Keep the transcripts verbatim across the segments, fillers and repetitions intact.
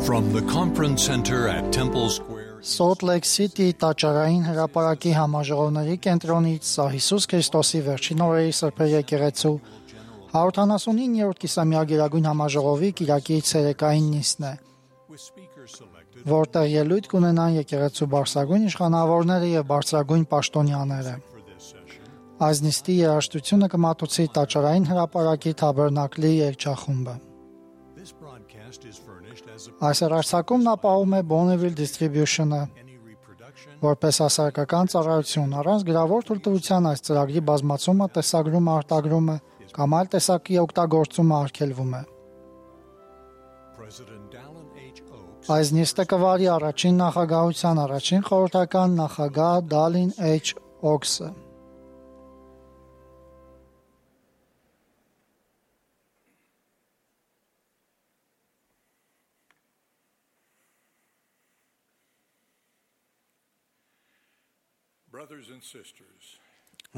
From the conference center at Temple Square, Salt Lake City տաճարային հրապարակի համաժողովների կենտրոնից սա Հիսուս Քրիստոսի վերջին օրերի սրբեր եկեղեցու հարյուրութանասունիններորդ կիսամյա գերագույն համաժողովի կիրակի ցերեկային նիստն է, որտեղ ելույթ կունենան եկեղեցու բարձրագույն իշխանավորները եւ բարձրագույն պաշտոնյաները։ Այս նիստի երաժշտությունը կմատուցի տաճարային հրապարակի թաբերնակլի երգչախումբը։ Այս հեռարձակումն ապահովում է Bonneville Distribution-ը, որպես հասարակական ծառայություն, առանց գրավոր թույլտվության այս ծրագրի բազմացումը, տեսագրումը, արտագրումը կամ այլ տեսակի օգտագործումը արգելվում է։ Այս նիստը կվարի առաջին նախագահության առաջին խորհրդական նախագահ Դալին H. Օքսը։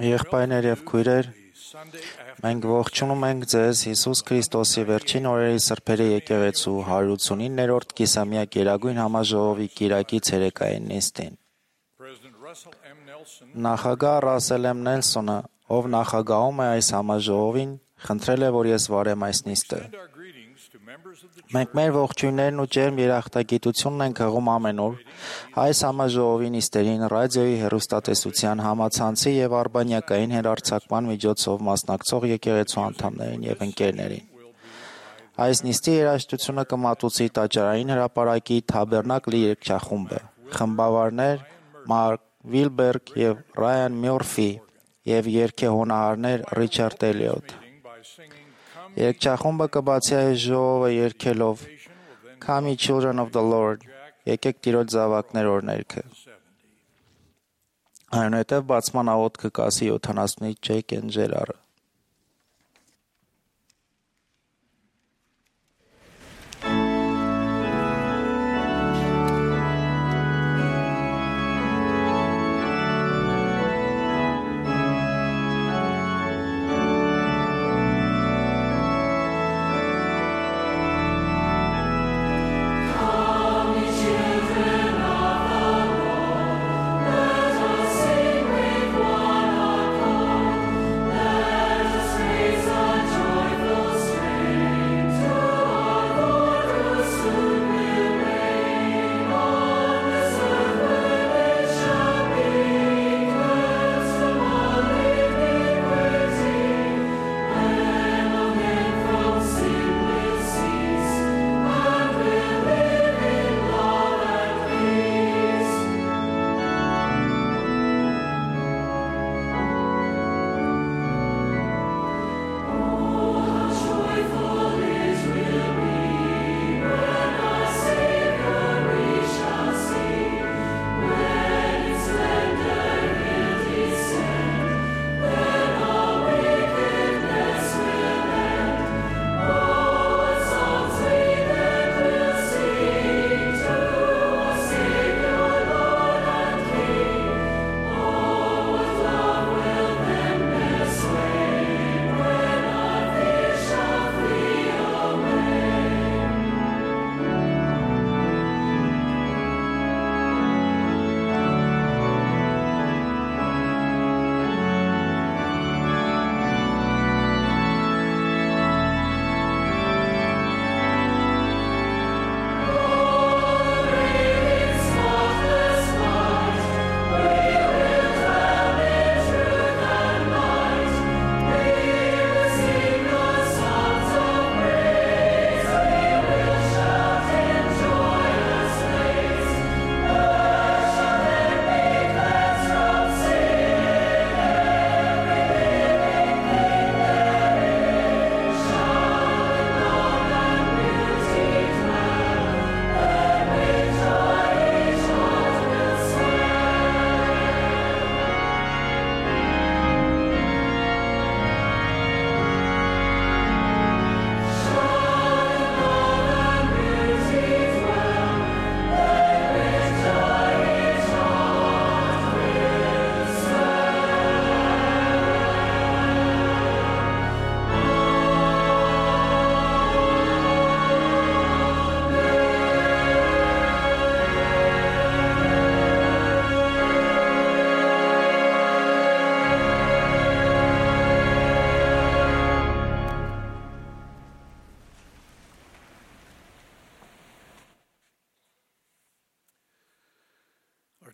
Եղբայրներ եւ քույրեր, մենք ողջունում ենք ձեզ Հիսուս Քրիստոսի վերջին օրերի սրբերի եկեղեցու հարյուրութանասունիններորդ կիսամյա գերագույն համաժողովի կիրակի ցերեկային նիստին։ Նախագահ Ռասել Էմ Նելսոնը, ով նախագահում է այս համաժողովին, խնդրել է, որ ես վարեմ այս նիստը։ Մենք մեր ողջույններն ու ջերմ երախտագիտությունն ենք հղում ամենուր այս համաժողովի նիստերին ռադիոյի, հեռուստատեսության, համացանցի եւ արբանյակային հեռարձակման միջոցով մասնակցող եկեղեցու անդամներին եւ ընկերներին։ Այս նիստի երաժշտությունը կմատուցի տաճարային հրապարակի Թաբերնակլի երգչախումբը, խմբավարներ Մարկ Վիլբերգ եւ Ռայան Մյուրֆի եւ երգեհոնահարներ Ռիչարդ Էլիոտ։ Երգչախումբը կբացի այս ժողովը երգելով Come ye children of the Lord, եկեք Տիրոջ զավակներ օրհներգը։ Այնուհետև բացման աղոթքը կասի յոթանասունից Ջեյք Էն Ջերարը։ Let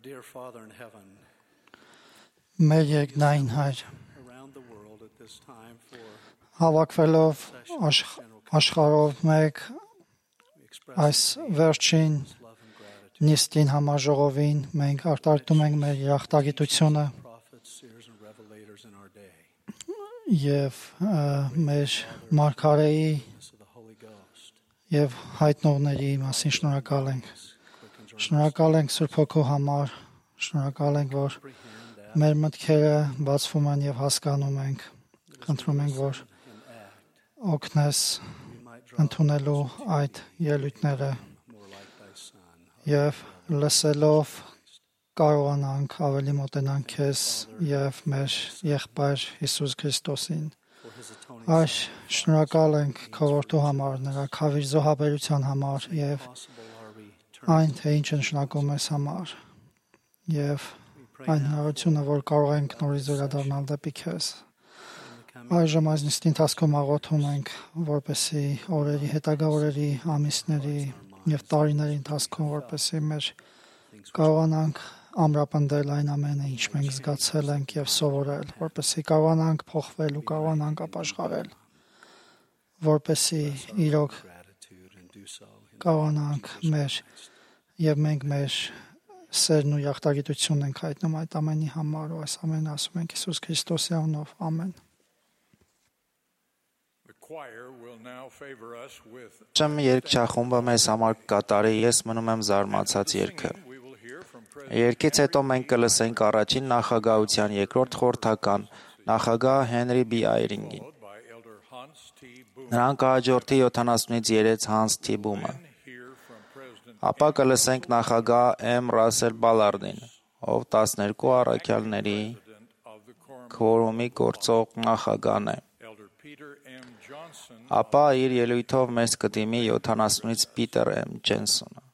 dear Father in heaven, Մեր երկնային Հայր, around the world at this time for հավաքվելով աշխ- աշխարհով մեկ այս վերջին love and gratitude, նիստին համաժողովին մենք արտարտում ենք մեր երախտագիտությունը prophets, seers, and revelators in our day. եւ ը, մեր մարգարեի This of the Holy Ghost եւ հայտնողների մասին շնորհակալ ենք։ quickens our Շնորհակալ ենք Սուրբ Հոգու համար, շնորհակալ ենք, որ comprehend that մեր մտքերը բացվում են եւ հասկանում ենք։ Խնդրում ենք, որ and act. օգնես We might draw ընդունելու այդ ելույթները more like thy Son. եւ լսելով կարողանանք ավելի մոտենալ քեզ եւ մեր եղբայր Հիսուս Քրիստոսին։ For his atoning Այս շնորհակալ ենք քո որդու համար, նրա քավիր զոհաբերության համար եւ possible our return. այն, թե ինչ նշանակում ես համար եւ We pray այն now հնարավորությունը, որ կարող ենք նորից վերադառնալ դեպի քեզ։ in the coming Այժմ այս նիստի ընթացքում աղոթում ենք, որպեսզի օրերի, հետագա օրերի, ամիսների եւ տարիների ընթացքում, որպեսզի մեր կարողանանք ամրապնդել այն ամենը, ինչ մենք զգացել ենք եւ սովորել, որպեսզի կարողանանք փոխվել ու կարողանանք ապաշխարել, որպեսզի իրոք gratitude and do so in կարողանանք մեր եւ մենք մեր սերն ու յաղթագիտությունն ենք հայտնում այդ ամենի համար ու այս ամենը ասում ենք Հիսուս Քրիստոսի անունով ամեն։ The choir will now favor us with Շեմ երգչախումբը մեզ համար կկատարի, ես մնում եմ զարմացած երգը։ singing. We will hear from President Երգից հետո մենք կլսենք առաջին նախագահության երկրորդ խորհրդական նախագահ Հենրի B. Այրինգին։ followed by Elder Hans T. Boom. Նրան կհաջորդի յոթանասունից երեք Հանս Թիբումը։ Then hear from President Ապա կլսենք նախագահ M. Ռասել Բալարդին, ով տասներկու առաքյալների President of the Quorum, քորումի գործող նախագահն է։ Elder Peter M. Johnson. Ապա իր ելույթով մեզ կդիմի յոթանասունից Պիտեր M. Ջենսոնը։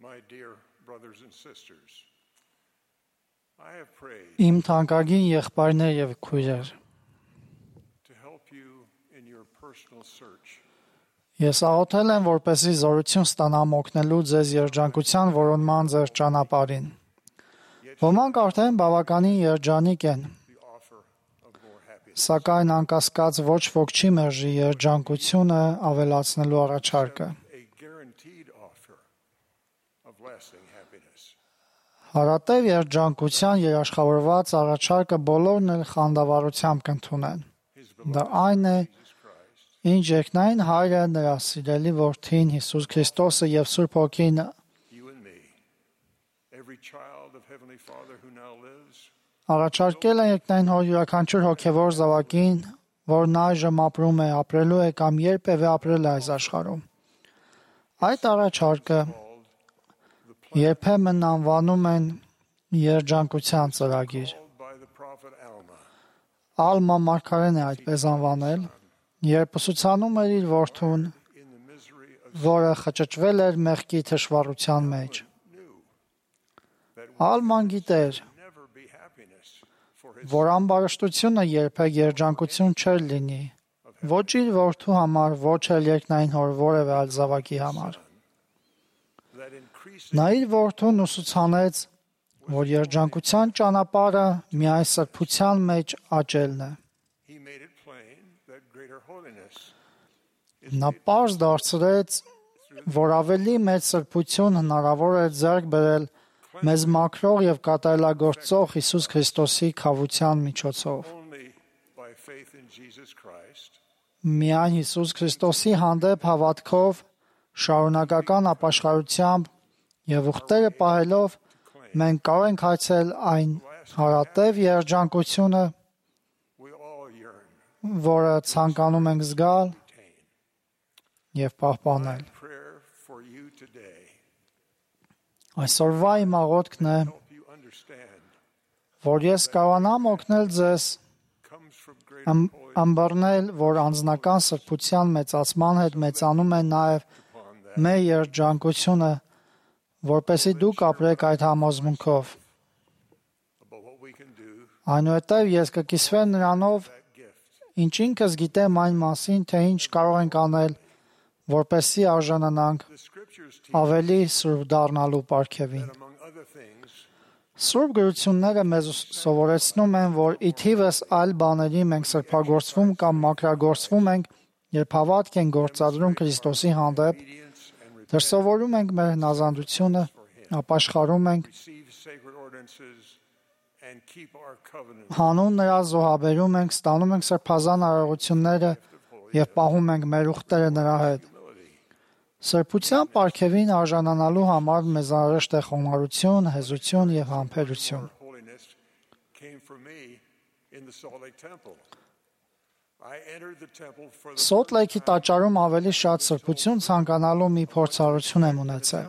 My dear brothers and sisters, I have prayed Իմ թանկագին եղբայրներ եւ քույրեր, to help you in your personal search. ես աղոթել եմ, որպեսզի զորություն ստանամ օգնելու ձեզ երջանկության որոնման ձեր ճանապարհին։ Ոմանք արդեն բավականին երջանիկ են, The offer of more happiness. սակայն անկասկած ոչ ոք չի մերժի երջանկությունը ավելացնելու առաջարկը։ A guaranteed offer of lasting happiness. Հարատև երջանկության երաշխավորված առաջարկը բոլորն էլ խանդավառությամբ կընդունեն։ His Դա beloved այն է, Jesus Christ, ինչ երկնային հայրը նրա սիրելի որդին Հիսուս Քրիստոսը եւ Սուրբ Հոգին you and me, every child of Heavenly Father who now lives, առաջարկել են երկնային հոր յուրաքանչյուր հոգևոր զավակին, որն այժմ ապրում է, ապրելու է կամ երբևէ ապրել է այս աշխարհում։ Այդ առաջարկը երբեմն անվանում են երջանկության ծրագիր։ called by the prophet Alma, Ալմա մարգարեն է այդպես անվանել, երբ ուսուցանում էր իր որդուն, in the misery of որը խճճվել էր մեղքի թշվառության մեջ։ knew that Ալման գիտեր, never be happiness for his որ ամբարշտությունը երբեք երջանկություն չէր լինի, ոչ իր որդու համար, ոչ էլ երկնային հոր որևէ այլ զավակի համար։ that increasing Նա իր որդուն ուսուցանեց, որ երջանկության ճանապարհը միայն սրբության մեջ աճելն է։ he made it plain that greater holiness Նա պարզ դարձրեց, որ ավելի մեծ սրբություն հնարավոր է ձեռք բերել մեզ մաքրող եւ կատարելագործող Հիսուս Քրիստոսի քավության միջոցով։ only by faith in Jesus Christ Միայն Հիսուս Քրիստոսի հանդեպ հավատքով, շարունակական ապաշխարությամբ եւ ուխտերը պահելով մենք կարող ենք հայցել այն հարատև երջանկությունը, we all yearn որը ցանկանում ենք զգալ attain. եւ պահպանել։ Prayer for you today Այսօրվա իմ աղոթքն է, help you understand որ ես կարողանամ օգնել ձեզ comes from greater ըմ- holiness ըմբռնել, որ անձնական սրբության մեծացման հետ մեծանում է նաեւ upon that մեր երջանկությունը, որպեսզի դուք ապրեք այդ համոզմունքով։ about what we can do Այնուհետև ես կկիսվեմ նրանով, that gift ինչ ինքս գիտեմ այն մասին, թե ինչ կարող ենք անել, որպեսզի արժանանանք the scriptures teach ավելի սուրբ դառնալու պարգևին։ that among other things Սուրբ գրությունները մեզ սովորեցնում են, որ ի թիվս այլ բաների մենք սրբագործվում կամ մաքրագործվում ենք, երբ հավատք ենք գործադրում Քրիստոսի հանդեպ, obedience and դրսևորում ենք մեր հնազանդությունը, ապաշխարում ենք, receive sacred ordinances and keep our covenant հանուն նրա զոհաբերում ենք, ստանում ենք սրբազան արարողությունները եւ պահում ենք մեր ուխտերը նրա հետ։ Սրբության պարգևին արժանանալու համար մեզ անհրաժեշտ է խոնարհություն, հեզություն եւ համբերություն։ holiness came from me in the Salt Lake Temple. I entered the temple for the Սոթ Լեյքի տաճարում ավելի շատ սրբություն ցանկանալու մի փորձառություն եմ ունեցել։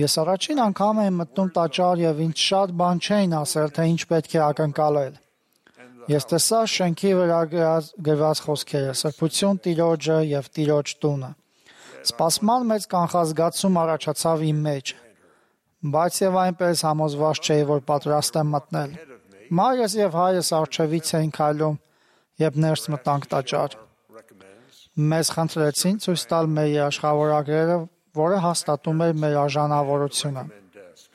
Ես առաջին անգամ եմ մտնում տաճար եւ ինձ շատ բան չէին ասել, թե ինչ պետք է ակնկալել։ Ես տեսա շենքի վրա գրած գրված խոսքերը՝ սրբություն Տիրոջը եւ Տիրոջ տունը։ Սպասման մեծ կանխազգացում առաջացավ իմ մեջ, բայց եւ այնպես համոզված չէի, որ պատրաստ եմ մտնել։ Մայրս եւ հայրս արջևից էին քայլում, երբ ներս մտանք տաճար։ recommends Մեզ խնդրեցին ցույց տալ մեր երաշխավորագրերը, որը հաստատում էր մեր արժանավորությունը։ and desk.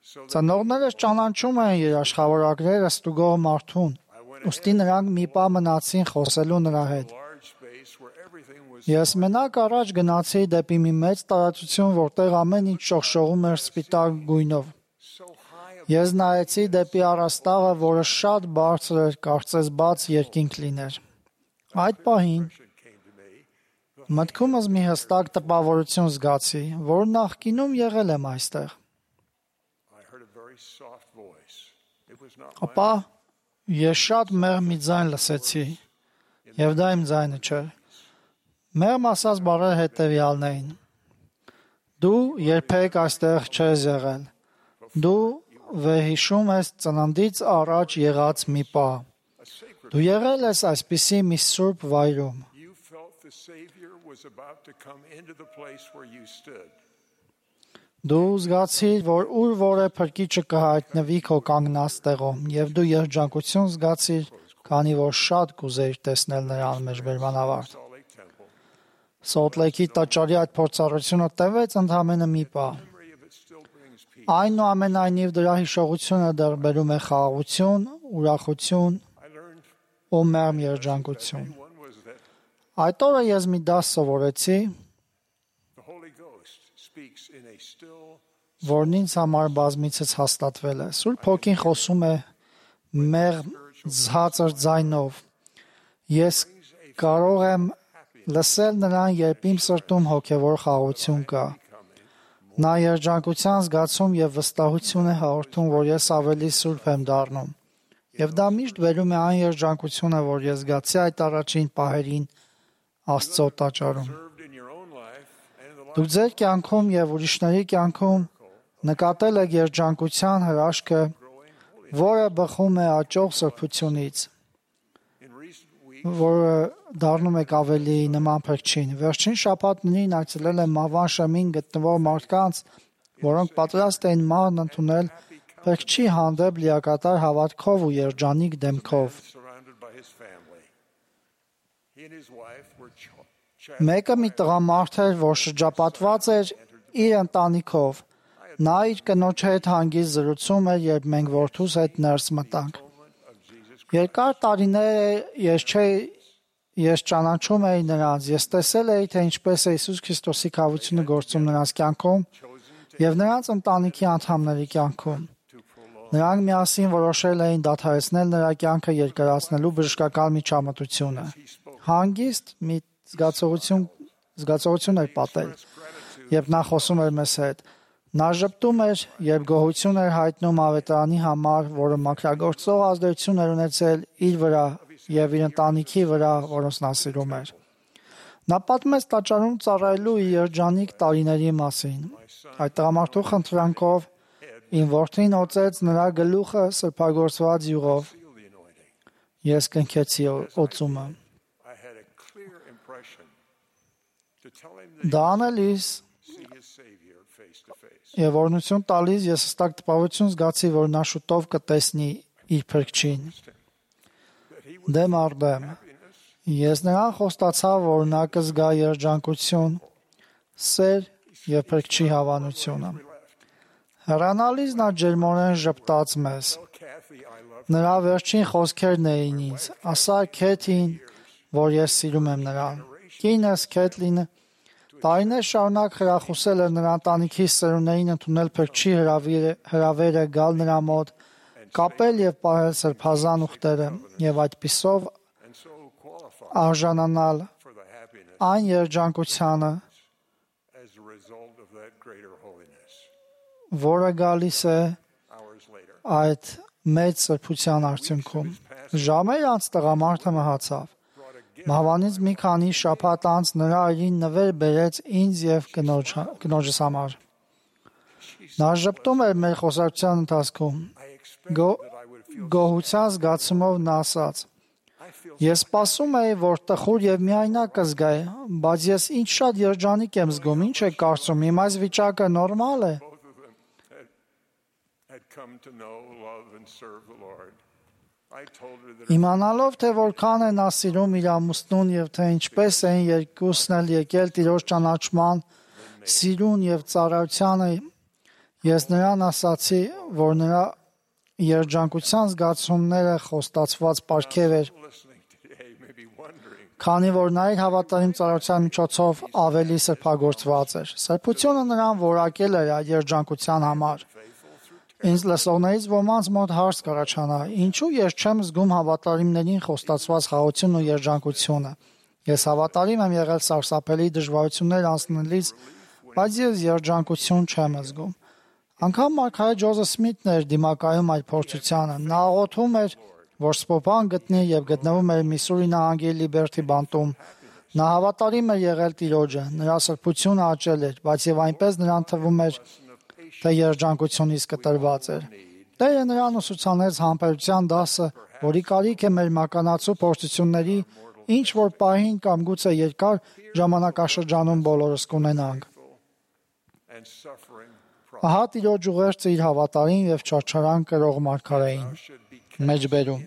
So that Ծնողներս ճանաչում էին երաշխավորագրերը ստուգող մարդուն, ուստի նրանք մի պահ մնացին խոսելու նրա հետ։ large space where everything was Ես մենակ առաջ գնացի դեպի մի մեծ տարածություն, որտեղ ամեն ինչ շողշողում էր սպիտակ գույնով։ so high up Ես նայեցի դեպի առաստաղը, որը շատ բարձր էր, կարծես բաց երկինք լիներ։ Այդ պահին came to me. մտքումս մի հստակ տպավորություն զգացի, որ նախկինում եղել եմ այստեղ։ I heard a very soft voice. It was not Ապա ես շատ մեղմ մի ձայն լսեցի, եւ դա իմ ձայնը չէր։ Մեղմ ասած բառերը հետեւյալն էին. Դու երբեք այստեղ չես եղել։ Դու վերհիշում ես ծննդից առաջ եղած մի պահ։ Դու եղել ես այսպիսի մի սուրբ վայրում։ you felt the Savior was about to come into the place where you stood. Դու զգացիր, որ ուր որ է փրկիչը կհայտնվի քո կանգնած տեղում, եւ դու երջանկություն զգացիր, քանի որ շատ կուզեիր տեսնել նրան մեջբերման ավարտ։ Սոլտ Լեյքի տաճարի այդ փորձառությունը տևեց ընդամենը մի պահ։ Այնուամենայնիվ դրա հիշողությունը դեռ բերում է խաղաղություն, ուրախություն ու մերմ երջանկություն։ Այդ օրը ես մի դաս սովորեցի, որն ինձ համար բազմիցս հաստատվել է։ Սուրբ Հոգին խոսում է մեղմ ցածր ձայնով։ Ես կարող եմ լսել նրան, երբ իմ սրտում հոգևոր խաղաղություն կա։ Նա երջանկության զգացում եւ վստահություն է հաղորդում, որ ես ավելի սուրբ եմ դառնում։ Եվ դա միշտ բերում է այն երջանկությունը, որ ես զգացի այդ առաջին պահերին Աստծո տաճարում։ Դուք ձեր կյանքում եւ ուրիշների կյանքում նկատել եք երջանկության հրաշքը, որը բխում է աճող սրբությունից, որը դառնում եք ավելի նման փրկչին։ Վերջին շաբաթներին այցելել եմ Մավան Շեմին գտնվող մարդկանց, որոնք պատրաստ էին մահն ընդունել փրկչի հանդեպ լիակատար հավատքով ու երջանիկ դեմքով։ Մեկը մի տղամարդ էր, որ շրջապատված էր իր ընտանիքով։ Նա իր կնոջ հետ հանգիստ զրուցում էր, երբ մենք որդուս հետ ներս մտանք։ Երկար տարիներ ես չէի ես ճանաչում էի նրանց, ես տեսել էի, թե ինչպես է Հիսուս Քրիստոսի քավությունը գործում նրանց կյանքում եւ նրանց ընտանիքի անդամների կյանքում։ Նրանք միասին որոշել էին դադարեցնել նրա կյանքը երկարացնելու բժշկական միջամտությունը։ Հանգիստ մի զգացողություն զգացողություն էր պատել, երբ նա խոսում էր մեզ հետ։ Նա ժպտում էր, երբ գոհություն էր հայտնում ավետարանի համար, որը մաքրագործող ազդեցություն էր ունեցել իր վրա եւ իր ընտանիքի վրա, որոնց նա սիրում էր։ Նա պատմեց տաճարում ծառայելու իր երջանիկ տարիների մասին։ Այդ տղամարդու խնդրանքով իմ որդին օծեց նրա գլուխը սրբագործված յուղով։ Ես կնքեցի օծումը։ Դա անելիս եւ օրհնություն տալիս ես հստակ տպավորություն զգացի, որ նա շուտով կտեսնի իր փրկչին։ Դեմ առ դեմ ես նրան խոստացա, որ նա կզգա երջանկություն, սեր եւ փրկչի հավանությունը։ Հեռանալիս նա ջերմորեն ժպտաց մեզ։ Նրա վերջին խոսքերն էին ինձ. «Ասա Քեթին, որ ես սիրում եմ նրան»։ Կինս Քեթլինը տարիներ շարունակ խրախուսել էր նրա ընտանիքի սերունդներին ընդունել փրկչի հրավերը, գալ նրա մոտ, կապել եւ պահել սրբազան ուխտերը եւ այդպիսով արժանանալ այն երջանկությանը, որը գալիս է այդ մեծ սրբության արդյունքում։ Ժամեր անց տղամարդը մահացավ։ Մահվանից մի քանի շաբաթ անց նրա այրին նվեր բերեց ինձ եւ կնոջս համար։ Նա ժպտում էր մեր խոսակցության ընթացքում։ Գոհության զգացումով նա ասաց. «Ես սպասում էի, որ տխուր եւ միայնակ կզգայի, բայց ես ինչ շատ երջանիկ եմ զգում, ինչ եք կարծում, իմ այս վիճակը նորմալ է»։ Իմանալով, թե որքան է նա սիրում իր ամուսնուն եւ թե ինչպես էին երկուսն էլ եկել Տիրոջ ճանաչման, սիրուն եւ ծառայությանը, ես նրան ասացի, որ նրա երջանկության զգացումները խոստացված պարգև էր, քանի որ նա իր հավատարիմ ծառայության միջոցով ավելի սրբագործված էր։ Սրբությունը նրան որակել էր այդ երջանկության համար։ Ինձ լսողներից ոմանց մոտ հարց կառաջանա. ինչու ես չեմ զգում հավատարիմներին խոստացված խաղաղությունն ու երջանկությունը։ Ես հավատարիմ եմ եղել սարսափելի դժվարություններ անցնելիս, բայց ես երջանկություն չեմ զգում։ Անկամ մարգարե Ջոզեֆ Սմիթն էր դիմակայում այդ փորձությանը։ Նա աղոթում էր, որ Սպոփան գտնի եւ գտնվում էր Միսսուրի նահանգի Լիբերթի բանտում։ Նա հավատարիմ էր եղել Տիրոջը, նրա սրբությունը աճել էր, բայց եւ այնպես նրան թվում էր, թե երջանկությունից կտրված էր։ Տերը նրան ուսուցանեց համբերության դասը, որի կարիք է մեր մականացու փորձությունների ինչ որ պահին կամ գուցե երկար ժամանակաշրջանում բոլորս կունենանք։ Ահա Տիրոջ ուղերձը իր հավատարիմ եւ չարչարան կրող մարգարեին։ Մեջբերում։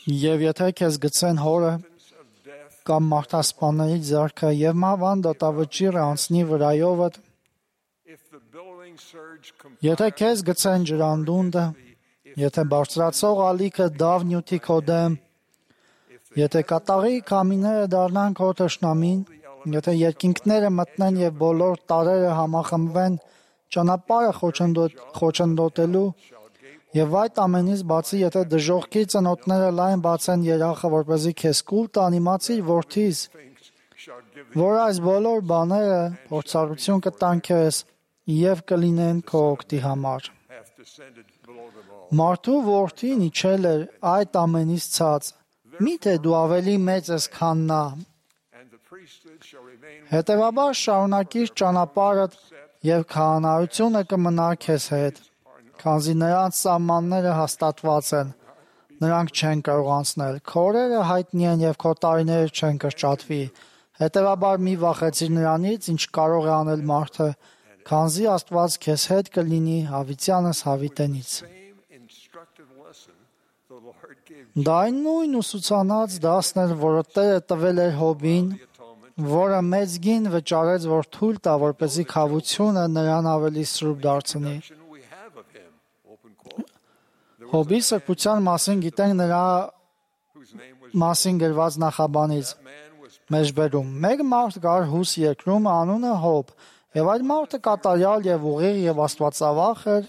Եվ եթե քեզ գցեն հորը կամ մարդասպանների ձեռքը եւ մահվան դատավճիռը անցնի վրայովդ, եթե քեզ գցեն ջրանդունդը, եթե բարձրացող ալիքը դավ նյութի քո դեմ, եթե կատաղի քամիները դառնան քո թշնամին, եթե երկինքները մտնեն եւ բոլոր տարրերը համախմբվեն ճանապարհը խոչընդոտելու, եւ այդ ամենից բացի, եթե դժողքի ծնոտները լայն բացեն երախը, որպեսզի քեզ կուլ տան, իմացիր որդիս, որ այս բոլոր բաները փորձառություն կտան քեզ եւ կլինեն քո օգտի համար։ Մարդու որդին իջել էր այդ ամենից ցած, միթե դու ավելի մեծ ես, քան նա։ Հետևաբար շարունակիր ճանապարհդ եւ քահանայությունը կմնա քեզ հետ, քանզի նրանց սահմանները հաստատված են, նրանք չեն կարող անցնել, քո օրերը հայտնի են եւ քո տարիները չեն կրճատվի, հետևաբար մի վախեցիր նրանից, ինչ կարող է անել մարդը, քանզի Աստված քեզ հետ կլինի հավիտյանս հավիտենից։ Դա այն նույն ուսուցանած դասն էր, որը Տերը տվել էր Հոբին, որը մեծ գին վճարեց, որ թույլ տա, որպեսզի քավությունը նրան ավելի սրբ դարձնի։ Հոբի սրբության մասին գիտենք նրա մասին գրված նախաբանից։ Մեջբերում։ Մեկ մարդ կար Հուս երկրում, անունը Հոբ, եւ այդ մարդը կատարյալ եւ ուղիղ եւ աստվածավախ էր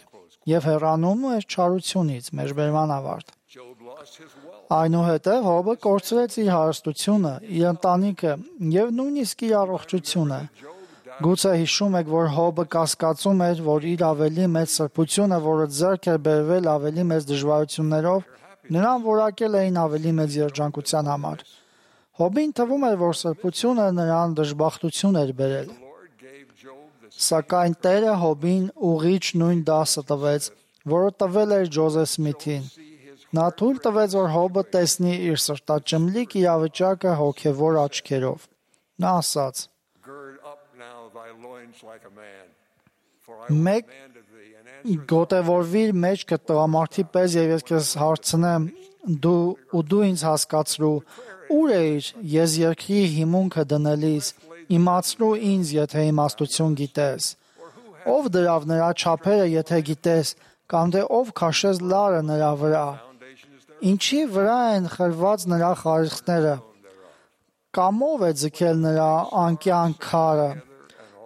եւ հեռանում էր չարությունից։ Մեջբերման ավարտ։ Այնուհետև Հոբը կորցրեց իր հարստությունը, իր ընտանիքը եւ նույնիսկ իր առողջությունը։ Գուցե հիշում եք, որ Հոբը կասկածում էր, որ իր ավելի մեծ սրբությունը, որը ձեռք էր բերվել ավելի մեծ դժվարություններով, նրան որակել էին ավելի մեծ երջանկության համար։ Հոբին թվում էր, որ սրբությունը նրան դժբախտություն էր բերել։ Սակայն Տերը Հոբին ուղիղ նույն դասը տվեց, որը տվել էր Ջոզեֆ Սմիթին։ Նա թույլ տվեց, որ Հոբը տեսնի իր սրտաճմլիկ իրավիճակը հոգևոր աչքերով։ Նա ասաց. Մեկ գոտևորվիր մեջքը տղամարդի պես եւ ես քեզ հարցնեմ դու ու դու ինձ հասկացրու ուր էիր ես երկրի հիմունքը դնելիս իմացրու ինձ եթե իմաստություն գիտես ով դրավ նրա չափերը եթե գիտես կամ թե ով քաշեց լարը նրա վրա ինչի վրա են խրված նրա խարիխները կամ ով է ձգել նրա անկյան քարը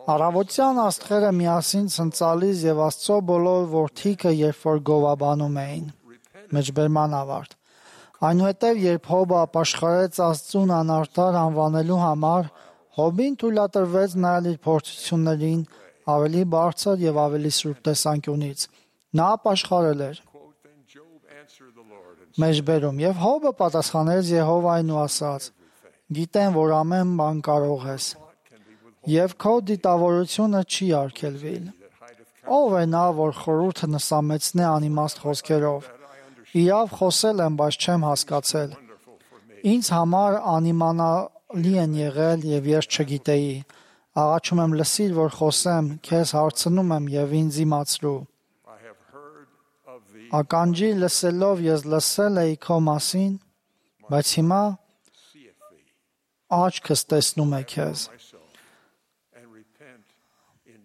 Առավոտյան աստղերը միասին ցնցալից եւ Աստծո բոլոր որդիքը երբ որ գովաբանում էին։ Մեջբերման ավարտ։ Այնուհետև երբ Հոբը ապաշխարեց Աստծուն անարտար անվանելու համար, Հոբին թույլատրվեց նայել իր փորձություններին ավելի բարձր եւ ավելի սուրբ տեսանկյունից։ Նա ապաշխարել էր։ Մեջբերում եւ Հոբը պատասխանեց Եհովային ու ասաց. Գիտեմ, որ ամեն բան կարող ես։ Եվ քո դիտավորությունը չի արգելվել։ Ով է նա, որ խորհուրդը նսամեցնե անիմաստ խոսքերով։ Իրավ խոսել եմ, բայց չեմ հասկացել։ Ինձ համար անիմանալի են եղել եւ ես չգիտեի։ Աղաչում եմ լսիր, որ խոսեմ, քեզ հարցնում եմ եւ ինձ իմացրու։ Ականջի լսելով ես լսել էի քո մասին, բայց հիմա աչքս տեսնում է քեզ։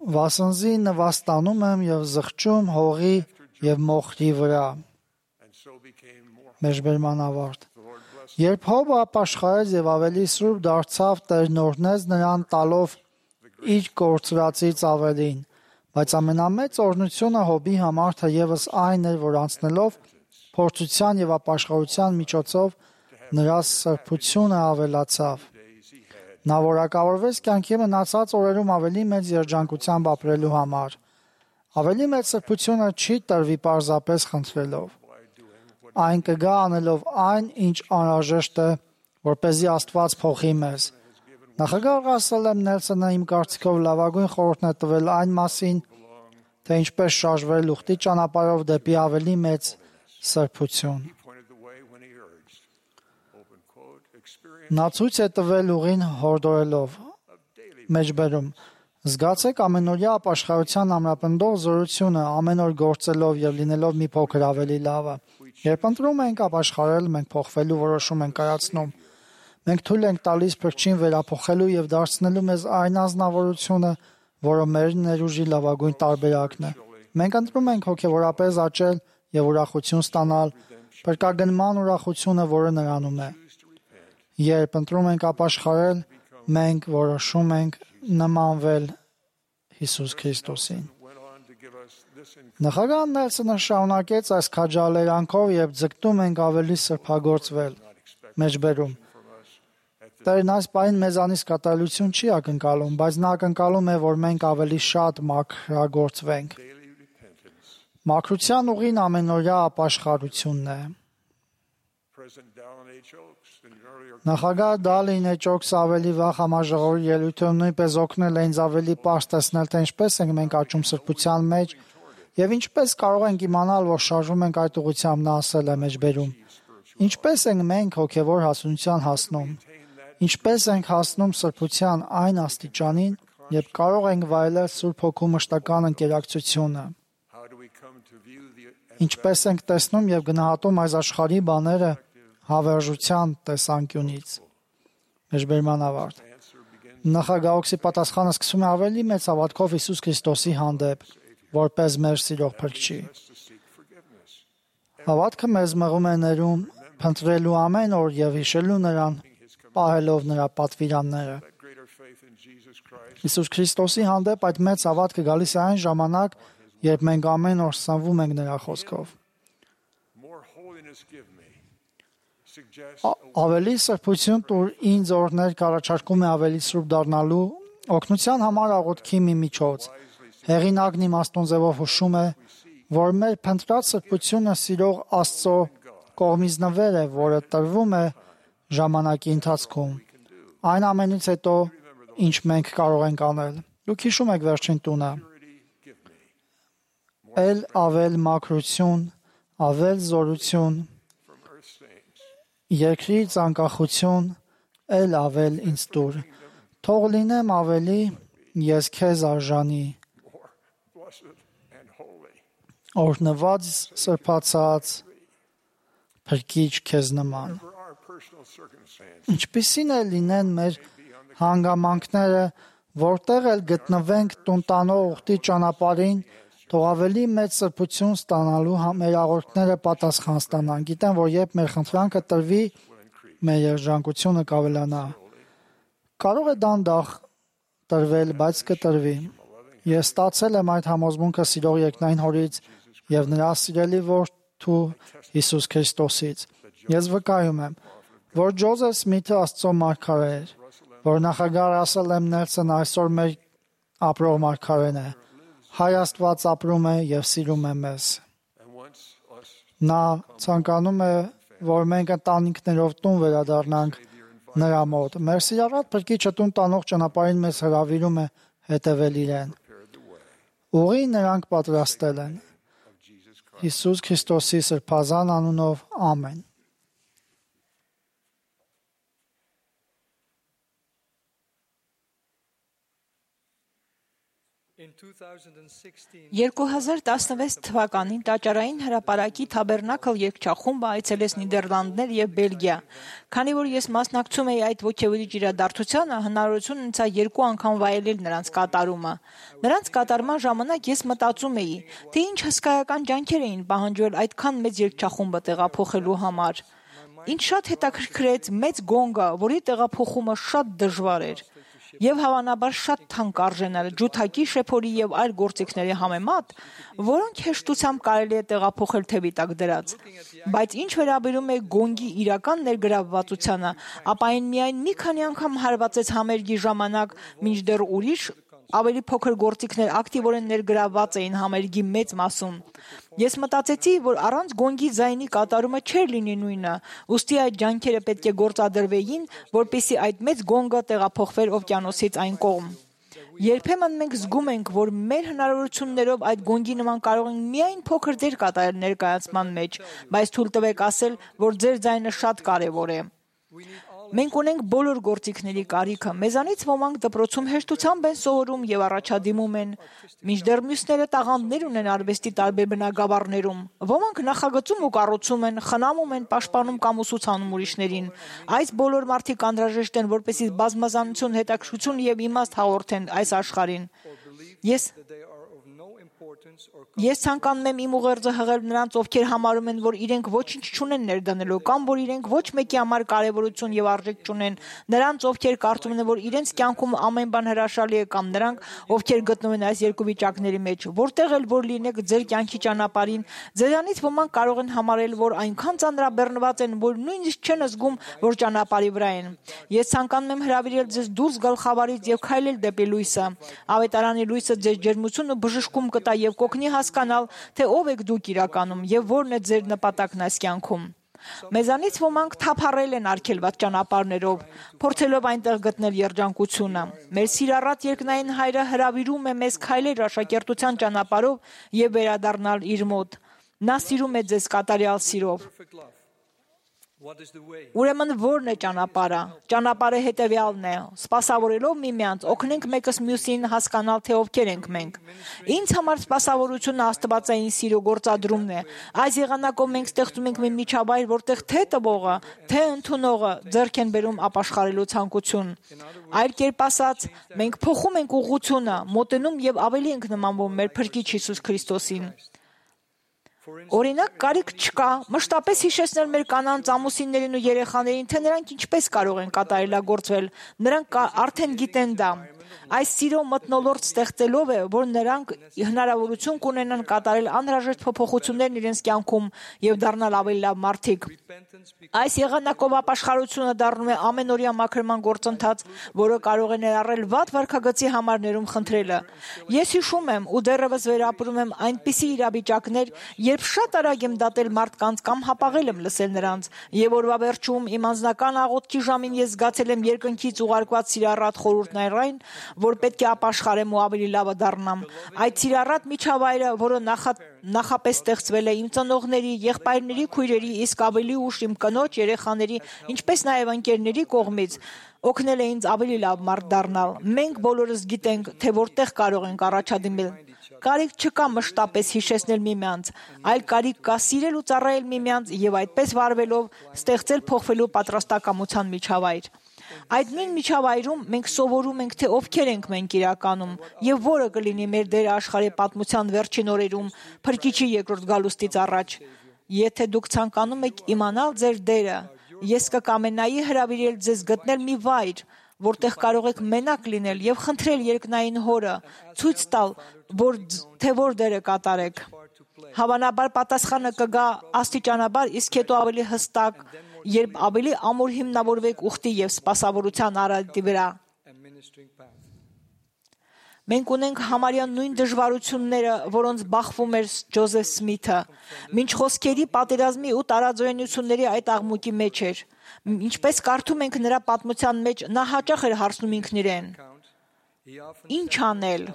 Վասնզի նվաստանում եմ եւ զղջում հողի եւ մոխրի վրա։ Մեջբերման ավարտ։ Երբ Հոբը ապաշխարեց եւ ավելի սուրբ դարձավ, Տերն օրհնեց նրան տալով իր կորցրածից ավելին, բայց ամենամեծ օրհնությունը Հոբի համար թեևս այն էր, որ անցնելով փորձության եւ ապաշխարության միջոցով նրա սրբությունը ավելացավ։ Նա որակավորվեց կյանքի մնացած օրերում ավելի մեծ երջանկությամբ ապրելու համար։ Ավելի մեծ սրբությունը չի տրվի պարզապես խնդրելով։ Այն կգա անելով այն, ինչ անհրաժեշտ է, որպեսզի Աստված փոխի մեզ։ Նախագահ Ռասել Նելսոնը իմ կարծիքով լավագույն խորհուրդն է տվել այն մասին, թե ինչպես շարժվել ուխտի ճանապարհով դեպի ավելի մեծ սրբություն։ Նա ցույց է տվել ուղին հորդորելով։ Մեջբերում Զգացեք ամենօրյա ապաշխարության ամրապնդող զորությունը ամեն օր գործելով եւ լինելով մի փոքր ավելի լավը։ Երբ ընտրում ենք ապաշխարել, մենք փոխվելու որոշում ենք կայացնում։ Մենք թույլ ենք տալիս փրկչին վերափոխելու եւ դարձնելու մեզ այն անznավորությունը, որը մեր ներուժի լավագույն տարբերակն է։ Մենք ընտրում ենք հոգեվորապես աճել եւ ուրախություն ստանալ, փրկագնման ուրախությունը, որը նրանում է։ Երբ ընտրում ենք ապաշխարել, մենք որոշում ենք նմանվել Հիսուս Քրիստոսին։ Նախագահ Նելսոնը շարունակեց այս քաջալերանքով եւ ձգտում ենք ավելի սրբագործվել։ Մեջբերում Տերն այս պահին մեզանից կատարելություն չի ակնկալում, բայց նա ակնկալում է, որ մենք ավելի շատ մաքրագործվենք։ Մաքրության ուղին ամենօրյա ապաշխարությունն է։ Նախագահ Դալին Էջոքս ավելի վաղ համաժողովի ելույթում նույնպես օգնել է ինձ ավելի պարզ տեսնել, թե ինչպես ենք մենք աճում սրբության մեջ եւ ինչպես կարող ենք իմանալ, որ շարժվում ենք այդ ուղղությամբ, նա ասել է մեջբերում։ Ինչպես ենք մենք հոգեվոր հասունության հասնում։ Ինչպես ենք հասնում սրբության այն աստիճանին, երբ կարող ենք վայելել Սուրբ Հոգու մշտական ընկերակցությունը։ Ինչպես ենք տեսնում եւ գնահատում այս աշխարհի բաները հավերժության տեսանկյունից։ Մեջբերման ավարտ։ Նախագահոքսի պատասխանը սկսում է ավելի մեծ հավատքով Հիսուս Քրիստոսի հանդեպ, որպես մեր սիրող փրկչի։ Հավատքը մեզ մղում է ներում փնտրելու ամեն օր եւ հիշելու նրան, պահելով նրա պատվիրանները։ Հիսուս Քրիստոսի հանդեպ այդ մեծ հավատքը գալիս է այն ժամանակ, երբ մենք ամեն օր սնվում ենք նրա խոսքով։ Ավելի սրբություն տուր ինձ օրներ կառաջարկում է ավելի սուրբ դառնալու օգնության համար աղոթքի մի միջոց։ Հեղինակն իմաստուն ձևով հուշում է, որ մեր փնտրած սրբությունը սիրող Աստծո կողմից նվեր է, որը տրվում է ժամանակի ընթացքում։ Այն ամենից հետո, ինչ մենք կարող ենք անել։ Դուք հիշում եք վերջին տունը։ Էլ ավել մաքրություն, ավել զորություն, երկրից անկախություն, էլ ավել ինձ տուր։ Թող լինեմ ավելի, ես քեզ արժանի։ Օրհնված սրբացած փրկիչ քեզ նման։ Ինչպիսին է լինեն մեր հանգամանքները, որտեղ էլ գտնվենք տուն տանող ուխտի ճանապարհին, թող ավելի մեծ սրբություն ստանալու մեր աղոթքները պատասխան ստանան։ Գիտեմ, որ երբ մեր խնդրանքը տրվի, մեր երջանկությունը կավելանա։ Կարող է դանդաղ տրվել, բայց կտրվի։ Ես ստացել եմ այդ համոզմունքը սիրող երկնային Հորից եւ նրա սիրելի որդու Հիսուս Քրիստոսից։ Ես վկայում եմ, որ Ջոզեֆ Սմիթը Աստծո մարգարե էր, որ նախագահ Ռասել Էմ Նելսոնը այսօր մեր ապրող մարգարեն է։ Հայ Աստված ապրում է եւ սիրում է մեզ։ Նա ցանկանում է, որ մենք ընտանիքներով տուն վերադառնանք նրա մոտ։ Մեր սիրառատ Փրկիչը տուն տանող ճանապարհին մեզ հրավիրում է հետևել իրեն։ Ուղի նրանք պատրաստել են։ Հիսուս Քրիստոսի սրբազան անունով ամեն։ երկու հազար տասնվեց թվականին տաճարային հրապարակի Թաբերնակլ երգչախումբը այցելեց Նիդերլանդներ եւ Բելգիա։ Քանի որ ես մասնակցում էի այդ ոգևորիչ իրադարձությանը, հնարավորություն ունեցա երկու անգամ վայելել նրանց կատարումը։ Նրանց կատարման ժամանակ ես մտածում էի, թե ինչ հսկայական ջանքեր էին պահանջվել այդքան մեծ երգչախումբը տեղափոխելու համար։ Ինչ շատ հետաքրքրեց մեծ գոնգը, որի տեղափոխումը շատ դժվար էր։ Եվ հավանաբար շատ թանկ արժենել ջութակի, շեփորի եւ այլ գործիքների համեմատ, որոնք հեշտությամբ կարելի է տեղափոխել թևի տակ դրած։ Բայց ինչ վերաբերում է գոնգի իրական ներգրավվածությանը, ապա այն միայն մի քանի անգամ հարվածեց համերգի ժամանակ, մինչդեռ ուրիշ ավելի փոքր գործիքներ ակտիվորեն ներգրավված էին համերգի մեծ մասում։ Ես մտածեցի, որ առանց գոնգի ձայնի կատարումը չէր լինի նույնը, ուստի այդ ջանքերը պետք է գործադրվեին, որպեսզի այդ մեծ գոնգը տեղափոխվեր օվկիանոսից այն կողմ։ Երբեմն մենք զգում ենք, որ մեր հնարավորություններով այդ գոնգի նման կարող ենք միայն փոքր դեր կատարել ներկայացման մեջ, բայց թույլ տվեք ասել, որ ձեր ձայնը շատ կարևոր է։ Մենք ունենք բոլոր գործիքների կարիքը։ Մեզանից ոմանք դպրոցում հեշտությամբ են սովորում եւ առաջադիմում են, մինչդեռ մյուսները տաղանդներ ունեն արվեստի տարբեր բնագավառներում։ Ոմանք նախագծում ու կառուցում են, խնամում են, պաշտպանում կամ ուսուցանում ուրիշներին։ Այս բոլոր մարդիկ անհրաժեշտ են, որպեսզի բազմազանություն, հետաքրքրություն եւ իմաստ հաղորդեն այս աշխարհին։ Ես Ես ցանկանում եմ իմ ուղերձը հղել նրանց, ովքեր համարում են, որ իրենք ոչինչ չունեն ներդնելու, կամ որ իրենք ոչ մեկի համար կարևորություն եւ արժեք չունեն, նրանց, ովքեր կարծում են, որ իրենց կյանքում ամեն բան հրաշալի է, կամ նրանք, ովքեր գտնվում են այս երկու վիճակների մեջ, որտեղ էլ որ լինեք ձեր կյանքի ճանապարհին, ձերանից ոմանք կարող են համարել, որ այնքան ծանրաբեռնված են, որ նույնիսկ չեն զգում, որ ճանապարհի վրա են։ Ես ցանկանում եմ հրավիրել ձեզ դուրս գալ խավարից եւ քայլել դեպի լույսը։ Ավետարանի լույսը ձեր ջերմությունը բժշկում կտա եւ կօգնի հասկանալ, թե ով եք դուք իրականում եւ որն է ձեր նպատակն այս կյանքում։ Մեզանից ոմանք թափառել են արգելված ճանապարհներով, փորձելով այնտեղ գտնել երջանկությունը։ Մեր սիրառատ երկնային Հայրը հրավիրում է մեզ քայլել աշակերտության ճանապարհով եւ վերադառնալ իր մոտ։ Նա սիրում է ձեզ կատարյալ սիրով։ Ուրեմն ո՞րն է ճանապարհը։ Ճանապարհը հետևյալն է. սպասավորելով միմյանց, օգնենք մեկս մյուսին հասկանալ, թե ովքեր ենք մենք։ Ինձ համար սպասավորությունը աստվածային սիրո գործադրումն է։ Այս եղանակով մենք ստեղծում ենք մի միջավայր, որտեղ թե տվողը, թե ընդունողը ձեռք են բերում ապաշխարելու ցանկություն։ Այլ կերպ ասած, մենք փոխում ենք ուղղությունը, մոտենում եւ ավելի ենք նմանվում մեր Փրկիչ Հիսուս Քրիստոսին։ Օրինակ, կարիք չկա մշտապես հիշեցնել մեր կանանց, ամուսիններին ու երեխաներին, թե նրանք ինչպես կարող են կատարելագործվել։ Նրանք արդեն գիտեն դա։ Այս սիրո մթնոլորտ ստեղծելով է, որ նրանք հնարավորություն կունենան կատարել անհրաժեշտ փոփոխություններն իրենց կյանքում եւ դառնալ ավելի լավ մարդիկ։ Այս եղանակով ապաշխարությունը դառնում է ամենօրյա մաքրման գործընթաց, որը կարող է ներառել վատ վարքագծի համարներում խնդրելը։ Ես հիշում եմ ու դեռևս վերապրում եմ այնպիսի իրավիճակներ, երբ շատ արագ եմ դատել մարդկանց կամ հապաղել եմ լսել նրանց, եւ օրվա վերջում իմ անձնական աղոթքի ժամին ես զգացել եմ երկնքից ուղարկված սիրառատ խորհուրդներ այն, որ պետք է ապաշխարեմ ու ավելի լավը դառնամ։ Այդ սիրառատ միջավայրը, որը նախա, նախապես ստեղծվել է իմ ծնողների, եղբայրների, քույրերի, իսկ ավելի ուշ իմ կնոջ, երեխաների, ինչպես նաև ընկերների կողմից, օգնել է ինձ ավելի լավ մարդ դառնալ։ Մենք բոլորս գիտենք, թե որտեղ կարող ենք առաջադիմել։ Կարիք չկա մշտապես հիշեցնել միմյանց, այլ կարիք կա սիրել ու ծառայել միմյանց եւ այդպես վարվելով ստեղծել փոխվելու պատրաստակամության միջավայր։ Այդ նույն միջավայրում մենք սովորում ենք, թե ովքեր ենք մենք իրականում եւ որը կլինի մեր դերը աշխարհի պատմության վերջին օրերում Փրկիչի երկրորդ գալուստից առաջ։ Եթե դուք ցանկանում եք իմանալ ձեր դերը, ես կկամենայի հրավիրել ձեզ գտնել մի վայր, որտեղ կարող եք մենակ լինել եւ խնդրել երկնային Հորը ցույց տալ, որ թե որ դերը կատարեք։ Հավանաբար պատասխանը կգա աստիճանաբար, իսկ հետո ավելի հստակ, երբ ավելի ամուր հիմնավորվեք ուխտի եւ սպասավորության արադի վրա։ Մենք ունենք համարյա նույն դժվարությունները, որոնց բախվում էր Ջոզեֆ Սմիթը, մինչ խոսքերի պատերազմի ու տարաձայնությունների այդ աղմուկի մեջ էր։ Ինչպես կարդում ենք նրա պատմության մեջ, նա հաճախ էր հարցնում ինքն իրեն. Ինչ անել։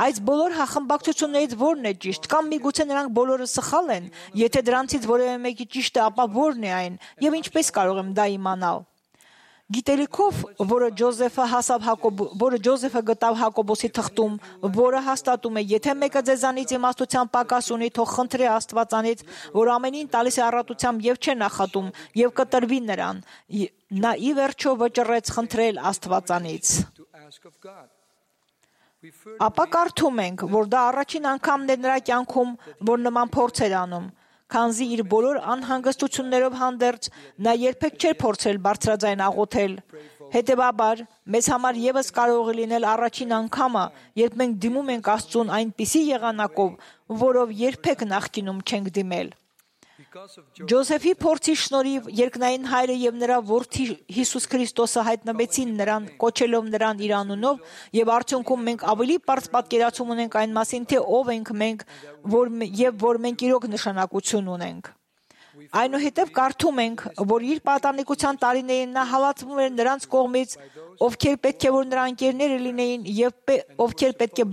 Այս բոլոր հախմբակցություններից ո՞րն է ճիշտ, կամ միգուցե նրանք բոլորը սխալ են։ Եթե դրանցից որևէ մեկի ճիշտ է, ապա ո՞րն է այն, եւ ինչպես կարող եմ դա իմանալ։ Գիտելիքով, որը Ջոզեֆը հասավ Հակոբ, որը Ջոզեֆը գտավ Հակոբոսի թղթում, որը հաստատում է, եթե մեկը ձեզանից իմաստության պակաս ունի, թող խնդրի Աստվածանից, որ ամենին տալիս է առատությամբ եւ չէ նախատում, եւ կտրվի նրան։ Նա ի վերջո վճռեց խնդրել Աստվածանից։ Ապա կարդում ենք, որ դա առաջին անգամն է նրա կյանքում, որ նման փորձ էր անում։ Քանզի իր բոլոր անհանգստություններով հանդերձ նա երբեք չէր փորձել բարձրաձայն աղոթել։ Հետևաբար, մեզ համար եւս կարող է լինել առաջին անգամը, երբ մենք դիմում ենք Աստծուն այնպիսի եղանակով, որով երբեք նախկինում չենք դիմել։ Ջոզեֆի փորձի շնորհիվ երկնային Հայրը եւ նրա որդի Հիսուս Քրիստոսը հայտնվեցին նրան, կոչելով նրան իր անունով, եւ արդյունքում մենք ավելի բարձ պատկերացում ունենք այն մասին, թե ով ենք մենք, որ եւ որ մենք իրոք նշանակություն ունենք։ Այնուհետև կարդում ենք, որ իր պատանեկության տարիներին նա հալածվում էր նրանց կողմից, ովքեր պետք է որ նրա ընկերները լինեին եւ ովքեր պետք է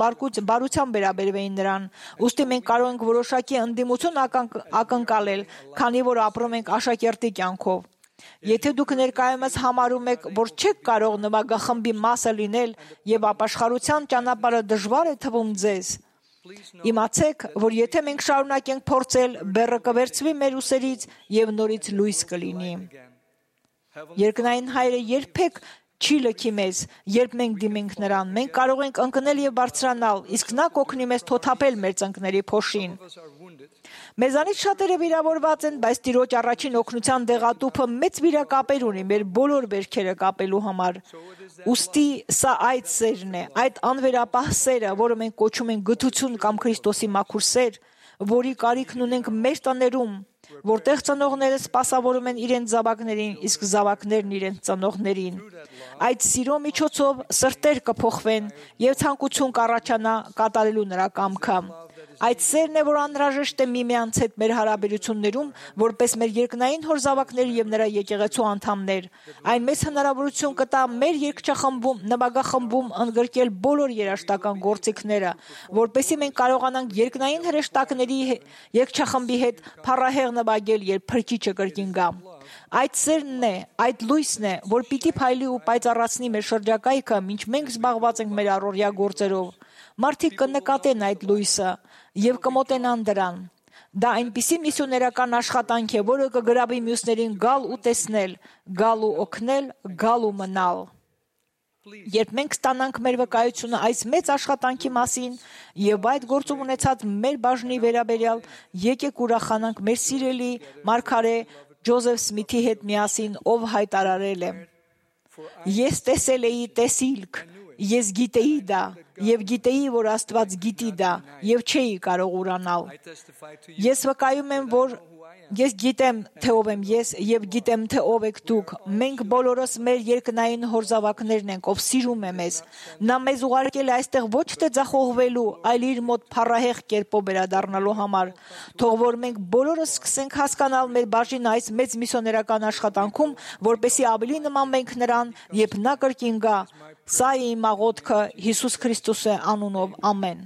բարությամբ վերաբերվեին նրան։ Ուստի մենք կարող ենք որոշակի ընդդիմություն ակնկալել, քանի որ ապրում ենք աշակերտի կյանքով։ Եթե դուք ներկայումս համարում եք, որ չեք կարող նվագախմբի մասը լինել եւ ապաշխարության ճանապարհը դժվար է թվում ձեզ, իմացեք, որ եթե մենք շարունակենք փորձել, բեռը կվերցվի մեր ուսերից եւ նորից լույս կլինի։ Երկնային Հայրը երբեք չի լքի մեզ, երբ մենք դիմենք նրան։ Մենք կարող ենք ընկնել եւ բարձրանալ, իսկ նա կօգնի մեզ թոթափել մեր ծնկների փոշին։ Մեզանից շատերը վիրավորված են, բայց Տիրոջ առաջին օգնության դեղատուփը մեծ վիրակապեր ունի մեր բոլոր վերքերը կապելու համար։ Ուստի սա այդ սերն է, այդ անվերապահ սերը, որը մենք կոչում ենք գթություն կամ Քրիստոսի մաքուր սեր, որի կարիքն ունենք մեր տներում, որտեղ ծնողները սպասավորում են իրենց զավակներին, իսկ զավակներն իրենց ծնողներին։ Այդ սիրո միջոցով սրտեր կփոխվեն եւ ցանկություն կառաջանա կատարելու նրա կամքը։ Այդ սերն է, որ անհրաժեշտ է միմյանց հետ մեր հարաբերություններում, որպես մեր երկնային հոր զավակներ եւ նրա եկեղեցու անդամներ։ Այն մեծ հնարավորություն կտա մեր երգչախմբում, նվագախմբում ընդգրկել բոլոր երաժշտական գործիքները, որպեսզի մենք կարողանանք երկնային հրեշտակների երգչախմբի հետ փառահեղ նվագել, երբ Փրկիչը կրկին գա։ Այդ սերն է, այդ լույսն է, որ պիտի փայլի ու պայծառացնի մեր շրջակայքը, մինչ մենք զբաղված ենք մեր առօրյա գործերով։ Մարդիկ կնկատեն այդ լույսը եւ կմոտենան դրան։ Դա այնպիսի միսիոներական աշխատանք է, որը կգրավի մյուսներին գալ ու տեսնել, գալ ու օգնել, գալ ու մնալ։ Երբ մենք ստանանք մեր վկայությունը այս մեծ աշխատանքի մասին եւ այդ գործում ունեցած մեր բաժնի վերաբերյալ, եկեք ուրախանանք մեր սիրելի մարգարե Ջոզեֆ Սմիթի հետ միասին, ով հայտարարել է. Ես տեսել էի տեսիլք, ես գիտեի դա, եւ գիտեի, որ Աստված գիտի դա, եւ չէի կարող ուրանալ։ Ես վկայում եմ, որ ես գիտեմ, թե ով եմ ես, եւ գիտեմ, թե ով եք դուք։ Մենք բոլորս մեր երկնային հոր զավակներն ենք, ով սիրում է մեզ։ Նա մեզ ուղարկել է այստեղ ոչ թե ձախողվելու, այլ իր մոտ փառահեղ կերպով վերադառնալու համար։ Թող որ մենք բոլորս սկսենք հասկանալ մեր բաժինը այս մեծ միսիոներական աշխատանքում, որպեսզի ավելի նմանվենք նրան, երբ նա կրկին գա։ Սա է իմ աղոթքը Հիսուս Քրիստոսի անունով, ամեն։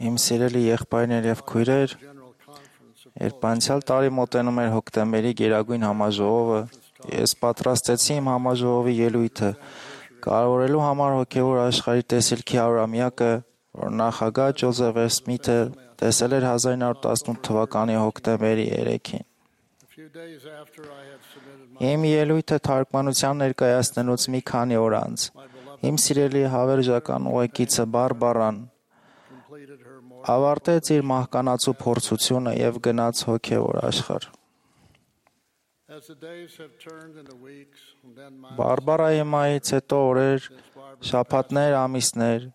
Իմ սիրելի եղբայրներ եւ քույրեր, երբ անցյալ տարի մոտենում էր հոկտեմբերի գերագույն համաժողովը, ես պատրաստեցի իմ համաժողովի ելույթը, կարևորելու համար հոգեվոր աշխարհի տեսիլքի հարյուրամյակը, որ նախագահ Ջոզեֆ Սմիթը տեսել էր հազար իննսուն տասնութ թվականի հոկտեմբերի երեքին։ Իմ ելույթը թարգմանության ներկայացնելուց մի քանի օր անց իմ սիրելի հավերժական ուղեկիցը Բարբարան ավարտեց իր մահկանացու փորձությունը եւ գնաց հոգեվոր աշխարհ։ Բարբարայի մահից հետո օրեր, շաբաթներ, ամիսներ,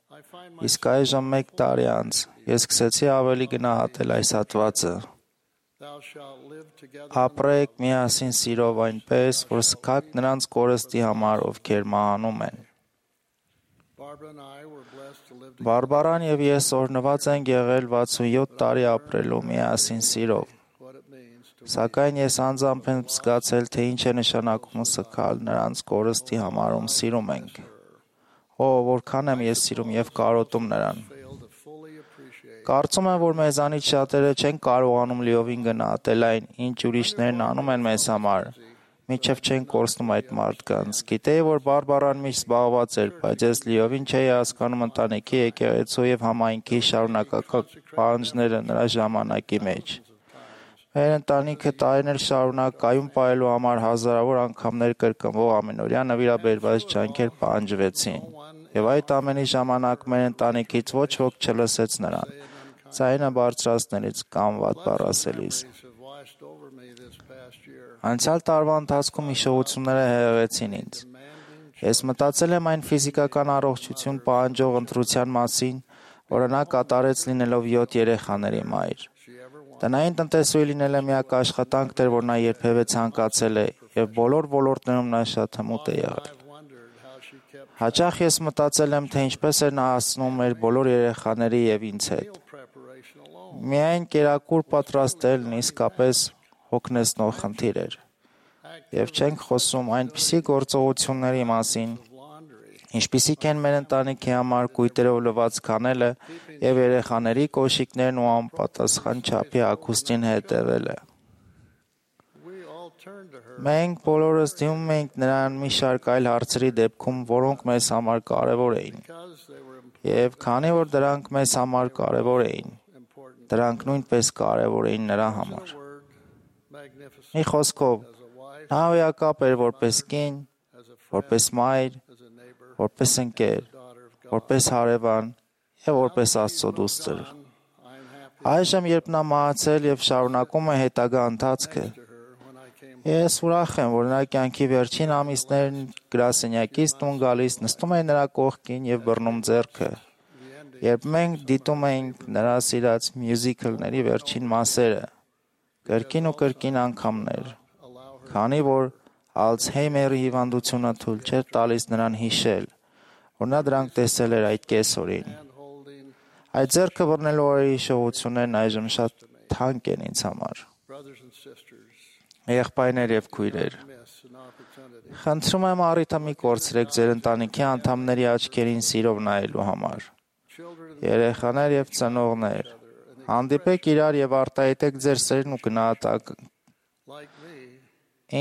իսկ այժմ մեկ տարի անց ես սկսեցի ավելի գնահատել այս հատվածը։ Ապրեք միասին սիրով այնպես, որ սկաք նրանց կորստի համար, ովքեր մահանում են։ Բարբարան եւ ես օրհնված ենք եղել վաթսունյոթ տարի ապրելու միասին սիրով։ Սակայն ես անձամբ եմ զգացել, թե ինչ է նշանակում սկալ նրանց կորստի համար, ում սիրում ենք։ Օ, որքան եմ ես սիրում եւ կարոտում նրան։ Կարծում եմ, որ մեզանից շատերը չեն կարողանում լիովին գնահատել այն, ինչ ուրիշներն անում են մեզ համար, մինչև չեն կորցնում այդ մարդկանց։ Գիտեի, որ Բարբարան միշտ զբաղված էր, բայց ես լիովին չէի հասկանում ընտանիքի, եկեղեցու եւ համայնքի շարունակական պահանջները նրա ժամանակի մեջ։ Մեր ընտանիքը տարիներ շարունակ կայուն պահելու համար հազարավոր անգամներ կրկնվող ամենօրյա նվիրաբերված ջանքեր պահանջվեցին։ Եվ այդ ամենի ժամանակ մեր ընտանիքից ոչ ոք չլսեց նրան, ձայնը բարձրացնելիս կամ վատ բառ ասելիս։ Անցյալ տարվա ընթացքում հիշողությունները հեղեղեցին ինձ։ Ես մտածել եմ այն ֆիզիկական առողջություն պահանջող ընտրության մասին, որը նա կատարեց լինելով յոթ երեխաների մայր։ Տնային տնտեսուհի լինելը միակ աշխատանքն էր, որ նա երբևէ ցանկացել է, եւ բոլոր ոլորտներում նա շատ հմուտ է եղել։ Հաճախ ես մտածել եմ, թե ինչպես էր նա հասնում մեր բոլոր երեխաների եւ ինձ հետ։ Միայն կերակուր պատրաստելն իսկապես հոգնեցնող խնդիր էր։ Եվ չենք խոսում այնպիսի գործողությունների մասին, ինչպիսիք են մեր ընտանիքի համար կույտերով լված քանելը եւ երեխաների կոշիկներն ու անպատասխան չափի հագուստին հետևելը։ Մենք բոլորս դիմում էինք նրան մի շարք այլ հարցերի դեպքում, որոնք մեզ համար կարևոր էին։ Եվ քանի որ դրանք մեզ համար կարևոր էին, դրանք նույնպես կարևոր էին նրա համար։ Մի խոսքով, նա հոյակապ էր որպես կին, որպես մայր, որպես ընկեր, որպես հարևան եւ որպես Աստծո դուստր։ Այժմ, երբ նա մահացել եւ շարունակում է հետագա ընթացքը, ես ուրախ եմ, որ նրա կյանքի վերջին ամիսներն գրասենյակից տուն գալիս նստում է նրա կողքին եւ բռնում ձեռքը, երբ մենք դիտում էինք նրա սիրած մյուզիքլների վերջին մասերը, կրկին ու կրկին անգամներ, քանի որ Ալցհեյմերի հիվանդությունը թույլ չէր տալիս նրան հիշել, որ նա դրանք տեսել էր այդ կեսօրին։ Այդ ձեռքը բռնելու օրերի հիշողություններն այժմ շատ թանկ են ինձ համար։ Եղբայրներ եւ քույրեր, խնդրում եմ առիթը մի կորցրեք ձեր ընտանիքի անդամների աչքերին սիրով նայելու համար։ Երեխաներ եւ ծնողներ, հանդիպեք իրար եւ արտահայտեք ձեր սերն ու գնահատակ։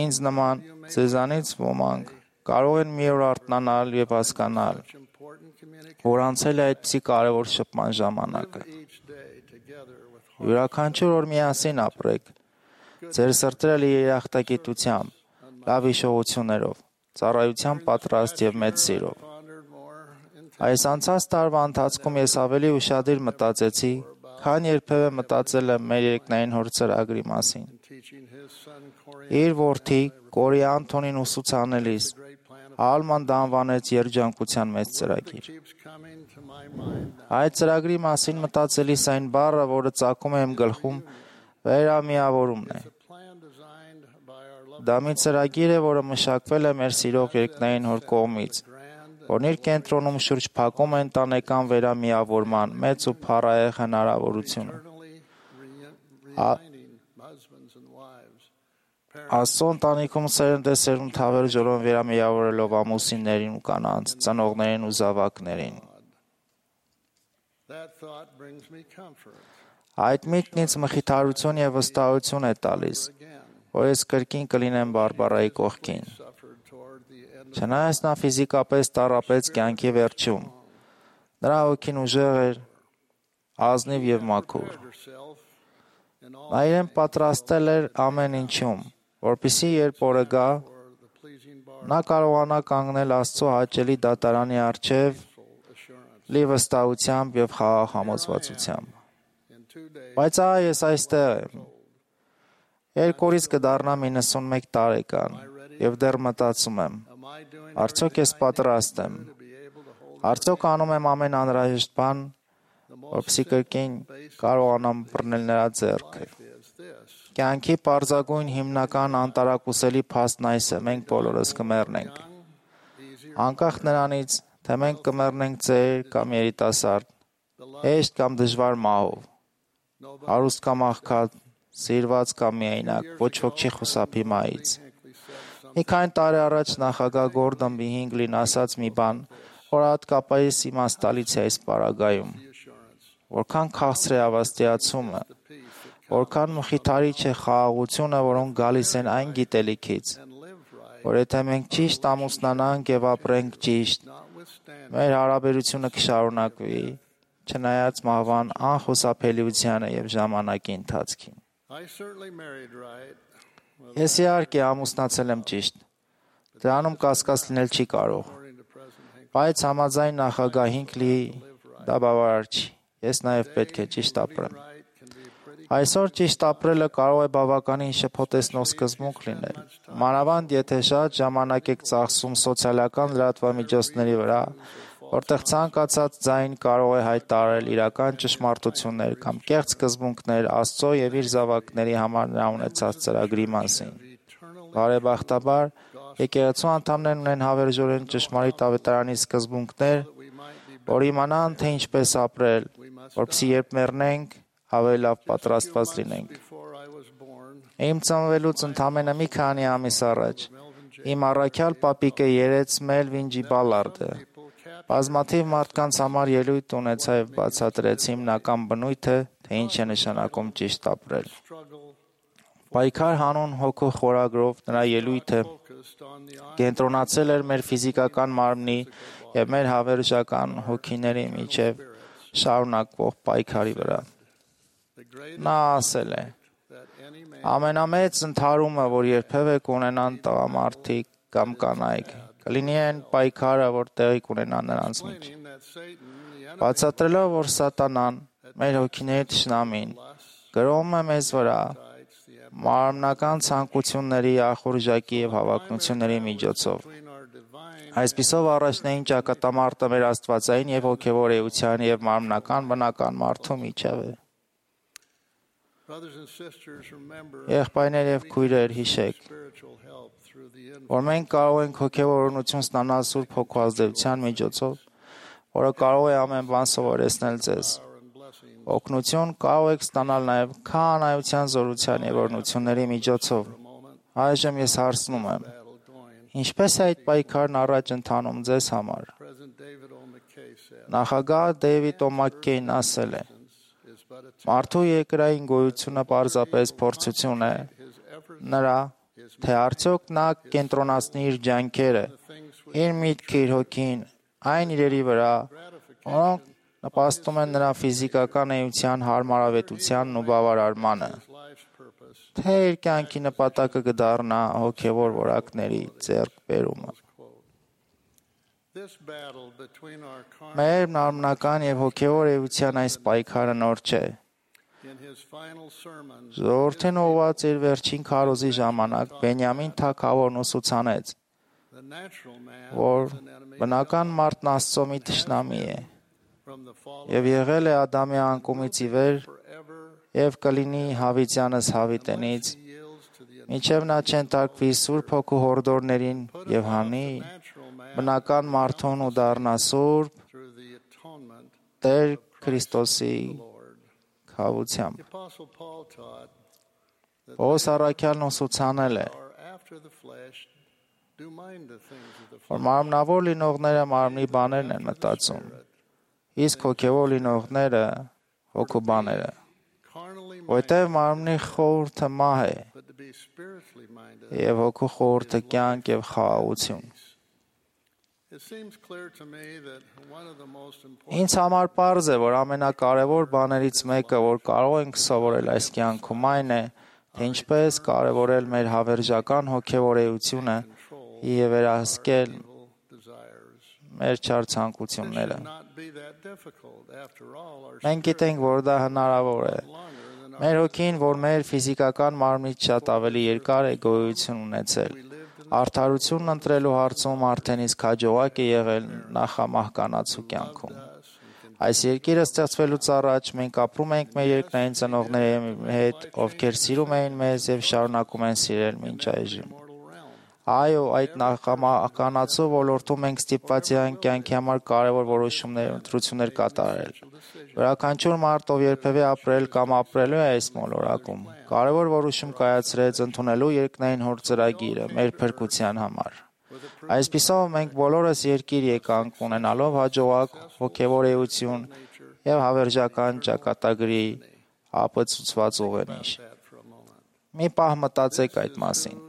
Ինձ նման ձեզանից ոմանք կարող են մի օր արթնանալ եւ հասկանալ, որ անցել է այդպիսի կարևոր շփման ժամանակը։ Յուրաքանչյուր օր միասին ապրեք, ձեր սրտերը երախտագիտությամբ, լավ հիշողություններով, ծառայության պատրաստ եւ մեծ սիրով։ Այս անցած տարվա ընթացքում ես ավելի ուշադիր մտածեցի, քան երբևէ մտածել եմ մեր երկնային հոր ծրագրի մասին։ Իր որդի Կորի Անթոնին ուսուցանելիս Ալման դա անվանեց երջանկության մեծ ծրագիր։ Այդ ծրագրի մասին մտածելիս այն բառը, որը ծագում է իմ գլխում, վերամիավորումն է։ Դա մի ծրագիր է, որը մշակվել է մեր սիրող երկնային հոր կողմից, որն իր կենտրոնում շուրջ փակում է ընտանեկան վերամիավորման մեծ ու փառահեղ հնարավորությունը։ Աստծո ընտանիքում սերունդ է սերունդ հավերժորեն վերամիավորելով ամուսիններին ու կանանց, ծնողներին ու զավակներին։ Այդ միտքն ինձ մխիթարություն եւ վստահություն է տալիս, որ ես կրկին կլինեմ Բարբարայի կողքին։ Չնայած նա ֆիզիկապես տառապեց կյանքի վերջում, նրա հոգին ուժեղ էր, ազնիվ եւ մաքուր։ Նա իրեն պատրաստել էր ամեն ինչում, որպեսզի երբ օրը գա, նա կարողանա կանգնել Աստծո հաճելի դատարանի առջև լի վստահությամբ եւ խաղաղ համոզվածությամբ։ Բայց ահա ես այստեղ եմ։ Երկու օրից կդառնամ իննսունմեկ տարեկան եւ դեռ մտածում եմ. արդյոք ես պատրաստ եմ։ Արդյոք անում եմ ամեն անհրաժեշտ բան, որպեսզի կրկին կարողանամ բռնել նրա ձեռքը։ Կյանքի պարզագույն հիմնական անտարակուսելի փաստն այս է, մենք բոլորս կմեռնենք։ Անկախ նրանից, թե մենք կմեռնենք ծեր կամ երիտասարդ, հեշտ կամ դժվար մահով, հարուստ կամ աղքատ, սիրված կամ միայնակ, ոչ ոք չի խուսափի մահից։ Մի քանի տարի առաջ նախագահ Գորդոն B. Հինգլին ասաց մի բան, որ հատկապես իմաստալից է այս պարագայում։ Որքան քաղցր է ավաստիացումը, որքան մխիթարիչ է խաղաղությունը, որոնք գալիս են այն գիտելիքից, որ եթե մենք ճիշտ ամուսնանանք եւ ապրենք ճիշտ, մեր հարաբերությունը կշարունակվի, չնայած մահվան անխուսափելիությանը եւ ժամանակի ընթացքին։ Ես իհարկե ամուսնացել եմ ճիշտ։ Դրանում կասկած լինել չի կարող։ Բայց համաձայն նախագահ Հինգլիի դա բավարար չի։ Ես նաև պետք է ճիշտ ապրեմ։ Այսօր ճիշտ ապրելը կարող է բավականին շփոթեցնող սկզբունք լինել։ Մանավանդ եթե շատ ժամանակ եք ծախսում սոցիալական լրատվամիջոցների վրա, որտեղ ցանկացած ձայն կարող է հայտարարել իրական ճշմարտություններ կամ կեղծ սկզբունքներ Աստծո եւ իր զավակների համար նա ունեցած ծրագրի մասին։ Բարեբախտաբար, Եկեղեցու անդամներն ունեն հավերժորեն ճշմարիտ ավետարանի սկզբունքներ, որ իմանան, թե ինչպես ապրել, որպեսզի երբ մեռնենք, ավելի լավ պատրաստված լինենք։ Իմ ծնվելուց ընդամենը մի քանի ամիս առաջ իմ առաքյալ պապիկը երեց Մելվին Ջի Բալարդը։ Բազմաթիվ մարդկանց համար ելույթ ունեցա եւ բացատրեց հիմնական բնույթը, թե ինչ է նշանակում ճիշտ ապրել։ Պայքար հանուն հոգու խորագրով նրա ելույթը կենտրոնացել էր մեր ֆիզիկական մարմնի եւ մեր հավերժական հոգիների միջև շարունակվող պայքարի վրա։ Նա ասել է. ամենամեծ ընդհարումը, որ երբևէ կունենան տղամարդիկ կամ կանայք, կլինի այն պայքարը, որ տեղի կունենա նրանց մեջ։ Բացատրելով, որ սատանան, մեր հոգիների թշնամին, գրոհում է մեզ վրա մարմնական ցանկությունների, ախորժակի եւ հավակնությունների միջոցով։ Այսպիսով առաջնային ճակատամարտը մեր աստվածային եւ հոգեվոր էության եւ մարմնական բնական մարդու միջև է։ Եղբայրներ եւ քույրեր, հիշեք, որ մենք կարող ենք հոգեվոր օրհնություն ստանալ Սուրբ Հոգու ազդեցության միջոցով, որը կարող է ամեն բան սովորեցնել ձեզ։ Օգնություն կարող եք ստանալ նաև քահանայության զորության եւ օրհնությունների միջոցով։ Այժմ ես հարցնում եմ. ինչպես է այդ պայքարն առաջ ընթանում ձեզ համար։ Նախագահ Դեյվիդ Օ'Մաքքեյն ասել է. մարդու երկրային գոյությունը պարզապես փորձություն է նրա, թե արդյոք նա կենտրոնացնի իր ջանքերը, իր միտքը, իր հոգին այն իրերի վրա, որոնք նպաստում են նրա ֆիզիկական էության հարմարավետությանն ու բավարարմանը, թե իր կյանքի նպատակը կդառնա հոգևոր որակների ձեռքբերումը։ Մեր մարմնական եւ հոգևոր էության այս պայքարը նոր չէ։ Ժողովրդին ուղղված իր վերջին քարոզի ժամանակ Բենյամին թագավորն ուսուցանեց, որ բնական մարդն Աստծո մի թշնամի է եւ եղել է Ադամի անկումից ի վեր եւ կլինի հավիտյանս հավիտենից, մինչեւ նա չենթարկվի Սուրբ Հոգու հորդորներին եւ հանի բնական մարդուն ու դառնա Սուրբ Տեր Քրիստոսի խավությամբ։ Պողոս առաքյալն ուսուցանել է, որ մարմնավոր լինողները մարմնի բաներն են մտածում, իսկ հոգևոր լինողները հոգու բաները, որտեղ մարմնի խորհուրդը մահ է եւ հոգու խորհուրդը կյանք եւ խաղաղություն։ Ինձ համար պարզ է, որ ամենակարևոր բաներից մեկը, որ կարող ենք սովորել այս կյանքում, այն է, թե ինչպես կարևորել մեր հավերժական հոգևոր էությունը եւ վերահսկել մեր չար ցանկությունները։ Մենք գիտենք, որ դա հնարավոր է։ Մեր հոգին, որ մեր ֆիզիկական մարմնից շատ ավելի երկար է գոյություն ունեցել, արդարությունն ընտրելու հարցում արդեն իսկ հաջողակ է եղել նախամահկանացու կյանքում։ Այս երկիրը ստեղծվելուց առաջ մենք ապրում ենք մեր երկնային ծնողների հետ, ովքեր սիրում էին մեզ եւ շարունակում են սիրել մինչ այժմ։ Այո, այդ նախամահկանացու ոլորտում մենք ստիպված ենք կյանքի համար կարևոր որոշումներ, ընտրություններ կատարել։ Յուրաքանչյուր մարդ, ով երբևէ ապրել կամ ապրելու է այս մոլորակում, կարևոր որոշում կայացրեց ընդունելու երկնային հոր ծրագիրը մեր փրկության համար։ Այսպիսով մենք բոլորս երկիր եկանք ունենալով հաջողակ հոգևոր էություն եւ հավերժական ճակատագրի ապացուցված ուղենիշ։ Մի պահ մտածեք այդ մասին։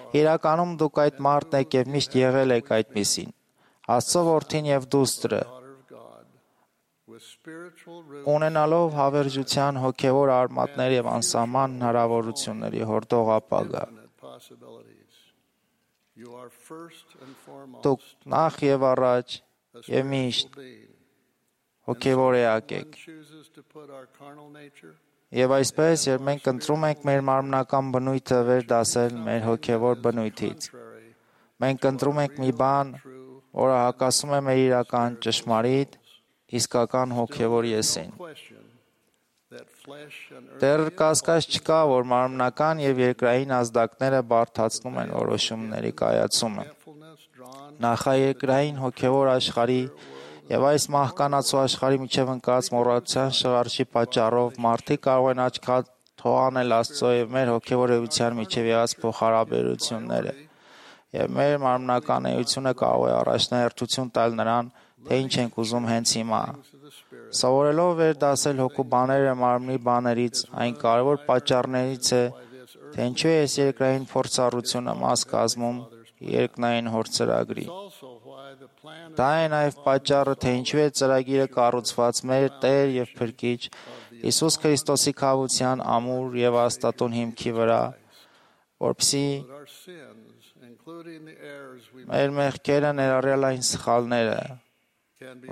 Իրականում դուք այդ մարդն եք եւ միշտ եղել եք այդպիսին։ Աստծո որդին եւ դուստրը, ունենալով հավերժության հոգևոր արմատներ եւ անսահման հնարավորությունների հորդող ապագա։ Դուք նախ եւ առաջ եւ միշտ հոգևոր էակ եք։ Եվ այսպես, երբ մենք ընտրում ենք մեր մարմնական բնույթը վերդասել մեր հոգևոր բնույթից, մենք ընտրում ենք մի բան, որը հակասում է մեր իրական ճշմարիտ, իսկական հոգևոր եսին։ Դեռ կասկած չկա, որ մարմնական եւ երկրային ազդակները բարդացնում են որոշումների կայացումը։ Նախաերկրային հոգեվոր աշխարհի եւ այս մահկանացու աշխարհի միջև ընկած մոռացության շղարշի պատճառով մարդիկ կարող են աչքած թողանել Աստծո եւ մեր հոգեվոր էության միջև եղած փոխհարաբերությունները, եւ մեր մարմնական էությունը կարող է առաջնահերթություն տալ նրան, թե ինչ ենք ուզում հենց հիմա։ Սովորելով վերդասել հոգու բաները մարմնի բաներից, այն կարևոր պատճառներից է, թե ինչու է այս երկրային փորձառությունը մաս կազմում երկնային հորձրագրի։ Դա է նաև պատճառը, թե ինչու է ծրագիրը կառուցված մեր Տեր եւ Փրկիչ Հիսուս Քրիստոսի քավության ամուր եւ աստատուն հիմքի վրա, որպեսզի մեր մեղքերը ներառյալ այն սխալները,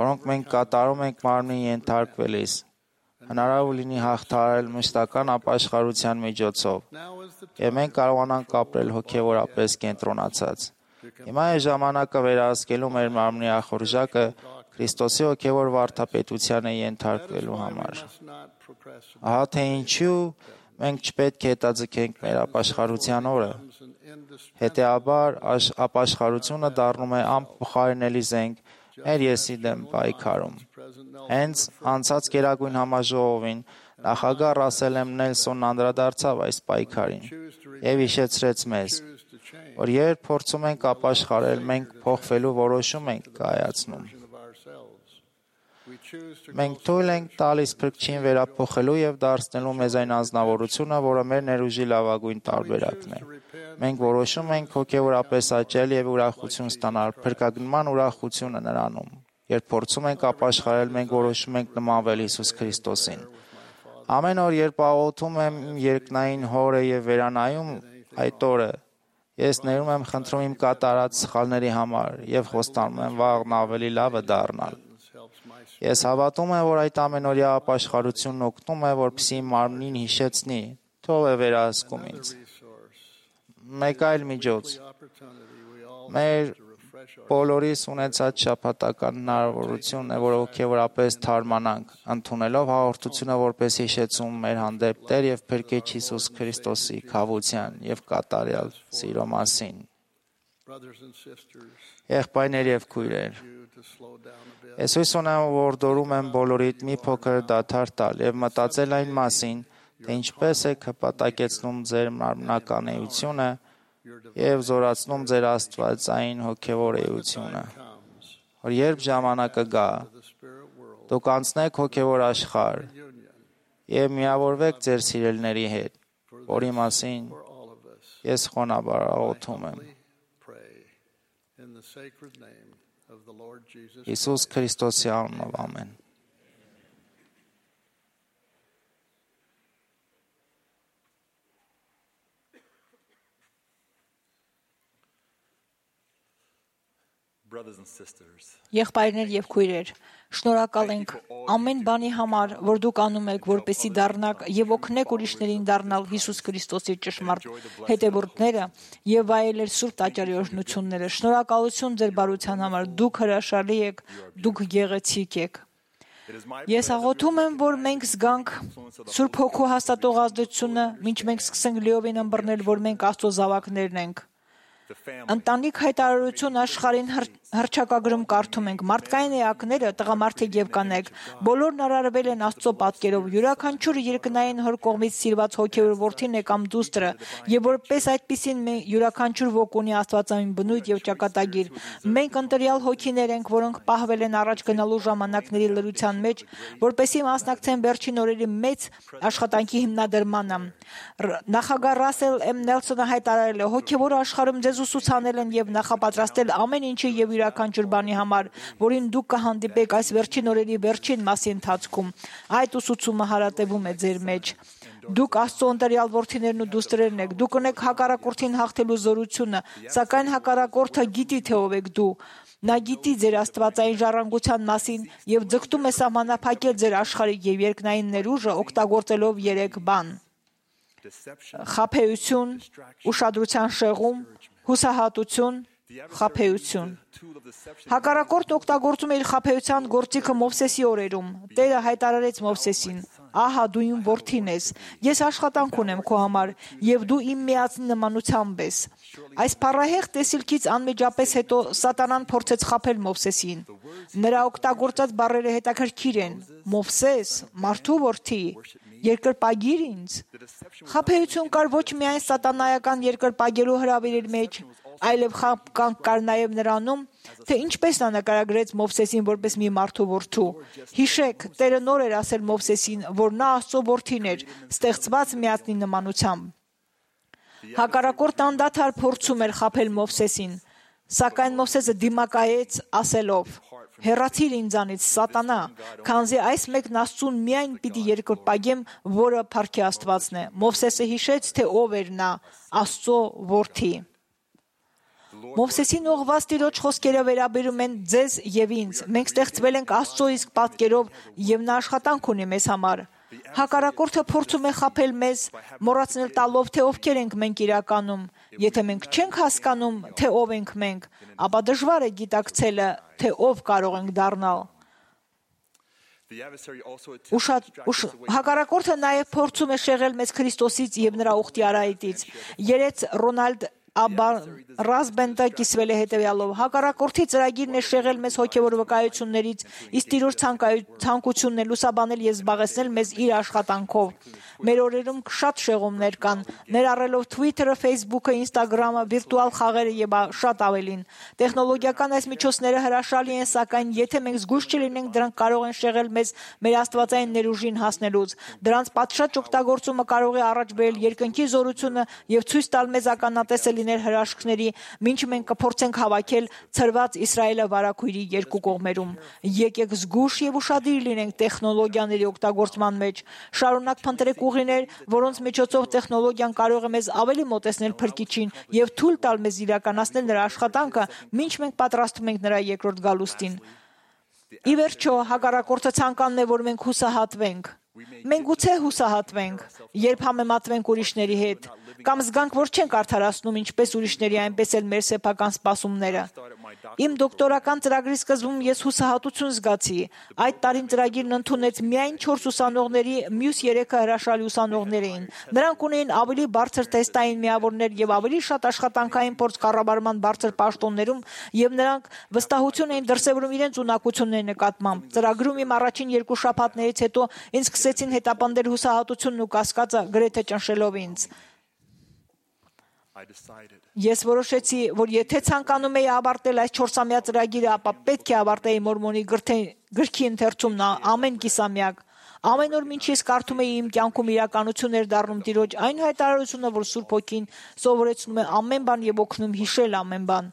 որոնք մենք կատարում ենք մարմնին ենթարկվելիս, հնարավոր լինի հաղթահարել մշտական ապաշխարության միջոցով, եւ մենք կարողանանք ապրել հոգեվորապես կենտրոնացած։ Հիմա է ժամանակը վերահսկելու մեր մարմնի ախորժակը Քրիստոսի հոգեվոր վարդապետությանը ենթարկվելու համար։ Ահա թե ինչու մենք չպետք է հետաձգենք մեր ապաշխարության օրը։ Հետեւաբար ապաշխարությունը դառնում է անփոխարինելի զենք մեր եսի դեմ պայքարում։ Հենց անցած Գերագույն համաժողովին նախագահ Ռասել Էմ Նելսոնն անդրադարձավ այս պայքարին եւ հիշեցրեց մեզ, որ երբ փորձում ենք ապաշխարել, մենք փոխվելու որոշում ենք կայացնում։ Մենք թույլ ենք տալիս Փրկչին վերափոխելու եւ դարձնելու մեզ այն անձնավորությունը, որը մեր ներուժի լավագույն տարբերակն է։ Մենք որոշում ենք հոգեորապես աճել եւ ուրախություն ստանալ, փրկագնման ուրախությունը նրանում։ Երբ փորձում ենք ապաշխարել, մենք որոշում ենք նմանվել Հիսուս Քրիստոսին։ Ամեն օր, երբ աղոթում եմ երկնային Հորը եւ վերանայում այդ օրը, ես ներում եմ խնդրում իմ կատարած սխալների համար եւ խոստանում եմ վաղն ավելի լավը դառնալ։ Ես հավատում եմ, որ այդ ամենօրյա ապաշխարությունն օգնում է, որպեսզի մարմնին հիշեցնի, թող է վերահսկում ինձ։ Մեկ այլ միջոց։ Մեր բոլորիս ունեցած շաբաթական հնարավորությունն է, որ հոգեորապես թարմանանք, ընդունելով հաղորդությունը որպես հիշեցում մեր հանդեպ Տեր եւ Փրկիչ Հիսուս Քրիստոսի քավության եւ կատարյալ սիրո մասին։ Եղբայրներ եւ քույրեր, ես հույս ունեմ, որ դորում եմ բոլորիդ մի փոքր դադար տալ եւ մտածել այն մասին, թե ինչպես եք հպատակեցնում ձեր մարմնական էությունը եւ զորացնում ձեր աստվածային հոգեվոր էությունը, որ երբ ժամանակը գա, դուք անցնեք հոգեվոր աշխարհ եւ միավորվեք ձեր սիրելների հետ, որի մասին ես խոնաբար աղոթում եմ։ Հիսուս Քրիստոսի անունով, ամեն։ Եղբայրներ եւ քույրեր, շնորհակալ ենք ամեն բանի համար, որ դուք անում եք, որպեսզի դառնաք եւ օգնեք ուրիշներին դառնալ Հիսուս Քրիստոսի ճշմարտ հետևորդները եւ վայելել սուրբ տաճարի օրհնությունները։ Շնորհակալություն ձեր բարության համար, դուք հրաշալի եք, դուք գեղեցիկ եք։ Ես աղոթում եմ, որ մենք զգանք Սուրբ Հոգու հաստատող ազդեցությունը, մինչ մենք սկսենք լիովին ըմբռնել, որ մենք Աստծո զավակներն ենք։ Ընտանիք հայտարարություն աշխարհին հռչակագրում կարդում ենք. մարդկային էակները, տղամարդիկ եւ կանայք, բոլորն արարվել են Աստծո պատկերով, յուրաքանչյուր երկնային հոր կողմից սիրված հոգեոր որդին է կամ դուստրը, եւ որպես այդպիսին յուրաքանչյուր ոգ ունի աստվածային բնույթ եւ ճակատագիր։ Մենք ընտրյալ հոգիներ ենք, որոնք պահվել են առաջ գնալու ժամանակների լրության մեջ, որպեսզի մասնակցեն վերջին օրերի մեծ աշխատանքի հիմնադրմանը։ Նախագահ Ռասել Էմ Նելսոնը հայտարարել է. հոգեվոր աշխարհում ձեզ ուսուցանել են եւ նախապատրաստել ամեն ինչի եւ յուրաքանչյուր բանի համար, որին դուք կհանդիպեք այս վերջին օրերի վերջին մասի ընթացքում։ Այդ ուսուցումը հարատևում է ձեր մեջ։ Դուք Աստծո ընտրյալ որդիներն ու դուստրերն եք։ Դուք ունեք հակառակորդին հաղթելու զորությունը, սակայն հակառակորդը գիտի, թե ով եք դու։ Նա գիտի ձեր աստվածային ժառանգության մասին եւ ձգտում է սահմանափակել ձեր աշխարհիկ եւ երկնային ներուժը, օգտագործելով երեք բան. խաբեություն, ուշադրության շեղում, հուսահատություն Խաբեություն։ Հակառակորդն օգտագործում է իր խաբեության գործիքը Մովսեսի օրերում։ Տերը հայտարարեց Մովսեսին. «Ահա դու իմ որդին ես, ես աշխատանք ունեմ քո համար, եւ դու իմ միածնի նմանությամբ ես»։ Այս փառահեղ տեսիլքից անմիջապես հետո Սատանան փորձեց խաբել Մովսեսին։ Նրա օգտագործած բառերը հետաքրքիր են. Մովսես, մարդու որդի, երկրպագիր ինձ։ Խաբեություն կար ոչ միայն սատանայական երկրպագելու հրավիրի մեջ, այլև խաբկանք կար նաև նրանում, թե ինչպես նա նկարագրեց Մովսեսին որպես մի մարդու որդու։ Հիշեք, Տերը նոր էր ասել Մովսեսին, որ նա Աստծո որդին էր, ստեղծված միածնի նմանությամբ։ Հակառակորդը անդադար փորձում էր խաբել Մովսեսին, սակայն Մովսեսը դիմակայեց ասելով. «Հեռացիր ինձանից, Սատանա, քանզի այս մեկն Աստծուն միայն պիտի երկրպագեմ, որը Փառքի Աստվածն է»։ Մովսեսը հիշեց, թե ով էր նա, Աստծո որդի։ Մովսեսին ուղղված Տիրոջ խոսքերը վերաբերում են ձեզ եւ ինձ։ Մենք ստեղծվել ենք Աստծո իսկ պատկերով եւ նա աշխատանք ունի մեզ համար։ Հակառակորդը փորձում է խաբել մեզ, մոռացնել տալով, թե ովքեր ենք մենք իրականում։ Եթե մենք չենք հասկանում, թե ով ենք մենք, ապա դժվար է գիտակցելը, թե ով կարող ենք դառնալ։ Ուշად ուշ հակառակորդը նաև փորձում է շեղել մեզ Քրիստոսից եւ նրա ուխտի արայտից։ Երեց Ռոնալդ Ռազբենտը կիսվել է հետևյալով. հակառակորդի ծրագիրն է շեղել մեզ հոգևոր վկայություններից, իսկ Տիրոջ ցանկությունն է լուսաբանել եւ զբաղեցնել մեզ իր աշխատանքով։ Մեր օրերում շատ շեղումներ կան, ներառելով Twitter-ը, Facebook-ը, Instagram-ը, վիրտուալ խաղերը եւ շատ ավելին։ Տեխնոլոգիական այս միջոցները հրաշալի են, սակայն եթե մենք զգույշ չլինենք, դրանք կարող են շեղել մեզ մեր աստվածային ներուժին հասնելուց։ Դրանց պատշաճ օգտագործումը կարող է առաջ բերել երկնքի զորությունը եւ ցույց տալ մեզ ականատեսը լինել հրաշքների, մինչ մենք կփորձենք հավաքել ցրված Իսրայելը վարակույրի երկու կողմերում։ Եկեք զգույշ եւ ուշադիր լինենք տեխնոլոգիաների օգտագործման մեջ։ Շարունակ փնտրեք ուղիներ, որոնց միջոցով տեխնոլոգիան կարող է մեզ ավելի մոտեցնել Փրկիչին եւ թույլ տալ մեզ իրականացնել նրա աշխատանքը, մինչ մենք պատրաստվում ենք նրա երկրորդ գալուստին։ Ի վերջո, հակառակորդը ցանկանում է, որ մենք հուսահատվենք։ Մենք գուցե հուսահատվենք, երբ համեմատվենք ուրիշների հետ, կամ զգանք, որ չենք արդարացնում ինչպես ուրիշների, այնպես էլ մեր սեփական սպասումները։ Իմ դոկտորական ծրագրի սկզբում ես հուսահատություն զգացի։ Այդ տարին ծրագիրն ընդունեց միայն չորս ուսանողների, մյուս երեքը հրաշալի ուսանողներ էին։ Նրանք ունեին ավելի բարձր տեստային միավորներ եւ ավելի շատ աշխատանքային փորձ կառավարման բարձր պաշտոններում, եւ նրանք վստահություն էին դրսեւորում իրենց ունակությունների նկատմամբ։ Ծրագրում իմ առաջին երկու շաբաթներից հետո ինձ սկսեցին հետապնդել հուսահատությունն ու կասկածը, գրեթե ճնշելով ինձ։ Ես որոշեցի, որ եթե ցանկանում էի ավարտել այս չորսամյա ծրագիրը, ապա պետք է ավարտեի Մորմոնի գրքի ընթերցումն ամեն կիսամյակ։ Ամեն օր մինչ ես կարդում էի, իմ կյանքում իրականություն էր դառնում Տիրոջ այն հայտարարությունը, որ Սուրբ Հոգին սովորեցնում է ամեն բան եւ օգնում հիշել ամեն բան։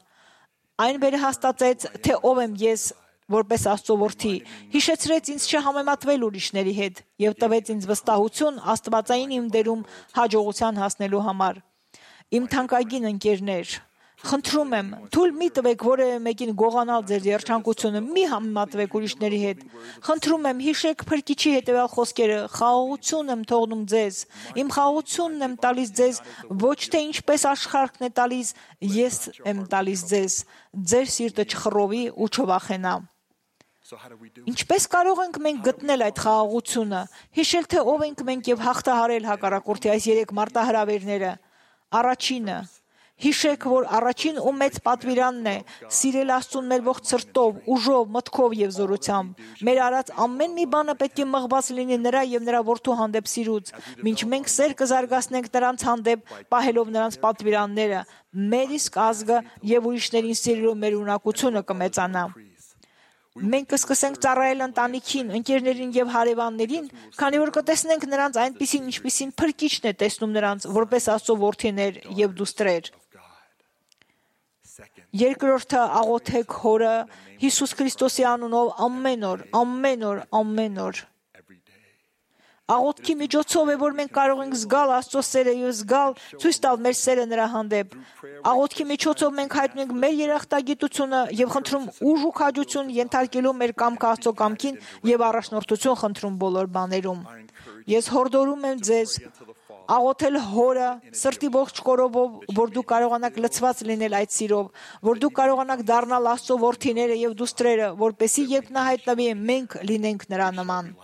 Այն վերահաստատեց, թե ով եմ ես որպես Աստծո որդի, հիշեցրեց ինձ չհամեմատվել ուրիշների հետ եւ տվեց ինձ վստահություն աստվածային իմ դերում հաջողության հասնելու համար։ Իմ թանկագին ընկերներ, խնդրում եմ, թույլ մի տվեք որևէ մեկին գողանալ ձեր երջանկությունը, մի համեմատվեք ուրիշների հետ։ Խնդրում եմ, հիշեք Փրկիչի հետևյալ խոսքերը. խաղաղություն եմ թողնում ձեզ, իմ խաղաղությունն եմ տալիս ձեզ, ոչ թե ինչպես աշխարհն է տալիս, ես եմ տալիս ձեզ, ձեր սիրտը չխռովի ու չվախենա։ Ինչպես կարող ենք մենք գտնել այդ խաղաղությունը, հիշել թե ով ենք մենք եւ հաղթահարել հակառակորդի այս երեք մարտահրավերները։ Առաջինը, հիշեք, որ առաջին ու մեծ պատվիրանն է սիրել Աստծուն մեր ողջ սրտով, ուժով, մտքով եւ զորությամբ։ Մեր արած ամեն մի բանը պետք է մղված լինի նրա եւ նրա որդու հանդեպ սիրուց, մինչ մենք սեր կզարգացնենք նրանց հանդեպ, պահելով նրանց պատվիրանները, մեր իսկ ազգը եւ ուրիշներին սիրելու մեր ունակությունը կմեծանա։ Մենք կսկսենք ծառայել ընտանիքին, ընկերներին եւ հարևաններին, քանի որ կտեսնենք նրանց այնպիսին, ինչպիսին Փրկիչն է տեսնում նրանց, որպես Աստծո որդիներ եւ դուստրեր։ Երկրորդը, աղոթեք Հորը Հիսուս Քրիստոսի անունով ամեն օր, ամեն օր, ամեն օր։ Աղոթքի միջոցով է, որ մենք կարող ենք զգալ Աստծո սերը եւ զգալ, ցույց տալ մեր սերը նրա հանդեպ։ Աղոթքի միջոցով մենք հայտնում ենք մեր երախտագիտությունը եւ խնդրում ուժ ու քաջություն ենթարկելու մեր կամքը Աստծո կամքին եւ առաջնորդություն խնդրում բոլոր բաներում։ Ես հորդորում եմ ձեզ, աղոթել հորը սրտի ողջ կորովով, որ դու կարողանաք լցված լինել այդ սիրով, որ դու կարողանաք դառնալ Աստծո որդիները եւ դուստրերը, որպեսզի երբ նա հայտնվի, մենք լինենք նրա նման։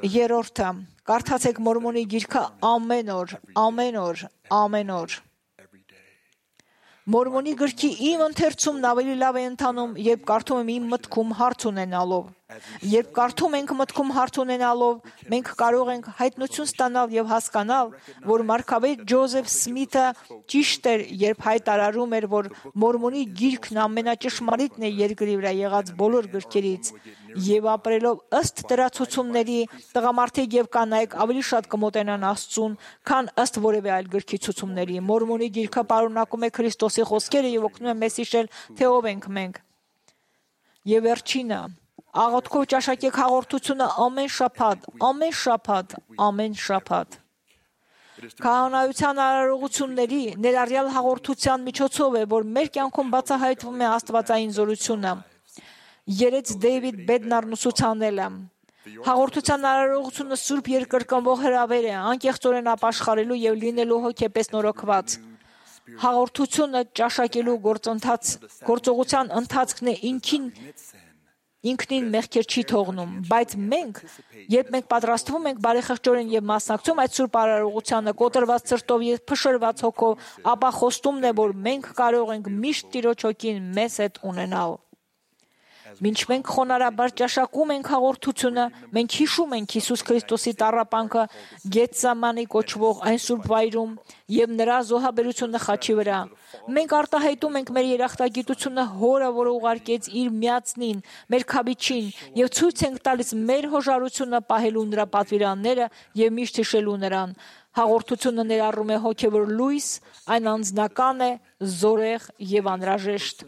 Երրորդը, կարդացեք Մորմոնի գիրքը ամեն օր, ամեն օր, ամեն օր։ Մորմոնի գրքի իմ ընթերցումն ավելի լավ է ընթանում, երբ կարդում եմ իմ մտքում հարց ունենալով։ Երբ կարդում ենք մտքում հարց ունենալով, մենք կարող ենք հայտնություն ստանալ եւ հասկանալ, որ Մարգավետ Ջոզեֆ Սմիթը ճիշտ էր, երբ հայտարարում էր, որ Մորմոնի գիրքն ամենաճշմարիտն է երկրի վրա եղած բոլոր գրքերից, եւ ապրելով ըստ դրա ցուցումների, տղամարդիկ եւ կանայք ավելի շատ կմոտենան Աստծուն, քան ըստ որևէ այլ գրքի ցուցումների։ Մորմոնի գիրքը պարունակում է Քրիստոսի խոսքերը եւ օգնում է մեզ հիշել, թե ով ենք մենք։ Եվ վերջինը, աղոթքով ճաշակեք հաղորդությունը ամեն շաբաթ, ամեն շաբաթ, ամեն շաբաթ։ Քահանայության արարողությունների ներառյալ հաղորդության միջոցով է, որ մեր կյանքում բացահայտվում է աստվածային զորությունը։ Երեց Դեյվիդ Բեդնարն ուսուցանելը։ Հաղորդության արարողությունը սուրբ երկրկնվող հրավեր է, անկեղծորեն ապաշխարելու եւ լինելու հոգեպես նորոգված։ Հաղորդությունը ճաշակելու գործընթաց, գործողության ընթացքն է ինքին ինքնին մեղքեր չի թողնում, բայց մենք, երբ մենք պատրաստվում ենք բարեխղճորեն եւ մասնակցում այդ սուրբ արարողությանը կոտրված սրտով եւ փշրված հոգով, ապա խոստումն է, որ մենք կարող ենք միշտ Տիրոջ հոգին մեզ հետ ունենալ։ Մինչ մենք խոնարհաբար ճաշակում ենք հաղորդությունը, մենք հիշում ենք Հիսուս Քրիստոսի տառապանքը Գեթսեմանի կոչվող այն սուրբ վայրում եւ նրա զոհաբերությունը խաչի վրա։ Մենք արտահայտում ենք մեր երախտագիտությունը Հորը, որը ուղարկեց իր միածնին, մեր Քաբիչին, եւ ցույց ենք տալիս մեր հոժարությունը պահելու նրա պատվիրանները եւ միշտ հիշելու նրան։ Հաղորդությունը ներառում է հոգեվոր լույս, այն անձնական է, զորեղ եւ անհրաժեշտ։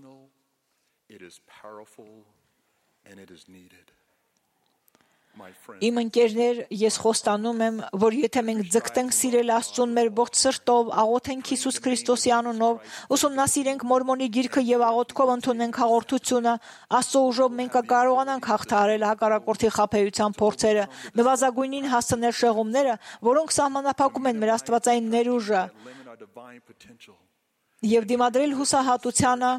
Իմ ընկերներ, ես խոստանում եմ, որ եթե մենք ձգտենք սիրել Աստծուն մեր ողջ սրտով, աղոթենք Հիսուս Քրիստոսի անունով, ուսումնասիրենք Մորմոնի գիրքը եւ աղոթքով ընդունենք հաղորդությունը, Աստծո ուժով մենք կկարողանանք հաղթահարել հակառակորդի խաբեության փորձերը, նվազագույնին հասցնել շեղումները, որոնք սահմանափակում են մեր աստվածային ներուժը, եւ դիմադրել հուսահատությանը,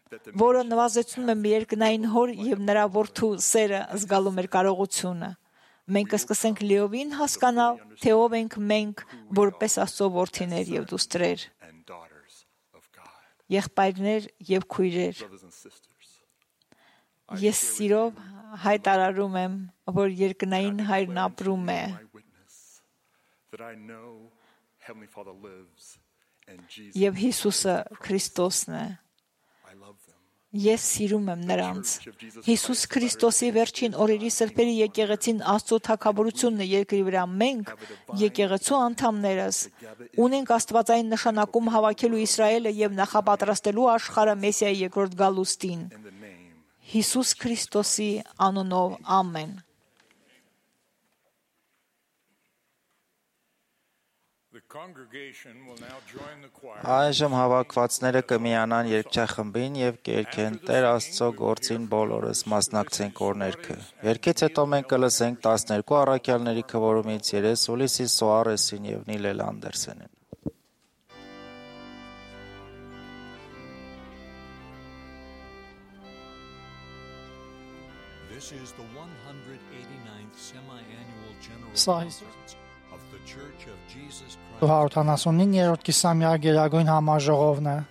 որը նվազեցնում է մեր երկնային Հոր եւ նրա Որդու սերը զգալու մեր կարողությունը։ Մենք կսկսենք լիովին հասկանալ, թե ով ենք մենք, որպես Աստծո որդիներ եւ դուստրեր, եղբայրներ եւ քույրեր։ Ես սիրով հայտարարում եմ, որ երկնային Հայրն ապրում է։ Եվ Հիսուսը Քրիստոսն է։ Ես սիրում եմ նրանց։ Հիսուս Քրիստոսի վերջին օրերի սրբերի եկեղեցին Աստծո թագավորությունն է երկրի վրա։ Մենք, եկեղեցու անդամներս, ունենք աստվածային նշանակում հավաքելու Իսրայելը եւ նախապատրաստելու աշխարհը Մեսիայի երկրորդ գալուստին։ Հիսուս Քրիստոսի անունով ամեն։ Այժմ հավաքվածները կմիանան երգչախմբին եւ կերքեն Տեր Աստծո գործին բոլորս մասնակցենք օրներքը։ Երգից հետո մենք կլսենք տասներկու առաքյալների քվորումից երես Ուլիսիս Սոարեսին եւ Նիլել Անդերսենին։ This is the one hundred eighty-ninth semi-annual general Սա conference of the Church of Jesus Christ. հարյուրութանասունիններորդ կիսամյա գերագույն համաժողովն է։ Amen.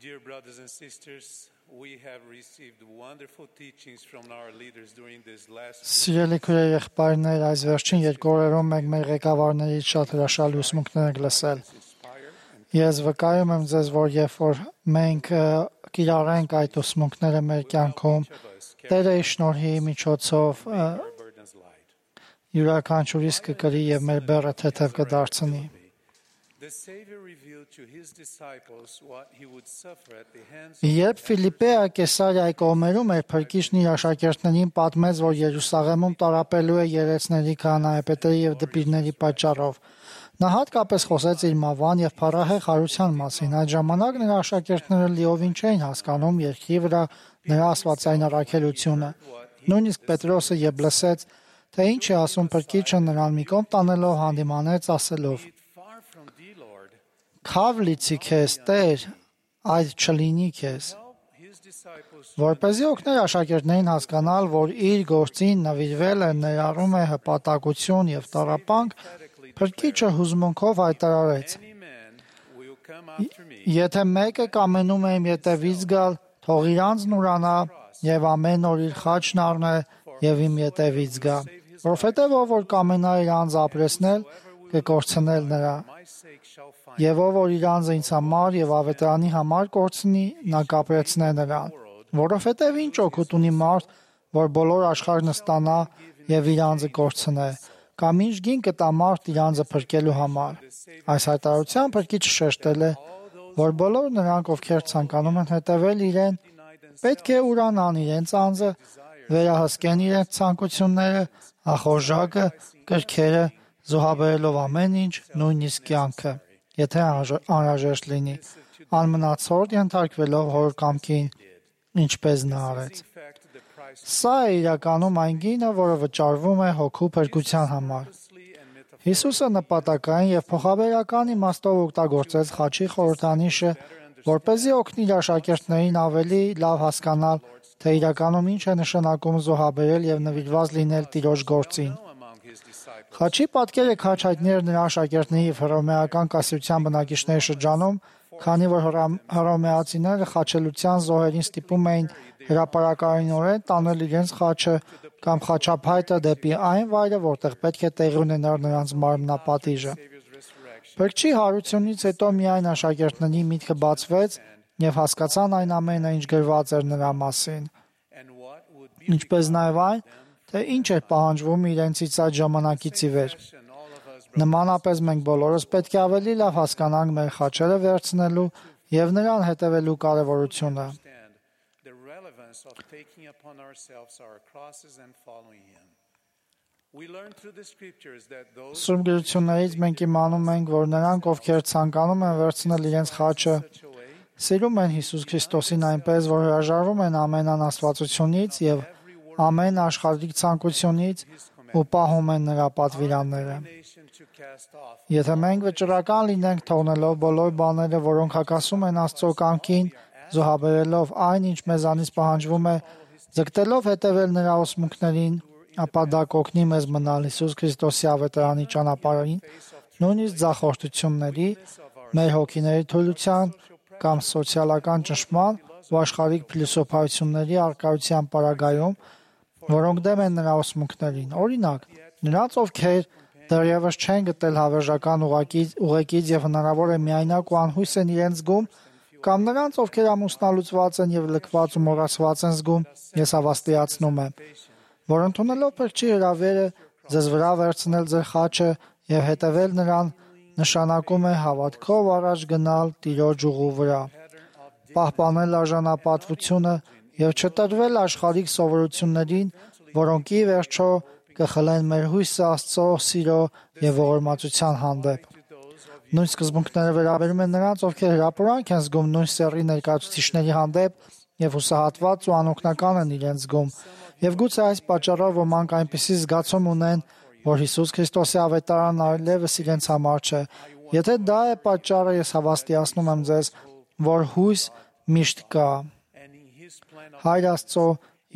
Dear brothers and sisters, we have received wonderful teachings from our leaders during this last Սիրելի քույրեր, եղբայրներ, այս վերջին երկու օրերում մենք մեր ղեկավարներից շատ հրաշալի ուսմունքներ ենք լսել։ Ես վկայում եմ ձեզ, որ երբ որ մենք ը, կիրառենք այդ ուսմունքները մեր կյանքում, Տերը իր շնորհի միջոցով ը, burdens light. յուրաքանչյուրիս կկրի եւ մեր բեռը թեթև կդարձնի։ The Savior revealed to his disciples what he would suffer at the hands of Երբ Ֆիլիպեա Կեսարիայի կողմերում էր փրկիչն իր աշակերտներին պատմեց, որ Երուսաղեմում տարապելու է երեցների, քահանայապետերի եւ դպիրների պատճառով, նա հատկապես խոսեց իր մավան եւ փառահեղ հարության մասին։ Այդ ժամանակ նրա աշակերտները լիովին չէին հասկանում երկրի վրա նրա աստվածային առաքելությունը։ Նույնիսկ Պետրոսը երբ լսեց, թե ինչ է ասում փրկիչը, նրան մի կողմ տանելով հանդիմանեց ասելով. far from thee, Lord. «Քավ լիցի քեզ, Տեր, այդ չլինի քեզ»։ His disciples Որպեսզի օգներ աշակերտներին հասկանալ, որ իր գործին նվիրվել է ներառում է հպատակություն եւ տառապանք, փրկիչը հուզմունքով հայտարարեց. any man will come after me. Եթե մեկը կամենում է իմ ետևից գալ, թող իր անձն ուրանա եւ ամեն օր իր խաչն առնե եւ իմ ետևից գա։ Որովհետեւ ով որ կամենա իր անձ ապրեսնել, կկորցնել նրա։ My sake shall find Եվ ով որ իր անձը ինձ համար եւ ավետարանի համար կորցնի, նա կապրեցնե նրան։ Որովհետեւ ինչ օգուտ ունի մարդ, որ բոլոր աշխարհն ստանա եւ իր անձը կորցնե, կամ ինչ գին կտա մարդ իր անձը փրկելու համար։ Այս հայտարարությամբ փրկիչը շեշտել է, որ բոլոր նրանք, ովքեր ցանկանում են հետևել իրեն, պետք է ուրանան իրենց անձը, վերահսկեն իրենց ցանկությունները, ախորժակը, կրքերը, զոհաբերելով ամեն ինչ, նույնիսկ կյանքը, եթե անհրաժ- անհրաժեշտ լինի, անմնացորդ ենթարկվելով հոր կամքին, ինչպես նա արեց։ in fact the price Սա է իրականում այն գինը, որը վճարվում է հոգու փրկության համար։ Հիսուսը նպատակային եւ փոխաբերական իմաստով օգտագործեց խաչի խորհրդանիշը, որպեսզի օգնի իր աշակերտներին ավելի լավ հասկանալ, թե իրականում ինչ է նշանակում զոհաբերել եւ նվիրված լինել Տիրոջ գործին։ among his disciples. Խաչի պատկերը քաչ հայտնի էր նրա աշակերտների եւ հռոմեական կասյության բնակիչների շրջանում, քանի որ հռամ- հռոմեացիները խաչելության զոհերին ստիպում էին հրապարակայինորեն տանել իրենց խաչը կամ խաչափայտը դեպի այն վայրը, որտեղ պետք է տեղի ունենար նրանց մարմնապատիժը։ Փրկչի հարությունից հետո միայն աշակերտների միտքը բացվեց եւ հասկացան այն ամենը, ինչ գրված էր նրա մասին, And what would be ինչպես նաեւ այն, թե ինչ էր պահանջվում իրենցից այդ ժամանակից ի վեր։ and all of us Նմանապես մենք բոլորս պետք է ավելի լավ հասկանանք մեր խաչերը վերցնելու եւ նրան հետևելու կարեւորությունը։ understand the relevance of taking upon ourselves our crosses and following him. We learn through the scriptures that those Սուրբ գրություններից մենք իմանում ենք, որ նրանք, ովքեր ցանկանում են վերցնել իրենց խաչը, such a way սիրում են Հիսուս Քրիստոսին այնպես, որ հրաժարվում են ամեն անաստվածությունից եւ ամեն աշխարհիկ ցանկությունից ու պահում են նրա պատվիրանները։ nation to cast off Եթե մենք վճռական լինենք թողնելով բոլոր բաները, որոնք հակասում են Աստծո կամքին, զոհաբերելով այն, ինչ մեզանից պահանջվում է, ձգտելով հետևել նրա ուսմունքներին, ապա դա կօգնի մեզ մնալ Հիսուս Քրիստոսի ավետարանի ճանապարհին, նույնիսկ ձախորդությունների, մեր հոգիների թուլության կամ սոցիալական ճնշման ու աշխարհիկ փիլիսոփայությունների արկայության պարագայում, որոնք դեմ են նրա ուսմունքներին։ Օրինակ, նրանց, ովքեր դեռևս չեն գտել հավերժական ուղղակի ուղեկից եւ հնարավոր է միայնակ ու անհույս են իրենց զգում, կամ նրանց, ովքեր ամուսնալուծված են եւ լքված ու մոռացված են զգում, ես հավաստիացնում եմ, որ ընդունելով փրկչի հրավերը ձեզ վրա վերցնել ձեր խաչը եւ հետևել նրան նշանակում է հավատքով առաջ գնալ Տիրոջ ուղու վրա, պահպանել արժանապատվությունը եւ չտրվել աշխարհիկ սովորություններին, որոնք ի վերջո կխլեն մեր հույսը Աստծո սիրո եւ ողորմածության հանդեպ։ Նույն սկզբունքները վերաբերում են նրանց, ովքեր հրապուրանք են զգում նույն սեռի ներկայացուցիչների հանդեպ եւ հուսահատված ու անօգնական են իրենց զգում։ Եվ գուցե այս պատճառով ոմանք այնպիսի զգացում ունեն, որ Հիսուս Քրիստոսի ավետարանն այլևս իրենց համար չէ։ Եթե դա է պատճառը, ես հավաստիացնում եմ ձեզ, որ հույս միշտ կա։ Հայր Աստծո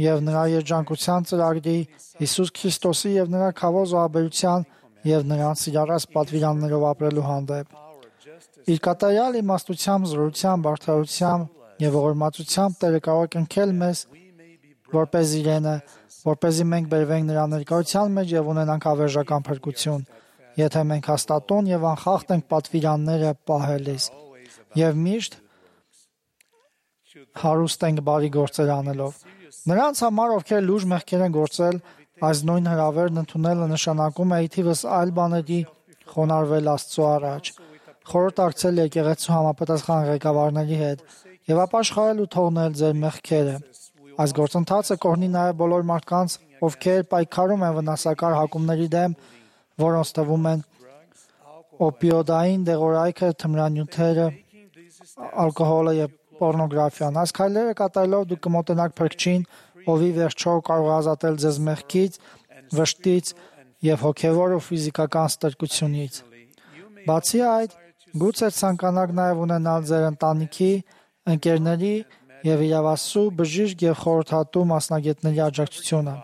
եւ նրա երջանկության ծրագրի, Հիսուս Քրիստոսի եւ նրա քավոր զոհաբերության եւ նրանց սիրառած պատվիրաններով ապրելու հանդեպ։ Իր կատարյալ իմաստությամբ, զորությամբ, արդարությամբ եւ ողորմածությամբ Տերը կարող է կնքել մեզ որպես իրենը, որպեսզի մենք բերվենք նրա ներկայության մեջ եւ ունենանք ավերժական փրկություն, եթե մենք հաստատուն եւ անխախտ ենք պատվիրանները պահելիս եւ միշտ հարուստ ենք բարի գործեր անելով։ Նրանց համար, ովքեր լուրջ մեղքեր են գործել, այս նույն հրավերն ընդունելը նշանակում է իթիվս այլ բաների խոնարհվել Աստծո առաջ, խորհրդակցել եկեղեցու համապատասխան ղեկավարների հետ եւ ապաշխարել ու թողնել ձեր մեղքերը։ Այս գործընթացը կօրհնի նաեւ բոլոր մարդկանց, ովքեր պայքարում են վնասակար հակումների դեմ, որոնց թվում են օպիոդային դեղորայքը, թմրանյութերը, ալկոհոլը եւ պոռնոգրաֆիան։ Այս քայլերը կատարելով դուք կմոտենաք Փրկչին, ովի վերջո կարող է ազատել ձեզ մեղքից, վշտից եւ հոգեվոր ու ֆիզիկական ստրկությունից։ Բացի այդ, գուցե ցանկանաք նաեւ ունենալ ձեր ընտանիքի, ընկերների եւ իրավասու, բժիշկ եւ խորհրդատու մասնագետների աջակցությունը։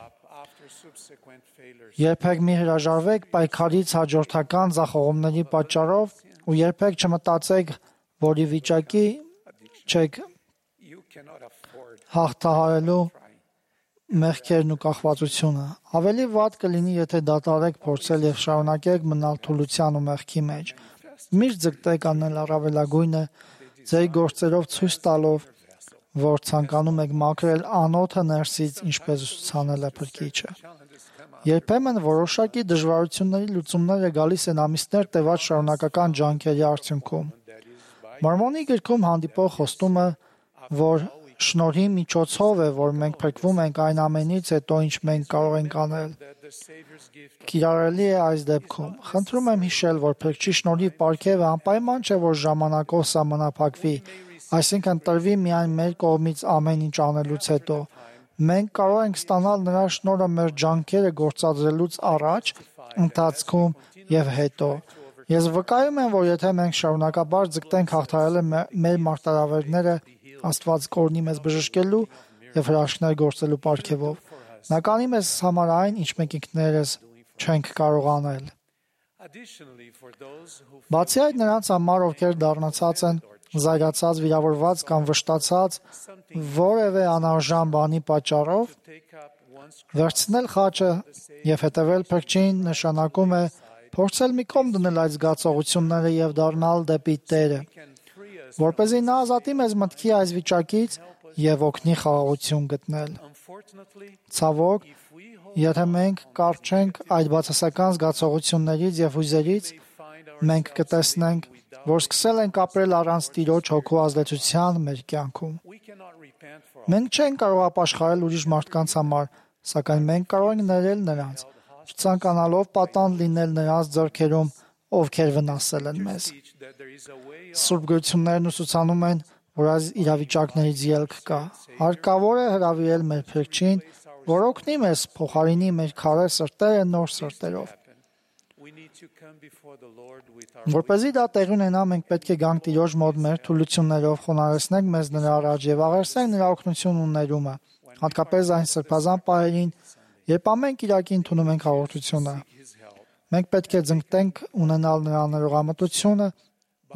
Երբեք մի հրաժարվեք պայքարից հաջորդական ձախողումների պատճառով ու երբեք չմտածեք, որ ի վիճակի չեք հաղթահարելու մեղքերն ու կախվածությունը։ Ավելի վատ կլինի, եթե դադարեք փորձել եւ շարունակեք մնալ թուլության ու մեղքի մեջ։ Միշտ ձգտեք անել առավելագույնը, ձեր գործերով ցույց տալով, որ ցանկանում եք մաքրել անոթը ներսից, ինչպես ուսուցանել է Փրկիչը։ Երբեմն որոշակի դժվարությունների լուծումները գալիս են ամիսներ տևած շարունակական ջանքերի արդյունքում։ Մորմոնի գրքում հանդիպող խոստումը, որ շնորհի միջոցով է, որ մենք փրկվում ենք այն ամենից հետո, ինչ մենք կարող ենք անել, կիրառելի է այս դեպքում։ Խնդրում եմ հիշել, որ Փրկչի շնորհի պարգևը անպայման չէ, որ ժամանակով սահմանափակվի, այսինքն տրվի միայն մեր կողմից ամեն ինչ անելուց հետո։ Մենք կարող ենք ստանալ նրա շնորհը մեր ջանքերը գործադրելուց առաջ, ընթացքում եւ հետո։ Ես վկայում եմ, որ եթե մենք շարունակաբար ձգտենք հաղթահարել մեր մարտահրավերները, Աստված կօրհնի մեզ բժշկելու եւ հրաշքներ գործելու պարգևով։ Նա կանի մեզ համար այն, ինչ մենք ինքներս չենք կարող անել։ Բացի այդ, նրանց համար, ովքեր դառնացած են զայրացած, վիրավորված կամ վշտացած որևէ անարժան բանի պատճառով, վերցնել խաչը եւ հետևել Փրկչին նշանակում է փորձել մի կողմ դնել այդ զգացողությունները եւ դառնալ դեպի Տերը, որպեսզի նա ազատի մեզ մտքի այս վիճակից եւ օգնի խաղաղություն գտնել։ Ցավոք, եթե մենք կարճ ենք այդ բացասական զգացողություններից եւ հույզերից, մենք կտեսնենք, որ սկսել ենք ապրել առանց Տիրոջ հոգու ազդեցության մեր կյանքում։ Մենք չենք կարող ապաշխարել ուրիշ մարդկանց համար, սակայն մենք կարող ենք ներել նրանց, չցանկանալով պատանդ լինել նրանց ձեռքերում, ովքեր վնասել են մեզ։ Սուրբ գրություններն ուսուցանում են, որ այս իրավիճակներից ելք կա։ Հարկավոր է հրավիրել մեր Փրկչին, որ օգնի մեզ փոխարինի մեր քարե սրտերը նոր սրտերով։ Որպեսզի դա տեղի ունենա, մենք պետք է գանք Տիրոջ մոտ մեր թուլություններով, խոնարհեցնենք մեզ նրա առաջ եւ աղերսենք նրա օգնությունն ու ներումը, հատկապես այն սրբազան պահերին, երբ ամեն կիրակի ընդունում ենք հաղորդությունը։ Մենք պետք է ձգտենք ունենալ նրա ներողամտությունը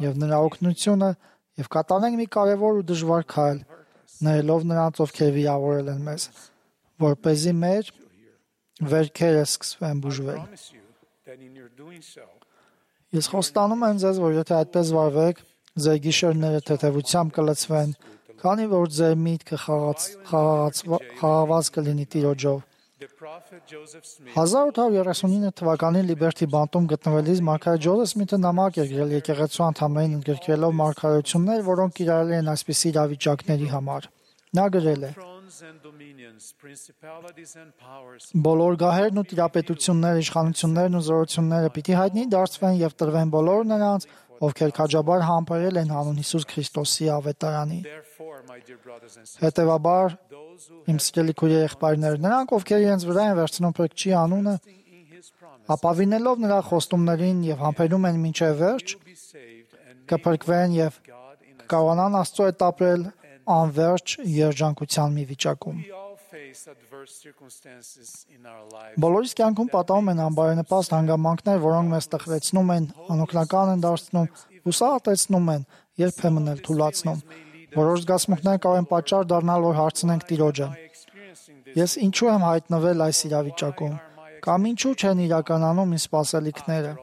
եւ նրա օգնությունը եւ կատարենք մի կարեւոր ու դժվար քայլ, ներելով նրանց, ովքեր վիրավորել են մեզ, որպեսզի մեր վերքերը սկսվեն բուժվել։ Ես խոստանում եմ ձեզ, որ եթե այդպես վարվեք, ձեր գիշերները թեթևությամբ կլցվեն, քանի որ ձեր միտքը խաղաղված կլինի Տիրոջով։ հազար ութ հարյուր երեսունինը թվականի Լիբերթի բանտում գտնվելիս մարգարե Ջոզեֆ Սմիթը նամակ էր գրել եկեղեցու անդամներին ընդգրկելով մարգարեություններ, որոնք կիրառելի են այսպիսի իրավիճակների համար։ Նա գրել է. Բոլոր գահերն ու տիրապետությունները, իշխանություններն ու զորությունները պիտի հայտնի դարձվեն եւ տրվեն բոլոր նրանց, ովքեր քաջաբար համբերել են հանուն Հիսուս Քրիստոսի ավետարանի։ Հետևաբար, իմ սիրելի քույր եղբայրներ, նրանք, ովքեր իրենց վրա են վերցնում Փրկչի անունը, ապավինելով նրա խոստումներին եւ համբերում են մինչեւ վերջ, կփրկվեն եւ կկարողանան Աստծո հետ ապրել անverջ երջանկության մի վիճակում։ Բոլորիս կյանքում պատահում են անբարենպաստ հանգամանքներ, որոնք մեզ տխրեցնում են, անօգնական են դարձնում, հուսահատեցնում են, երբեմն էլ թուլացնում։ Որոշ զգացմունքներ կարող են պատճառ դառնալ, որ հարցնենք Տիրոջը. Ես ինչու եմ հայտնվել այս իրավիճակում, կամ ինչու չեն իրականանում իմ սպասելիքները։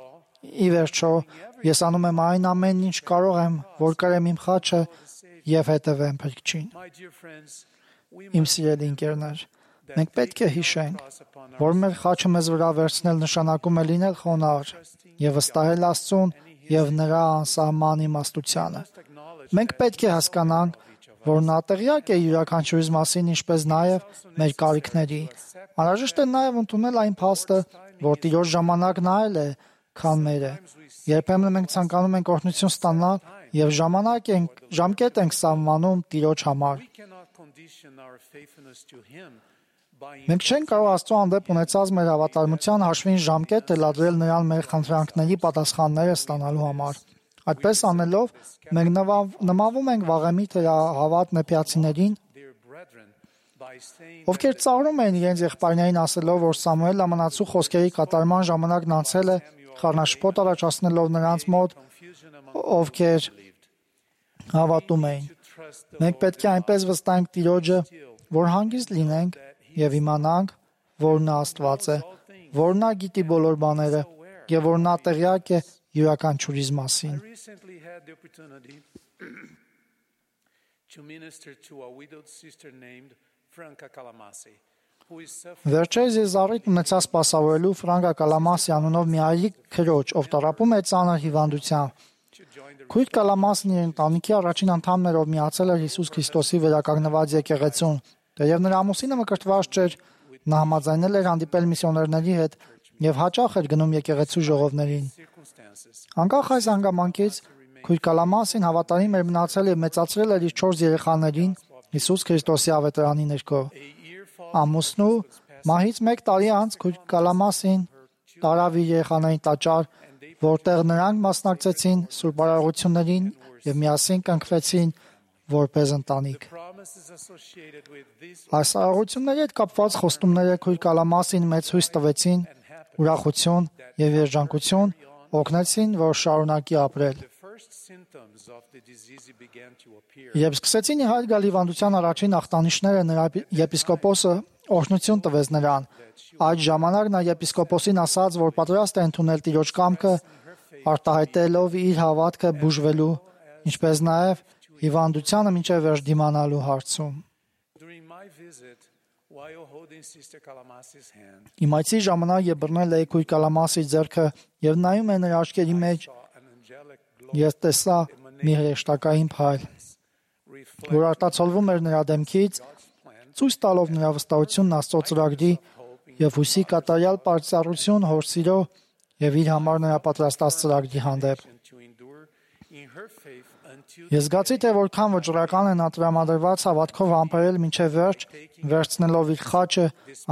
Ի վերջո, ես անում եմ այն ամենն, ինչ կարող եմ, որ կրեմ իմ խաչը եւ հետևեմ Փրկչին։ Իմ սիրելի ընկերներ, մենք պետք է հիշենք, որ մեր խաչը մեզ վրա վերցնել նշանակում է լինել խոնարհ եւ վստահել Աստծուն եւ նրա անսահման իմաստությանը։ Մենք պետք է հասկանանք, որ նա տեղյակ է յուրաքանչյուրիս մասին, ինչպես նաև մեր կարիքների։ Անհրաժեշտ է նաև ընդունել այն փաստը, որ Տիրոջ ժամանակն այլ է, քան մերը։ Երբեմն մենք ցանկանում ենք օրհնություն ստանալ եւ ժամանակ ենք, ժամկետ ենք սահմանում Տիրոջ համար։ Մենք չենք կարող Աստծո հանդեպ ունեցած մեր հավատարմության հաշվին ժամկետ թելադրել նրան մեր խնդրանքների պատասխանները ստանալու համար։ Այդպես անելով, մենք նմանվում ենք վաղեմի թերահավատ նեփյացիներին, ովքեր ծաղրում էին իրենց եղբայրներին ասելով, որ Սամուել ամենացու խոսքերի կատարման ժամանակն անցել է, խառնաշփոթ առաջացնելով նրանց մոտ, ովքեր հավատում էին։ Մենք պետք է այնպես վստահենք Տիրոջը, որ հանգիստ լինենք եւ իմանանք, որ նա Աստված է, որ նա գիտի բոլոր բաները եւ որ նա տեղյակ է յուրաքանչյուրիս մասին։ Վերջերս ես առիթ ունեցա սպասավորելու Ֆրանկա Կալամասի անունով մի այրիկ քրոջ, ով տառապում է ծանր հիվանդությամբ։ Քույր Կալամասն իր ընտանիքի առաջին անդամն էր, ով միացել էր Հիսուս Քրիստոսի վերականգնված եկեղեցուն։ Թեև նրա ամուսինը մկրտված չէր, նա համաձայնել էր հանդիպել միսիոներների հետ եւ հաճախ էր գնում եկեղեցու ժողովներին։ Անկախ այս հանգամանքից, քույր Կալամասին հավատարիմ էր մնացել եւ մեծացրել էր իր չորս երեխաներին Հիսուս Քրիստոսի ավետարանի ներքո։ Ամուսնու մահից մեկ տարի անց քույր Կալամասին տարավ իր երեխաներին տաճար, որտեղ նրանք մասնակցեցին սուրբ արարողություններին եւ միասին կնքվեցին որպես ընտանիք։ Այս արարողությունների հետ կապված խոստումները քույր Կալամասին մեծ հույս տվեցին, ուրախություն եւ երջանկություն օգնեցին, որ շարունակի ապրել։ Երբ սկսեցին իհայտ գալ հիվանդության առաջին ախտանիշները, նրա եպիսկոպոսը օրհնություն տվեց նրան։ Այդ ժամանակ նա եպիսկոպոսին ասաց, որ պատրաստ է ընդունել Տիրոջ կամքը, արտահայտելով իր հավատքը բուժվելու, ինչպես նաև հիվանդությանը մինչև վերջ դիմանալու հարցում։ Իմ այցի ժամանակ ես բռնել էի քույր Կալամասի ձեռքը եւ նայում եմ նրա աչքերի մեջ, ես տեսա մի հրեշտակային փայլ, որ արտացոլվում էր նրա դեմքից, ցույց տալով նրա վստահությունն Աստծո ծրագրի եւ հույսի կատարյալ պարծառություն հոր սիրո եւ իր համար նրա պատրաստած ծրագրի հանդեպ։ Ես զգացի, թե որքան վճռական է նա տրամադրված հավատքով համբերել մինչև վերջ, վերցնելով իր խաչը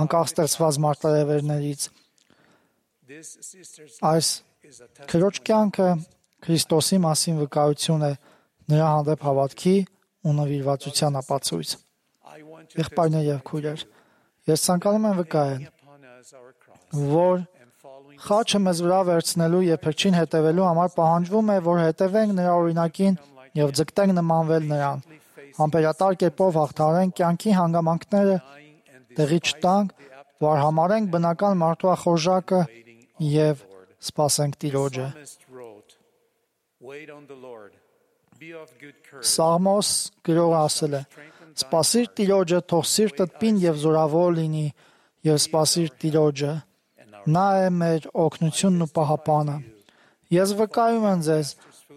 անկախ ստեղծված մարտահրավերներից։ Այս քրոջ կյանքը Քրիստոսի մասին վկայություն է, նրա հանդեպ հավատքի ու նվիրվածության ապացույց։ Եղբայրներ եւ քույրեր, ես ցանկանում եմ վկայել, որ խաչը մեզ վրա վերցնելու եւ Փրկչին հետևելու համար պահանջվում է, որ հետևենք նրա օրինակին եւ ձգտենք նմանվել նրան, համբերատար կերպով հաղթահարենք կյանքի հանգամանքները, տեղի չտանք, որ համարենք բնական մարդու ախորժակը եւ սպասենք Տիրոջը։ Սաղմոս գրողը ասել է. «Սպասիր Տիրոջը, թող սիրտդ պինդ եւ զորավոր լինի, եւ սպասիր Տիրոջը, նա է մեր օգնությունն ու պահապանը»։ Ես վկայում եմ ձեզ,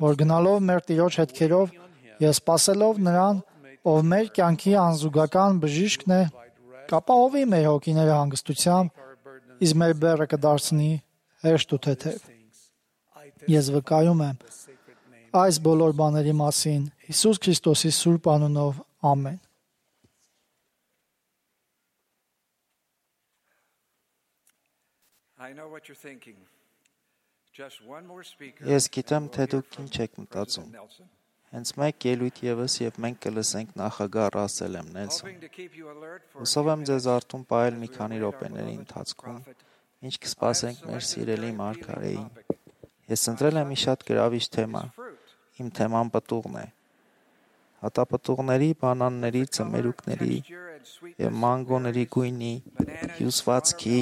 որ գնալով մեր Տիրոջ հետքերով եւ սպասելով նրան, ով մեր կյանքի անզուգական բժիշկն է, կապահովի մեր հոգիները հանգստությամբ, իսկ մեր բեռը կդարձնի հեշտ ու թեթև։ Ես վկայում եմ այս բոլոր բաների մասին Հիսուս Քրիստոսի սուրբ անունով, ամեն։ Ես գիտեմ, թե դուք ինչ եք մտածում։ Հենց մեկ ելույթ եւս եւ մենք կլսենք նախագահ Ռասել M. Նելսոն։ Հուսով եմ ձեզ արթուն պահել մի քանի րոպեների ընթացքում, ինչ կսպասենք մեր սիրելի մարգարեին։ Ես ընտրել եմ մի շատ գրավիչ թեմա։ Իմ թեման պտուղն է։ հատապտուղների, բանանների, ծմերուկների եւ մանգոների գույնի, հյուսվածքի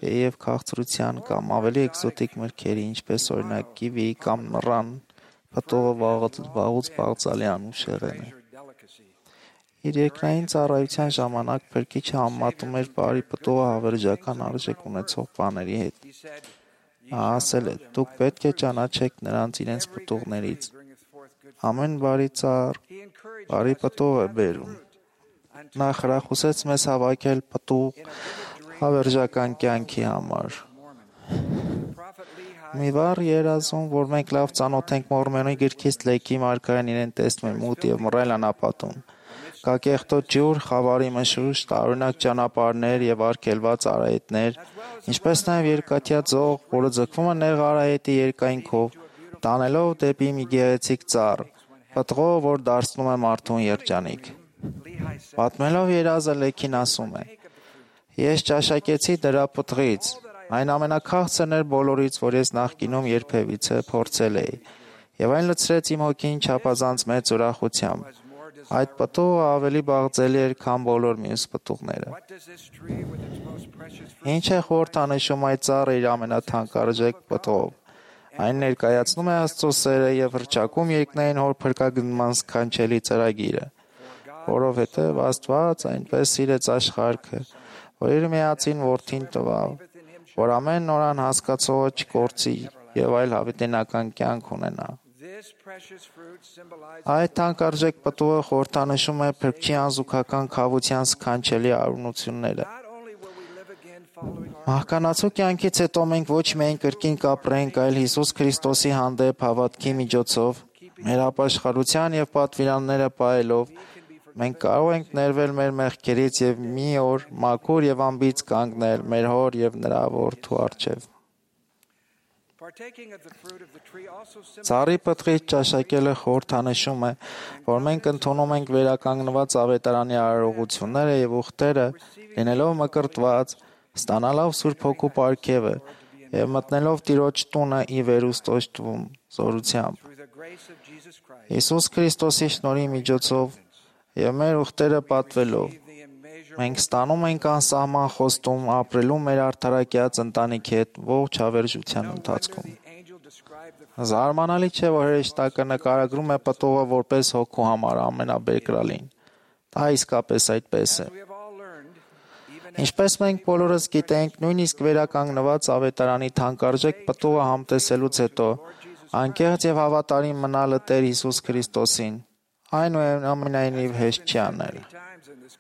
եւ քաղցրության կամ ավելի էկզոտիկ մրգերի, ինչպես օրինակ կիվի կամ նռան, պտուղը վաղուց բաղձալի անուշեղեն է։ Իր երկրային ծառայության ժամանակ փրկիչը համեմատում էր բարի պտուղը հավերժական արժեք ունեցող բաների հետ։ Նա ասել է. «Դուք պետք է ճանաչեք նրանց իրենց պտուղներից։ Ամեն բարի ծառ բարի պտուղ է բերում»։ Նա խրախուսեց մեզ հավաքել պտուղ հավերժական կյանքի համար։ Մի վառ երազում, որ մենք լավ ծանոթ ենք Մորմոնի գրքից Լեքի մարգարեն իրեն տեսնում է մութ եւ մռայլ անապատում։ Կա կեղտոտ ջուր, խավարի մշուշ, տարօրինակ ճանապարհներ եւ արգելված արահետներ, ինչպես նաեւ երկաթյա ձող, որը ձգվում է նեղ արահետի երկայնքով, տանելով դեպի մի գեղեցիկ ծառ, պտղով, որ դարձնում է մարդուն երջանիկ։ Պատմելով երազը Լեքին ասում է. «Ես ճաշակեցի դրա պտղից, այն ամենաքաղցրն էր բոլորից, որ ես նախկինում երբևիցե փորձել էի, եւ այն լցրեց իմ հոգին չափազանց մեծ ուրախությամբ։ Այդ պտուղը ավելի բաղձելի էր, քան բոլոր մյուս պտուղները»։ Ինչ է խորհրդանշում այդ ծառը իր ամենաթանկարժեք պտղով։ Այն ներկայացնում է Աստծո սերը եւ հռչակում երկնային Հոր փրկագնման սքանչելի ծրագիրը, որովհետեւ Աստված այնպես սիրեց աշխարհը, որ իր միածին որդին տվավ, որ ամեն նորան հասկացողը չկորցի եւ այլ հավիտենական կյանք ունենա։ Այդ թանկարժեք պտուղը խորհրդանշում է փրկչի անզուգական քավության սքանչելի արունությունները։ Մահկանացու կյանքից հետո մենք ոչ միայն կրկին կապրենք, այլ Հիսուս Քրիստոսի հանդեպ հավատքի միջոցով, մեր ապաշխարության եւ պատվիրանները պահելով, մենք կարող ենք ներվել մեր մեղքերից եւ մի օր մաքուր եւ անբիծ կանգնել մեր Հոր եւ նրա որդու առջեւ։ Ծառի պտղից ճաշակելը խորհրդանշում է, որ մենք ընդունում ենք վերականգնված ավետարանի արարողությունները եւ ուխտերը, լինելով մկրտված, ստանալով Սուրբ Հոգու պարգևը եւ մտնելով Տիրոջ տունը ի վերուստոյթվում զորությամբ։ Հիսուս Քրիստոսի շնորհի միջոցով եւ մեր ուխտերը պատվելով մենք ստանում ենք անսահման խոստում ապրելու մեր արդարակյաց ընտանիքի հետ ողջ հավերժության ընթացքում։ Զարմանալի չէ, որ հրեշտակը նկարագրում է պտուղը որպես հոգու համար ամենաբերկրալին։ Դա իսկապես այդպես է։ Ինչպես մենք բոլորս գիտենք, նույնիսկ վերականգնված ավետարանի թանկարժեք պտուղը համտեսելուց հետո անկեղծ եւ հավատարիմ մնալը Տեր Հիսուս Քրիստոսին այնուամենայնիվ հեշտ չի անել։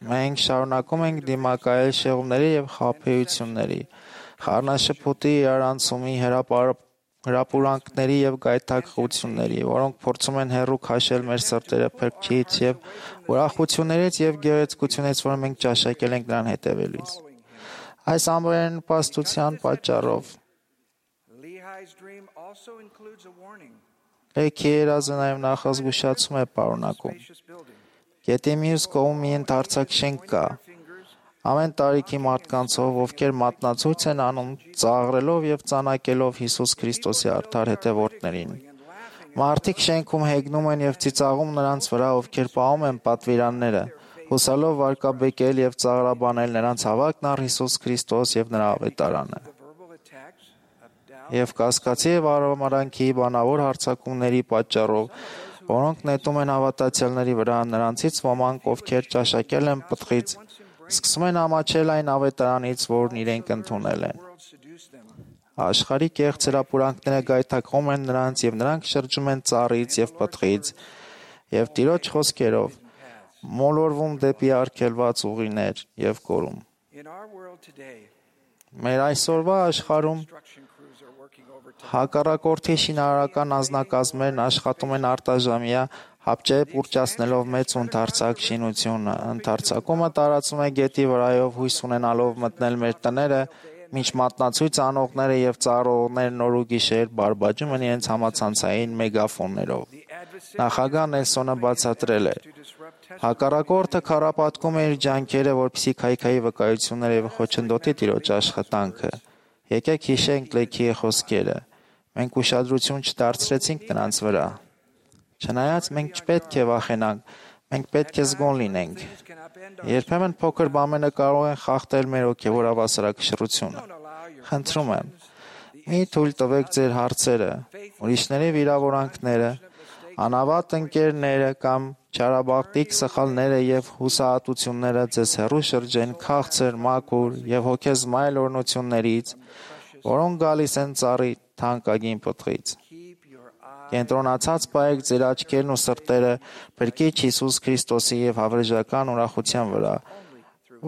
Մենք շարունակում ենք դիմակայել շեղումների եւ խաբեությունների, խառնաշփոթի, իրարանցումի, հրապուրանքների եւ գայթակղությունների, որոնք փորձում են հեռու քաշել մեր սրտերը Փրկչից եւ ուրախություններից եւ գեղեցկությունից, որ մենք ճաշակել ենք նրան հետևելիս։ Այս ամենայն պաստության պատճառով Լեքի երազը նաեւ նախազգուշացում է պարունակում։ Գետի մյուս կողմում մի ընդարձակ շենք կա, ամեն տարիքի մարդկանցով, ովքեր մատնացույց են անում, ծաղրելով եւ ծանակելով Հիսուս Քրիստոսի արդար հետևորդներին։ Մարդիկ շենքում հեգնում են եւ ծիծաղում նրանց վրա, ովքեր պահում են պատվիրանները, հուսալով վարկաբեկել եւ ծաղրաբանել նրանց հավատքն առ Հիսուս Քրիստոս եւ նրա ավետարանը։ Եվ կասկածի եւ արամարանքի բանավոր հարձակումների պատճառով, որոնք նետում են հավատացյալների վրա, նրանցից ոմանք, ովքեր ճաշակել են պտղից, սկսում են ամաչել այն ավետարանից, որն իրենք ընդունել են։ Աշխարհի կեղծ հրապուրանքները գայթակղում են նրանց եւ նրանք շրջում են ծառից եւ պտղից եւ Տիրոջ խոսքերով մոլորվում դեպի արգելված ուղիներ եւ կորում։ Մեր այսօրվա աշխարհում հակառակորդի շինարարական անձնակազմերն աշխատում են արտաժամյա հապճեպ ուռճացնելով մեծ ու ընդարձակ շինությունը։ Ընդարձակումը տարածում է գետի վրայով հույս ունենալով մտնել մեր տները, մինչ մատնացույց անողները եւ ծառողները նոր ու գիշեր բարբաջում են իրենց համացանցային մեգաֆոններով։ Նախագահ Նելսոնը բացատրել է. հակառակորդը քարապատկում է իր ջանքերը, որպեսզի քայքայի վկայությունները եւ խոչընդոտի Տիրոջ աշխատանքը։ Եկեք հիշենք Լեքի խոսքերը։ Մենք ուշադրություն չդարձրեցինք նրանց վրա։ Չնայած մենք չպետք է վախենանք, մենք պետք է զգոն լինենք։ Երբեմն փոքր բաները կարող են խախտել մեր հոգևոր հավասարակշռությունը։ Խնդրում եմ, մի թույլ տվեք ձեր հարցերը, ուրիշների վիրավորանքները, անավատ ընկերները կամ չարաբախտիկ սխալները եւ հուսահատությունները ձեզ հեռու շրջեն քաղցր, մաքուր եւ հոգեզմայլ օրհնություններից, որոնք գալիս են ծառի թանկագին պտղից։ Կենտրոնացած պահեք ձեր աչքերն ու սրտերը Փրկիչ Հիսուս Քրիստոսի եւ հավերժական ուրախության վրա,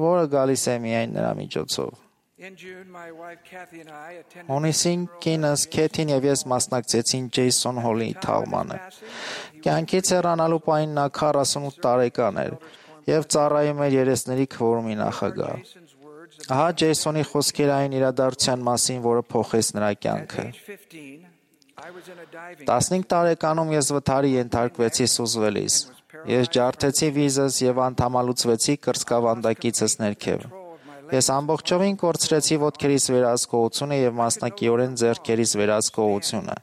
որը գալիս է միայն նրա միջոցով։ Հունիսին կինս Քեթին եւ ես մասնակցեցին Ջեյսոն Հոլի թաղմանը։ Կյանքից հեռանալու պահին նա քառասունութ տարեկան էր եւ ծառայում էր երեսների քվորումի նախագահ։ Ահա Ջեյսոնի խոսքերը այն իրադարձության մասին, որը փոխեց նրա կյանքը։ տասնհինգ տարեկանում ես վթարի ենթարկվեցի սուզվելիս։ Ես ջարդեցի վիզս եւ անդամալուծվեցի կրծքավանդակիցս ներքև։ Ես ամբողջովին կորցրեցի ոտքերիս վերահսկողությունը եւ մասնակիորեն ձեռքերիս վերահսկողությունը։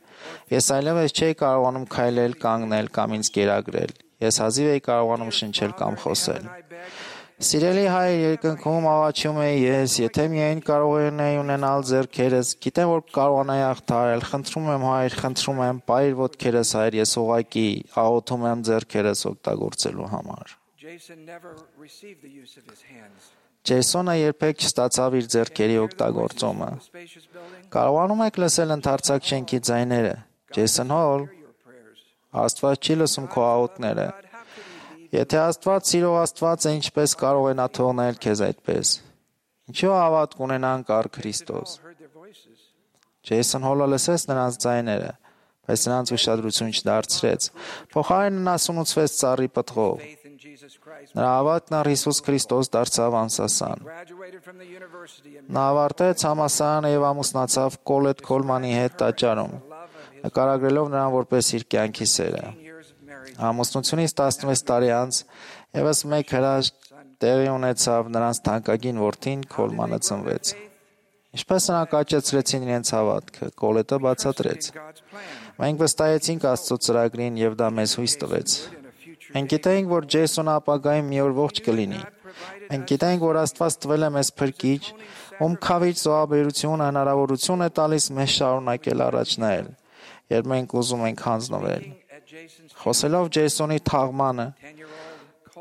Ես այլևս չէի կարողանում քայլել, կանգնել կամ ինձ կերակրել։ Ես հազիվ էի կարողանում շնչել կամ խոսել։ Սիրելի հայր, երկնքում աղաչում էի ես, եթե միայն կարողանայի ունենալ ձեռքերս, գիտեմ, որ կարողանայի հաղթահարել, խնդրում եմ հայր, խնդրում եմ, պահիր ոտքերս հայր, ես ուղղակի աղոթում եմ ձեռքերս օգտագործելու համար։ Ջեյսոնը երբեք չստացավ իր ձեռքերի օգտագործումը։ Կարողանում եք լսել ընդարձակ շենքի ձայները։ Ջեյսոն Հոլ, Աստված չի լսում քո աղոթքները։ Եթե Աստված սիրող Աստված է, ինչպես կարող է նա թողնել քեզ այդպես։ Ինչու հավատք ունենանք առ Քրիստոս։ Ջեյսոն Հոլը լսեց նրանց ձայները, բայց նրանց ուշադրություն չդարձրեց։ Փոխարենը նա սունուցվեց ծառի պտղով։ Նրա հավատքն առ Հիսուս Քրիստոս դարձավ անսասան։ Նա ավարտեց համալսարանը եւ ամուսնացավ Կոլետ Քոլմանի հետ տաճարում, նկարագրելով նրան որպես իր կյանքի սերը։ Ամուսնությունից տասնվեց տարի անց եւս մեկ հրաշք տեղի ունեցավ, նրանց թանկագին որդին Քոլմանը ծնվեց։ Ինչպես նրանք աճեցրեցին իրենց հավատքը, Կոլետը բացատրեց։ Մենք վստահեցինք Աստծո ծրագրին եւ դա մեզ հույս տվեց։ Մենք գիտեինք, որ Ջեյսոնը ապագայում մի օր ողջ կլինի։ Մենք գիտեինք, որ Աստված տվել է մեզ փրկիչ, ում քավիչ զոհաբերությունը հնարավորություն է տալիս մեզ շարունակել առաջ նայել, երբ մենք ուզում ենք հանձնվել։ Խոսելով Ջեյսոնի թաղմանը,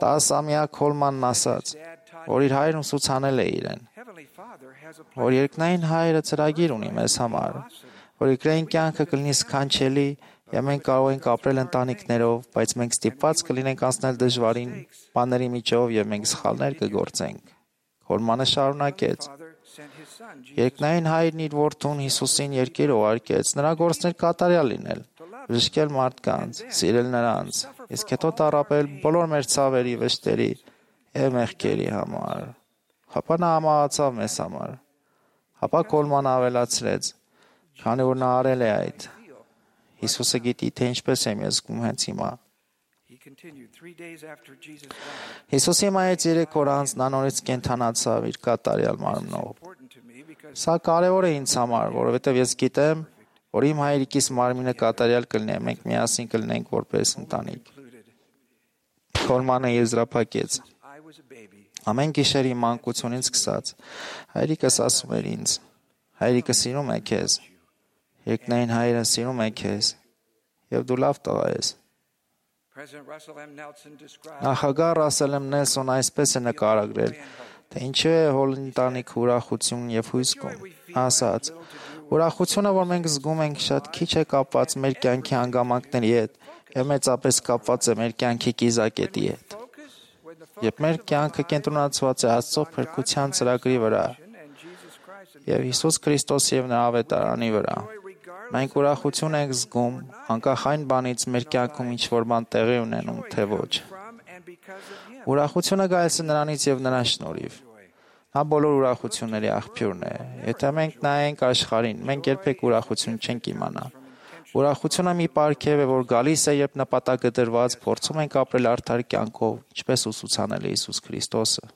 տասամյա Քոլմանն ասաց, որ իր հայրն ուսուցանել է իրեն, որ երկնային հայրը ծրագիր ունի մեզ համար, որ երկրային կյանքը կլինի սքանչելի եւ մենք կարող ենք ապրել ընտանիքներով, բայց մենք ստիպված կլինենք անցնել դժվարին բաների միջով եւ մենք սխալներ կգործենք։ Քոլմանը շարունակեց. Երկնային հայրն իր որդուն Հիսուսին երկիր ուղարկեց, նրա գործն էր կատարյալ լինել, բժշկել մարդկանց, սիրել նրանց, իսկ հետո տառապել բոլոր մեր ցավերի, վշտերի եւ մեղքերի համար։ Հապա նա համահացավ մեզ համար։ Հապա Քոլմանը ավելացրեց. քանի որ նա արել է այդ, Հիսուսը գիտի, թե ինչպես եմ ես զգում հենց հիմա։ Հիսուսի մահից երեք օր անց նա նորից կենդանացավ իր կատարյալ մարմնով։ Սա կարևոր է ինձ համար, որովհետև ես գիտեմ, որ իմ հայրիկիս մարմինը կատարյալ կլինի, մենք միասին կլինենք որպես ընտանիք։ Քոլմանը եզրափակեց. Ամեն գիշեր իմ մանկությունից սկսած հայրիկս ասում էր ինձ. հայրիկը սիրում է քեզ, երկնային հայրը սիրում է քեզ, եւ դու լավ տղա ես։ Նախագահ Ռասել Էմ Նելսոնը այսպես է նկարագրել, թե ինչու է Հոլ ընտանիքը ուրախություն եւ հույս կում։ Ասաց. ուրախությունը, որ մենք զգում ենք, շատ քիչ է կապված մեր կյանքի հանգամանքների հետ եւ մեծապես կապված է մեր կյանքի կիզակետի հետ։ Երբ մեր կյանքը կենտրոնացված է Աստծո փրկության ծրագրի վրա եւ Հիսուս Քրիստոսի եւ նրա ավետարանի վրա, մենք ուրախություն ենք զգում, անկախ այն բանից մեր կյանքում ինչ որ բան տեղի ունենում, թե ոչ։ Ուրախությունը գալիս է նրանից եւ նրա շնորհիվ։ Նա բոլոր ուրախությունների աղբյուրն է։ Եթե մենք նայենք աշխարհին, մենք երբեք ուրախություն չենք իմանա։ Ուրախությունը մի պարգև է, որ գալիս է, երբ նպատակը դրված, փորձում ենք ապրել արդար կյանքով, ինչպես ուսուցանել է Հիսուս Քրիստոսը։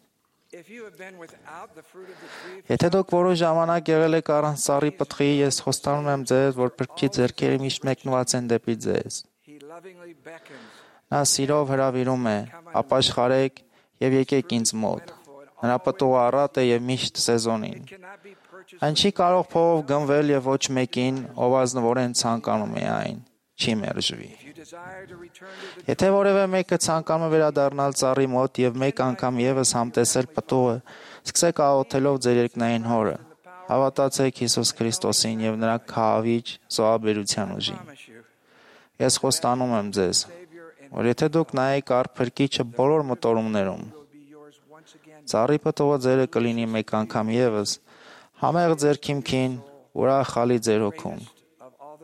Եթե դուք որոշ ժամանակ եղել եք առանց ծառի պտղի, ես խոստանում եմ ձեզ, որ Փրկչի ձեռքերը միշտ մեկնված են դեպի ձեզ։ Նա սիրով հրավիրում է. ապաշխարեք եւ եկեք ինձ մոտ։ Նրա պտուղը առատ է եւ միշտ սեզոնին։ Այն չի կարող փողով գնվել եւ ոչ մեկին, ով ազնվորեն ցանկանում է այն, չի մերժվի։ Եթե որևէ մեկը ցանկանում է վերադառնալ ծառի մոտ եւ մեկ անգամ եւս համտեսել պտուղը, սկսեք աղոթելով ձեր երկնային Հորը։ Հավատացեք Հիսուս Քրիստոսին եւ նրա քահավիճ զոհաբերության ուժին։ Ես խոստանում եմ ձեզ, որ եթե դուք նայեք առ Փրկիչը բոլոր մտորումներում, ծառի պտուղը ձերը կլինի մեկ անգամ եւս, համեղ ձեր քիմքին, ուրախալի ձեր հոգուն,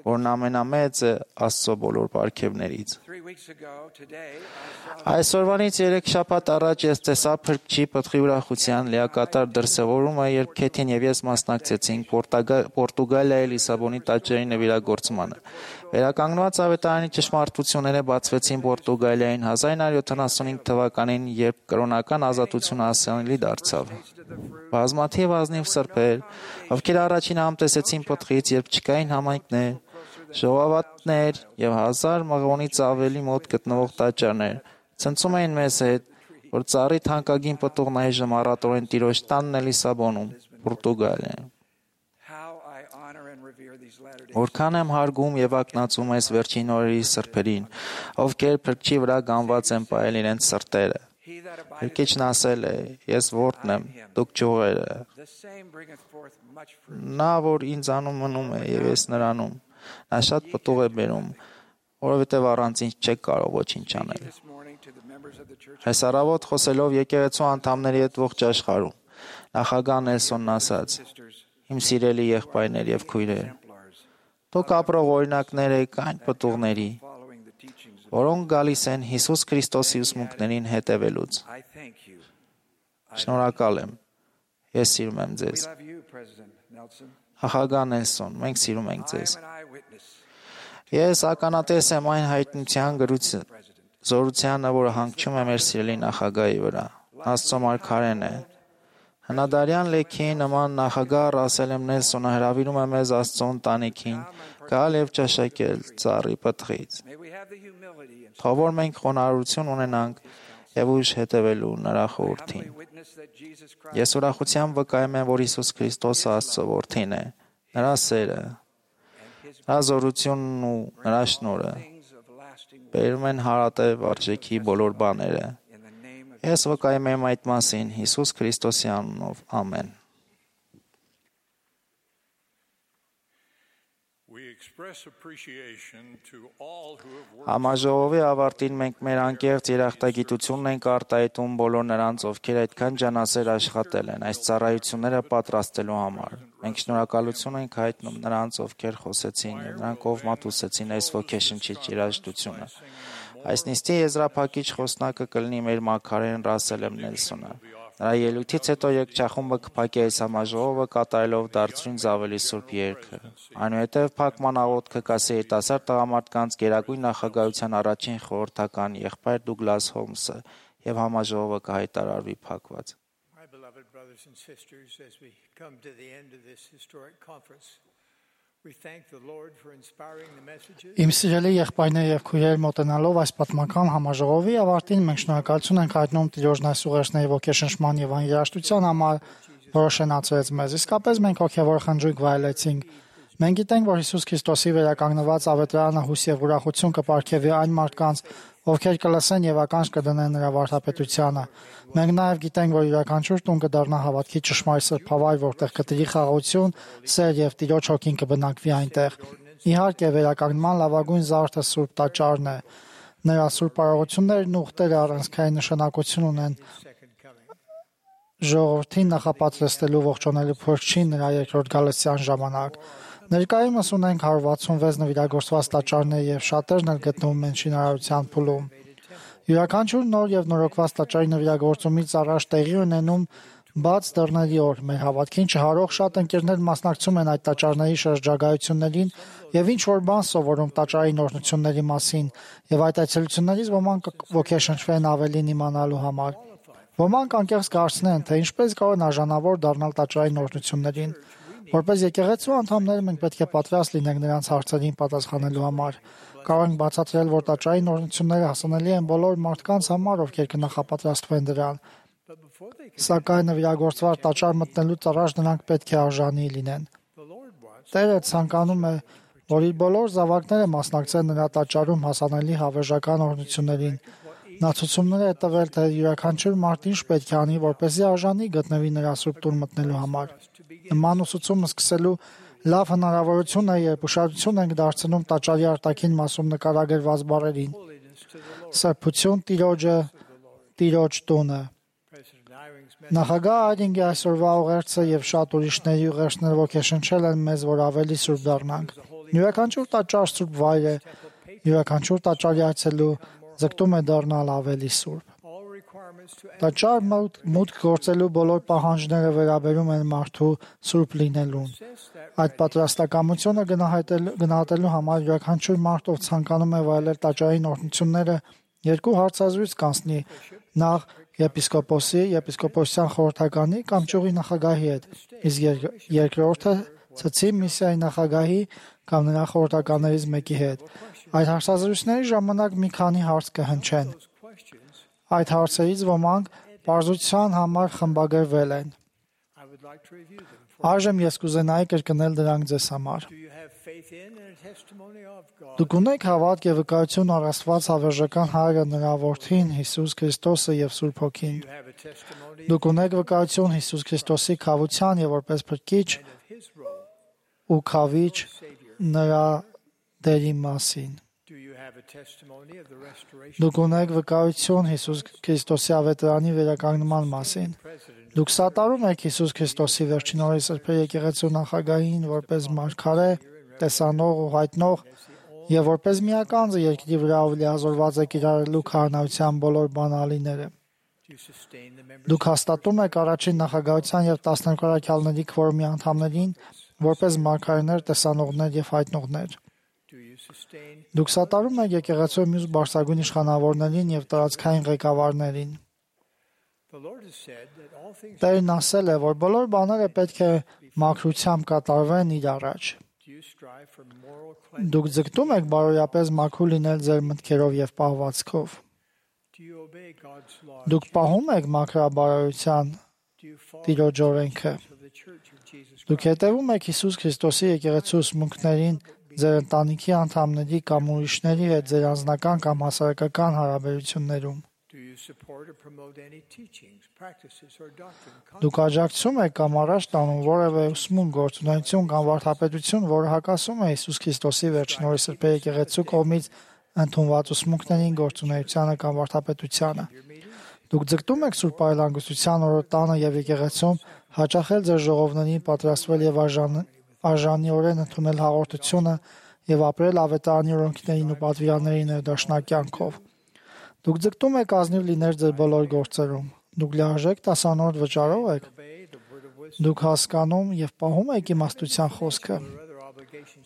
որն ամենամեծ է Աստծո բոլոր պարգևներից։ Այսօրվանից երեք շաբաթ առաջ ես տեսա Փրկչի պտղի ուրախության լիակատար դրսևորումը, երբ Քեթին եւ ես մասնակցեցինք Պորտուգալիայի Լիսաբոնի տաճարի նվիրագործմանը։ Վերականգնված ավետարանի ճշմարտությունները բացվեցին Պորտուգալիային հազար նույնսուն յոթանասունհինգ թվականին, երբ կրոնական ազատությունը հասանելի դարձավ։ Բազմաթիվ ազնիվ սրբեր, ովքեր առաջին համտեսեցին պտղից, երբ չկային համայնքներ, ժողովատներ եւ հազար մղոնից ավելի մոտ գտնվող տաճարներ, ցնցում էին մեզ հետ, որ ծառի թանկագին պտուղն այժմ առատորեն Տիրոջ տանն է Լիսաբոնում, Պորտուգալիա։ Որքան եմ հարգում եւ ակնածում այս վերջին օրերի սրբերին, ովքեր Փրկչի վրա գանված են պահել իրենց սրտերը։ Փրկիչն ասել է. ես որդն եմ, դուք ճյուղերը։ Նա, որ ինձանում մնում է եւ ես նրանում, նա շատ պտուղ է բերում, որովհետեւ առանց ինձ չեք կարող ոչինչ անել։ Այս առավոտ խոսելով եկեղեցու անդամների հետ ողջ աշխարհում, նախագահ Նելսոնն ասաց. իմ սիրելի եղբայրներ եւ քույրեր, դուք ապրող օրինակներ եք այն պտուղների, որոնք գալիս են Հիսուս Քրիստոսի ուսմունքներին հետևելուց։ Շնորհակալ եմ։ Ես սիրում եմ ձեզ։ Նախագահ Նելսոն, մենք սիրում ենք ձեզ։ Ես ականատես եմ այն հայտնության զորությանը, որը հանգչում է մեր սիրելի նախագահի վրա։ Աստծո մարգարեն է։ Հնադարյան լեքի նման նախագահ Ռասել M. Նելսոնը հրավիրում է մեզ Աստծո ընտանիքին գալ եւ ճաշակել ծառի պտղից։ Թող որ մենք խոնարհություն ունենանք եւ ուժ հետևելու նրա խորհրդին։ Ես ուրախությամբ վկայում եմ, որ Հիսուս Քրիստոսը Աստծո որդին է, նրա սերը, նրա զորությունն ու նրա շնորհը բերում են հարատև արժեքի բոլոր բաները։ Ես վկայում եմ այդ մասին Հիսուս Քրիստոսի անունով։ Ամեն։ Համաժողովի ավարտին մենք մեր անկեղծ երախտագիտությունն ենք արտահայտում բոլոր նրանց, ովքեր այդքան ջանասեր աշխատել են այս ծառայությունները պատրաստելու համար։ Մենք շնորհակալություն ենք հայտնում նրանց, ովքեր խոսեցին եւ նրանք ով մատուցեցին այս ոգեշնչիչ երաժշտությունը։ Այս նիստի եզրափակիչ խոսնակը կլինի մեր մարգարեն Ռասել M. Նելսոնը։ Նրա ելույթից հետո երգչախումբը կփակի այս համաժողովը կատարելով դարձրինձ ավելի սուրբ երգը։ Այնուհետև փակման աղոթքը կասի երիտասարդ տղամարդկանց գերագույն նախագահության առաջին խորհրդական եղբայր Դուգլաս Հոլմսը եւ համաժողովը կհայտարարվի փակված։ Իմ սիրելի եղբայրներ եւ քույրեր, մոտենալով այս պատմական համաժողովի ավարտին մենք շնորհակալություն ենք հայտնում Տիրոջն այս ուղերձների ոգեշնչման եւ աներաշտության համար, որը շնացրեց մեզ։ Իսկապես մենք հոգեվոր խնջույք վայելեցինք։ Մենք գիտենք, որ Հիսուս Քրիստոսի վերականգնված ավետարանը հույս եւ ուրախություն կպարգևի այն մարդկանց, ովքեր կլսեն եւ ականջ կդնեն նրա վարդապետությանը։ Մենք նաեւ գիտենք, որ յուրաքանչյուր տուն կդառնա հավատքի ճշմարիտ սրբավայր, որտեղ կտրի խաղաղություն, սեր եւ Տիրոջ հոգին կբնակվի այնտեղ։ Իհարկե, վերականգնման լավագույն զարդը Սուրբ Տաճարն է։ Նրա սուրբ արարողություններն ու ուխտերը առանցքային նշանակություն ունեն ժողովրդին նախապատրաստելու ողջունելու Փրկչին նրա երկրորդ գալստյան ժամանակ։ Ներկայումս ունենք հարյուր վաթսունվեց նվիրագործված տաճարներ եւ շատերն էլ գտնվում են շինարարության փուլում։ Յուրաքանչյուր նոր եւ նորոգված տաճարի նվիրագործումից առաջ տեղի ունենում բաց դռների օր։ Մեր հավատքին չհարող շատ ընկերներ մասնակցում են այդ տաճարների շրջագայություններին եւ ինչ որ բան սովորում տաճարի նորությունների մասին եւ այդ այցելություններից ոմանք ոգեշնչվեն ավելին իմանալու համար։ Ոմանք անկեղծ կարծնեն, թե ինչպես կարող են արժանավոր դառնալ տաճարի նորություններին։ Որպես եկեղեցու անդամներ մենք պետք է պատրաստ լինենք նրանց հարցերին պատասխանելու համար։ Կարող ենք բացատրել, որ տաճարային օրհնությունները հասանելի են բոլոր մարդկանց համար, ովքեր կնախապատրաստվեն դրան։ Սակայն նվիրագործված տաճար մտնելուց առաջ նրանք պետք է արժանի լինեն։ Տերը ցանկանում է, որ իր բոլոր զավակները մասնակցեն նրա տաճարում հասանելի հավերժական օրհնություններին։ Նա ցուցումներ է տվել, թե յուրաքանչյուր մարդ ինչ պետք է անի, որպեսզի արժանի գտնվի նրա սուրբ տուն մտնելու համար։ Նման ուսուցումը սկսելու լավ հնարավորություն է, երբ ուշադրություն ենք դարձնում տաճարի արտաքին մասում նկարագրված բառերին։ Սրբություն Տիրոջը, Տիրոջ տունը։ Նախագահ Այրինգի այսօրվա ուղերձը եւ շատ ուրիշների ուղերձները ոգեշնչել են մեզ, որ ավելի սուրբ դառնանք։ Յուրաքանչյուր տաճար սուրբ վայր է, յուրաքանչյուր տաճարի այցելու ձգտում է դառնալ ավելի սուրբ։ Տաճար մուտք գործելու բոլոր պահանջները վերաբերում են մարդու սուրբ լինելուն։ Այդ պատրաստակամությունը գնահատելու համար յուրաքանչյուր մարդ, ով ցանկանում է վայելել տաճարային օրհնությունները, երկու հարցազրույց կանցնի՝ նախ եպիսկոպոսի, եպիսկոպոսյան խորհրդականի կամ ճյուղի նախագահի հետ, իսկ երկրորդը ցցի միսիայի նախագահի կամ նրա խորհրդականներից մեկի հետ։ Այդ հարցազրույցների ժամանակ մի քանի հարց կհնչեն։ Այդ հարցերից ոմանք պարզության համար խմբագրվել են։ Այժմ ես կուզենայի կրկնել դրանք ձեզ համար։ Դուք ունեք հավատք եւ վկայություն առ Աստված հավերժական Հայրը, նրա Որդին Հիսուս Քրիստոսը եւ Սուրբ Հոգին։ Դուք ունեք վկայություն Հիսուս Քրիստոսի քավության եւ որպես փրկիչ ու քավիչ նրա դերի մասին։ Դուք ունեք վկայություն Հիսուս Քրիստոսի ավետարանի վերականգնման մասին։ Դուք սատարում եք Հիսուս Քրիստոսի վերջին օրերի սրբեր եկեղեցու նախագահին որպես մարգարե, տեսանող ու հայտնող եւ որպես միականձը երկրի վրա ով լիազորված է կիրառելու քահանայության բոլոր բանալիները։ Դուք հաստատում եք առաջին նախագահության եւ տասներկու առաքյալների քվորումի անդամներին որպես մարգարեներ, տեսանողներ եւ հայտնողներ։ Դուք սատարում եք եկեղեցու մյուս բարձրագույն իշխանավորներին եւ տարածքային ղեկավարներին։ Տերն ասել է, որ բոլոր բաները պետք է մաքրությամբ կատարվեն իր առաջ։ Դուք ձգտում եք բարոյապես մաքուր լինել ձեր մտքերով եւ պահվածքով։ Դուք պահում եք մաքրաբարոյության Տիրոջ օրենքը։ Դուք հետևում եք Հիսուս Քրիստոսի եկեղեցու ուսմունքներին ձեր ընտանիքի անդամների կամ ուրիշների հետ ձեր անձնական կամ հասարակական հարաբերություններում։ Դուք աջակցում եք կամ առաջ տանում որևէ ուսմունք, գործունեություն կամ վարդապետություն, որը հակասում է Հիսուս Քրիստոսի վերջին օրերի սրբեր եկեղեցու կողմից ընդունված ուսմունքներին, գործունեությանը կամ վարդապետությանը։ Դուք ձգտում եք Սուրբ Այլանդության օրոտանը եւ եկեղեցում հաճախել ձեր ժողովներին, պատրաստվել եւ արժանիորեն ընդունել հաղորդությունը եւ ապրել ավետարանի օրենքներին ու պատվիրանների ներդաշնակ կյանքով։ Դուք ձգտում եք ազնիվ լինել ձեր բոլոր գործերում։ Դուք լիարժեք տասանորդ վճարով եք։ Դուք հասկանում եւ պահում եք իմաստության խոսքը։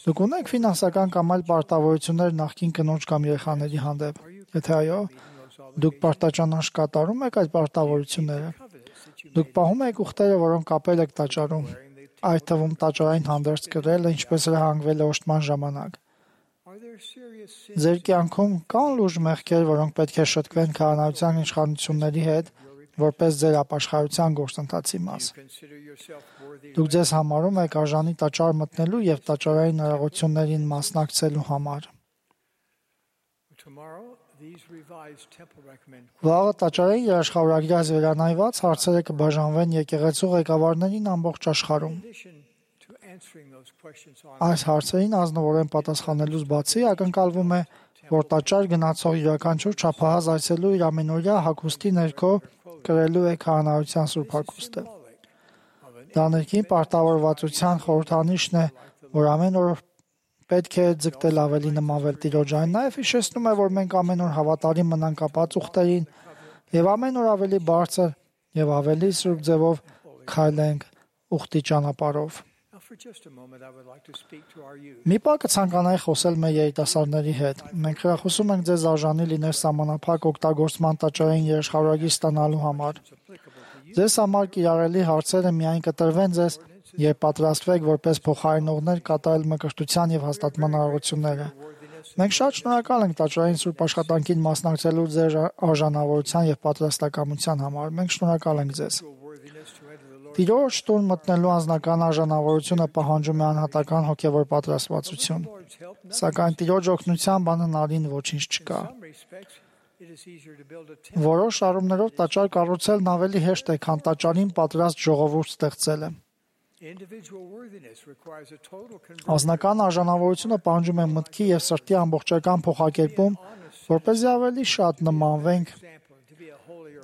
Դուք ունեք ֆինանսական կամ այլ պարտավորություններ նախկին կնոջ կամ երեխաների հանդեպ։ Եթե այո, դուք պարտաճանաչ կատարում եք այդ պարտավորությունները։ Դուք պահում եք ուխտերը, որոնք կապել եք տաճարում, այդ թվում տաճարային հանդերձ կրելը, ինչպես հրահանգվել է օժտման ժամանակ։ Ձեր կյանքում կան լուրջ մեղքեր, որոնք պետք է շտկվեն քահանայության իշխանությունների հետ, որպես ձեր ապաշխարության գործընթացի մաս։ Դուք ձեզ համարում եք արժանի տաճար մտնելու եւ տաճարային հնարավորություններին մասնակցելու համար։ Վաղը տաճարային երաշխավորագրած վերանայված հարցերը կբաժանվեն եկեղեցու ղեկավարներին ամբողջ աշխարհում։ Այս հարցերին ազնվորեն պատասխանելուց բացի ակնկալվում է, որ տաճար գնացող յուրաքանչյուր չափահաս այցելու իր ամենօրյա հագուստի ներքո կրելու է քահանայության սուրբ հագուստը։ Դա ներքին պարտավորվածության խորհրդանիշն է, որ ամեն օր պետք է ձգտել ավելի նմանվել Տիրոջ։ Այն նաև հիշեցնում է, որ մենք ամեն օր հավատարիմ մնանք կապած ուխտերին եւ ամեն օր ավելի բարձր եւ ավելի սուրբ ձևով քայլենք ուխտի ճանապարհով։ Մի պահ կցանկանայի խոսել մեր երիտասարդների հետ։ Մենք խրախուսում ենք ձեզ արժանի լինել սահմանափակ օգտագործման տաճարային երաշխավորագիր ստանալու համար։ Ձեզ համար կիրառելի հարցերը միայն կտրվեն ձեզ եւ պատրաստվեք որպես փոխարինողներ կատարել մկրտության եւ հաստատման արարությունները։ Մենք շատ շնորհակալ ենք տաճարային սուրբ աշխատանքին մասնակցելու ձեր արժանավորության եւ պատրաստակամության համար։ Մենք շնորհակալ ենք ձեզ։ Տիրոջ տուն մտնելու անձնական արժանավորությունը պահանջում է անհատական հոգևոր պատրաստվածություն։ Սակայն Տիրոջ օգնությամբ անհնարին ոչինչ չկա։ Որոշ առումներով տաճար կառուցելն ավելի հեշտ է, քան տաճարին պատրաստ ժողովուրդ ստեղծելը։ Անձնական արժանավորությունը պահանջում է մտքի եւ սրտի ամբողջական փոխակերպում, որպեսզի ավելի շատ նմանվենք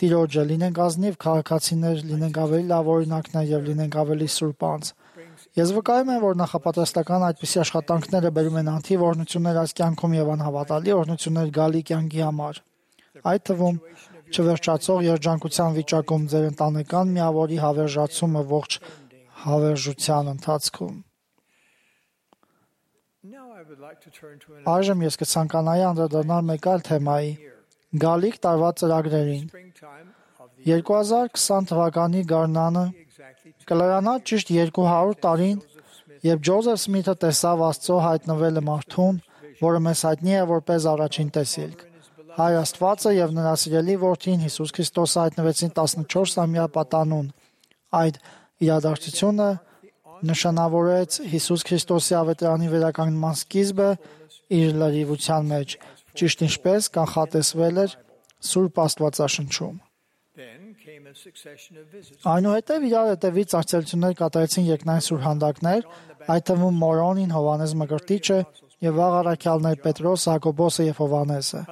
Տիրոջը, լինենք ազնիվ քաղաքացիներ, լինենք ավելի լավ օրինակներ եւ լինենք ավելի սուրբ անձ։ Ես վկայում եմ, որ նախապատրաստական այդպիսի աշխատանքները բերում են անթիվ օրհնություններ այս կյանքում եւ անհավատալի օրհնություններ գալի կյանքի համար։ Այդ թվում չվերջացող երջանկության վիճակում ձեր ընտանեկան միավորի հավերժացումը ողջ հավերժության ընթացքում։ Այժմ ես կցանկանայի անդրադառնալ մեկ այլ թեմայի՝ գալիք տարվա ծրագրերին։ երկու հազար քսան թվականի գարնանը կլրանա ճիշտ երկու հարյուր տարին, երբ Ջոզեֆ Սմիթը տեսավ Աստծո հայտնվելը մարդուն, որը մեզ հայտնի է որպես առաջին տեսիլք։ Հայր Աստվածը եւ նրա սիրելի որդին Հիսուս Քրիստոսը հայտնվեցին տասնչորսամյա պատանուն։ Այդ իրադարձությունը նշանավորեց Հիսուս Քրիստոսի ավետարանի վերականգնման սկիզբը իր լրիվության մեջ, ճիշտ ինչպես կանխատեսվել էր Սուրբ Աստվածաշնչում։ Այնուհետև իրար հետևից այցելություններ կատարեցին երկնային սուրհանդակներ, այդ թվում Մորոնին, Հովհաննես Մկրտիչը եւ վաղ առաքյալներ Պետրոս, Հակոբոսը եւ Հովհաննեսը։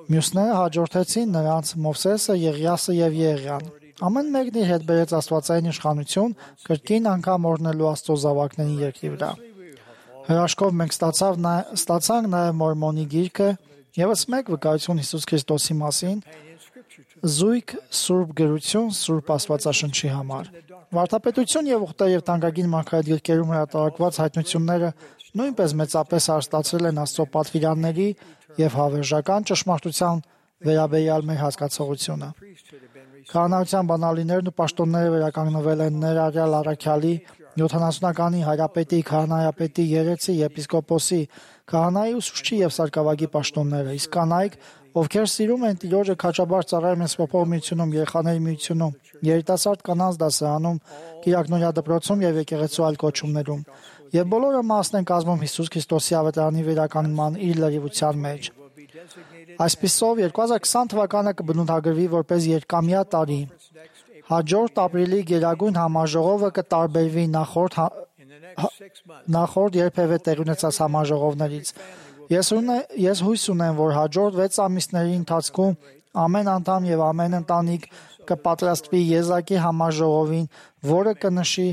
Մյուսները հաջորդեցին նրանց Մովսեսը, Եղիասը եւ Եղիան։ Ամեն մեկն իր հետ բերեց աստվածային իշխանություն, կրկին անգամ օրհնելու Աստծո զավակներին երկրի վրա։ Հրաշքով մենք ստացավ նա, ստացանք նաև Մորմոնի գիրքը, եւս մեկ վկայություն Հիսուս Քրիստոսի մասին, զույգ Սուրբ գրություն Սուրբ Աստվածաշնչի համար։ Վարդապետություն եւ ուխտեր եւ թանկագին մարգարետ հրատարակված հայտնությունները նույնպես մեծապես հարստացրել են Աստծո պատվիրանների եւ հավերժական ճշմարտության վերաբերյալ մեր հասկացողությունը։ Քահանայության բանալիներն ու պաշտոնները վերականգնվել են ներառյալ առաքյալի, յոթանասունականի, հայրապետի, քահանայապետի, երեցի, եպիսկոպոսի, քահանայի ուսուցչի եւ սարկավագի պաշտոնները, իսկ կանայք, ովքեր սիրում են Տիրոջը, քաջաբար ծառայում են Սփոփող միությունում, երեխաների միությունում, երիտասարդ կանանց դասարանում, Կիրակնորիա դպրոցում եւ եկեղեցու այլ կոչումներում, եւ բոլորը մասն են կազմում Հիսուս Քրիստոսի ավետարանի վերականգնման իր լրիվության մեջ։ Այսպիսով երկու հազար քսան թվականը կբնութագրվի որպես երկամյա տարի։ Հաջորդ ապրիլի Գերագույն համաժողովը կտարբերվի նախորդ նախորդ երբևէ տեղի ունեցած համաժողովներից։ Ես ունե, ես հույս ունեմ, որ հաջորդ վեց ամիսների ընթացքում ամեն անդամ եւ ամեն ընտանիք կպատրաստվի եզակի համաժողովին, որը կնշի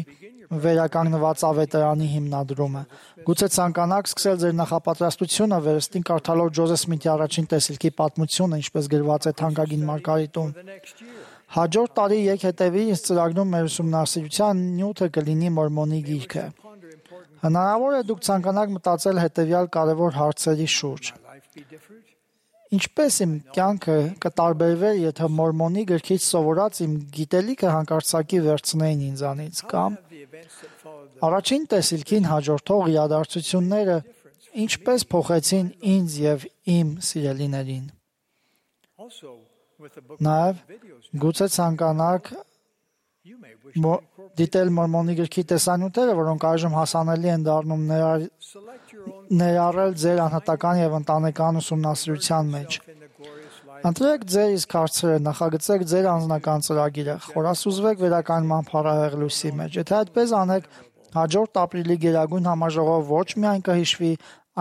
վերականգնված ավետարանի հիմնադրումը։ Գուցե ցանկանաք սկսել ձեր նախապատրաստությունը վերստին կարդալով Ջոզեֆ Սմիթի առաջին տեսիլքի պատմությունը, ինչպես գրված է թանկագին Մարգարիտում։ Հաջորդ տարի եկ հետևի ինձ ծրագրում մեր ուսումնասիրության նյութը կլինի Մորմոնի գիրքը։ Հնարավոր է դուք ցանկանաք մտածել հետևյալ կարևոր հարցերի շուրջ։ Ինչպես իմ կյանքը կտարբերվեր, եթե Մորմոնի գրքից սովորած իմ գիտելիքը հանկարծակի վերցնեին ինձանից, կամ առաջին տեսիլքին հաջորդող իրադարձությունները ինչպես փոխեցին ինձ եւ իմ սիրելիներին։ Նաև գուցե ցանկանաք դիտել Մորմոնի գրքի տեսանյութերը, որոնք այժմ հասանելի են դառնում ներառել ձեր անհատական եւ ընտանեկան ուսումնասիրության մեջ։ Ընտրեք ձեր իսկ հարցերը, նախագծեք ձեր անձնական ծրագիրը, խորասուզվեք վերականգնման փառահեղ լույսի մեջ։ Եթե այդպես անեք, հաջորդ ապրիլի Գերագույն համաժողով ոչ միայն կհիշվի,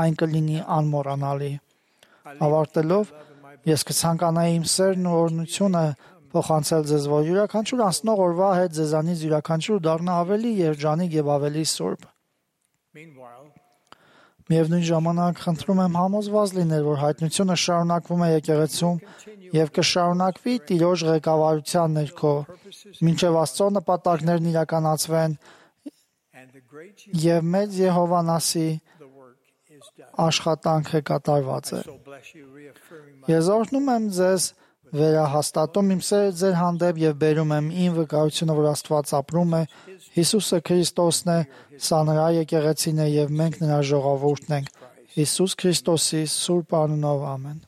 այն կլինի անմոռանալի։ Ավարտելով, ես կցանկանայի իմ սերն ու օրհնությունը փոխանցել ձեզ, որ յուրաքանչյուր անցնող օրվա հետ ձեզանից յուրաքանչյուր դառնա ավելի երջանիկ եւ ավելի սուրբ։ Միևնույն ժամանակ խնդրում եմ համոզված լինել, որ հայտնությունը շարունակվում է եկեղեցում եւ կշարունակվի Տիրոջ ղեկավարության ներքո, մինչեւ Աստծո նպատակներն իրականացվեն եւ մեծ Եհովանասի աշխատանքը կատարված է։ Ես օրհնում եմ ձեզ, վերահաստատում իմ սերը ձեր հանդեպ եւ բերում եմ ին վկայությունը, որ Աստված ապրում է, Հիսուսը Քրիստոսն է, սա նրա եկեղեցին է եւ մենք նրա ժողովուրդն ենք։ Հիսուս Քրիստոսի սուրբ անունով ամեն։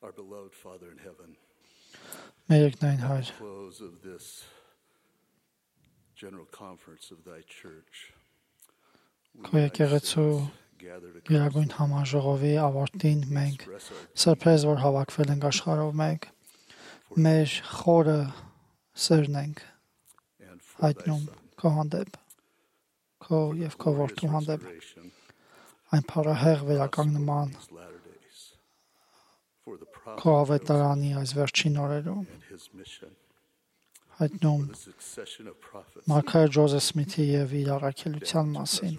Our beloved Father in heaven, Մեր երկնային Հայր, close of this general conference of thy church. քո եկեղեցու Գերագույն համաժողովի ավարտին մենք սրբեզ որ հավաքվել ենք աշխարհով մեկ մեր խորը սերն ենք հայտնում քո հանդեպ քո եւ քո որդու հանդեպ այն փառահեղ վերականգնման քո ավետարանի այս վերջին օրերում հայտնում Մարգարետ Ջոզեֆ Սմիթի եւ իր առաքելության մասին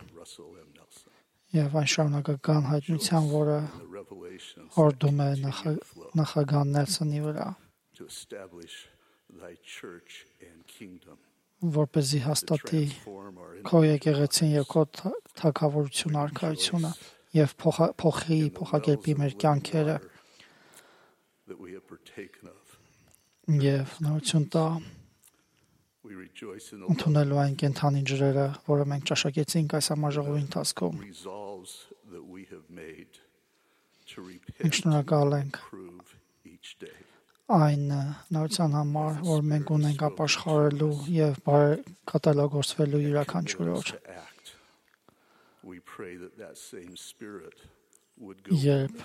եւ այն շարունակական հայտնության, որը օրդում է նախագահ Նելսոնի վրա, որպեսզի հաստատի քո եկեղեցին եւ քո թագավորություն արքայությունը եւ փոխի փոխակերպի մեր կյանքերը եւ նորություն տա ընդունելու այն կենթանի ջրերը, որը մենք ճաշակեցինք այս համաժողովի ընթացքում։ Մենք շնորհակալ ենք այն նորության համար, որ մենք ունենք ապաշխարելու եւ կատարելագործվելու յուրաքանչյուր օր։ Երբ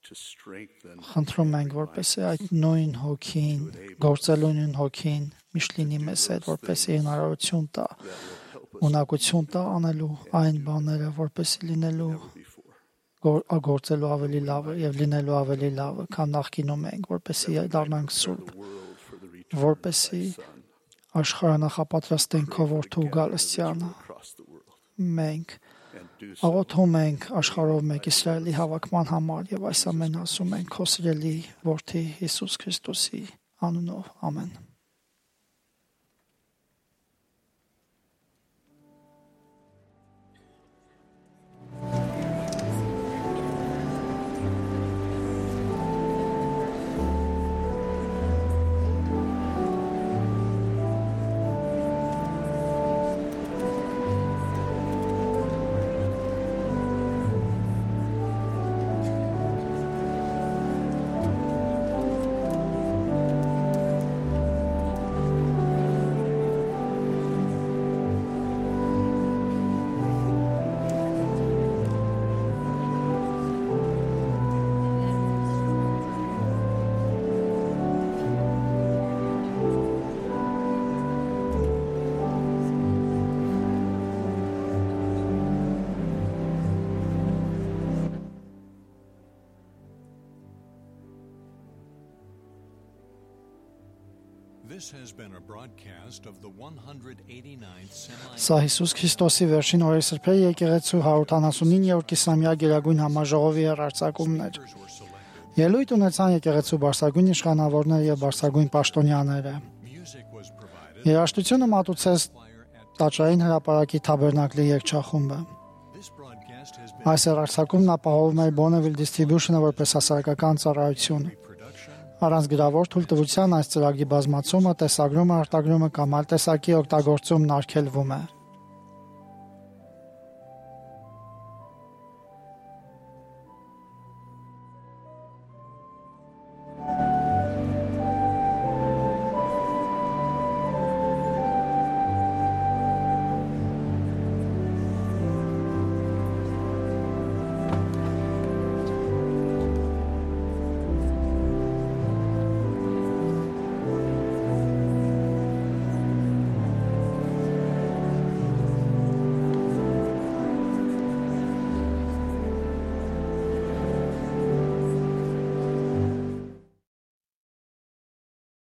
խնդրում ենք, որպեսզի այդ նույն հոգին, գործելու նույն հոգին միշտ լինի մեզ հետ, որպեսզի հնարավորություն տա, ունակություն տա անելու այն բաները, որպեսզի լինելու գործելու ավելի լավը եւ լինելու ավելի լավը, քան նախկինում ենք, որպեսզի դառնանք սուրբ, որպեսզի աշխարհը նախապատրաստենք քո որդու գալստյանը։ Մենք աղոթում ենք աշխարհով մեկ Իսրայելի հավաքման համար եւ այս ամեն ասում ենք քո սիրելի որդի Հիսուս Քրիստոսի անունով, ամեն։ Սա Հիսուս Քրիստոսի վերջին օրերի սրբերի եկեղեցու հարյուրութանասունիններորդ կիսամյա գերագույն համաժողովի հեռարձակումն էր։ Ելույթ ունեցան եկեղեցու բարձրագույն իշխանավորները եւ բարձրագույն պաշտոնյաները։ Երաժշտությունը մատուցեց Տաճարային հրապարակի Թաբերնակլի երգչախումբը։ Այս հեռարձակումն ապահովում էր Bonneville Distribution-ը որպես հասարակական ծառայություն։ Առանց գրավոր թույլտվության այս ծրագրի բազմացումը, տեսագրումը, արտագրումը կամ այլ տեսակի օգտագործումն արգելվում է։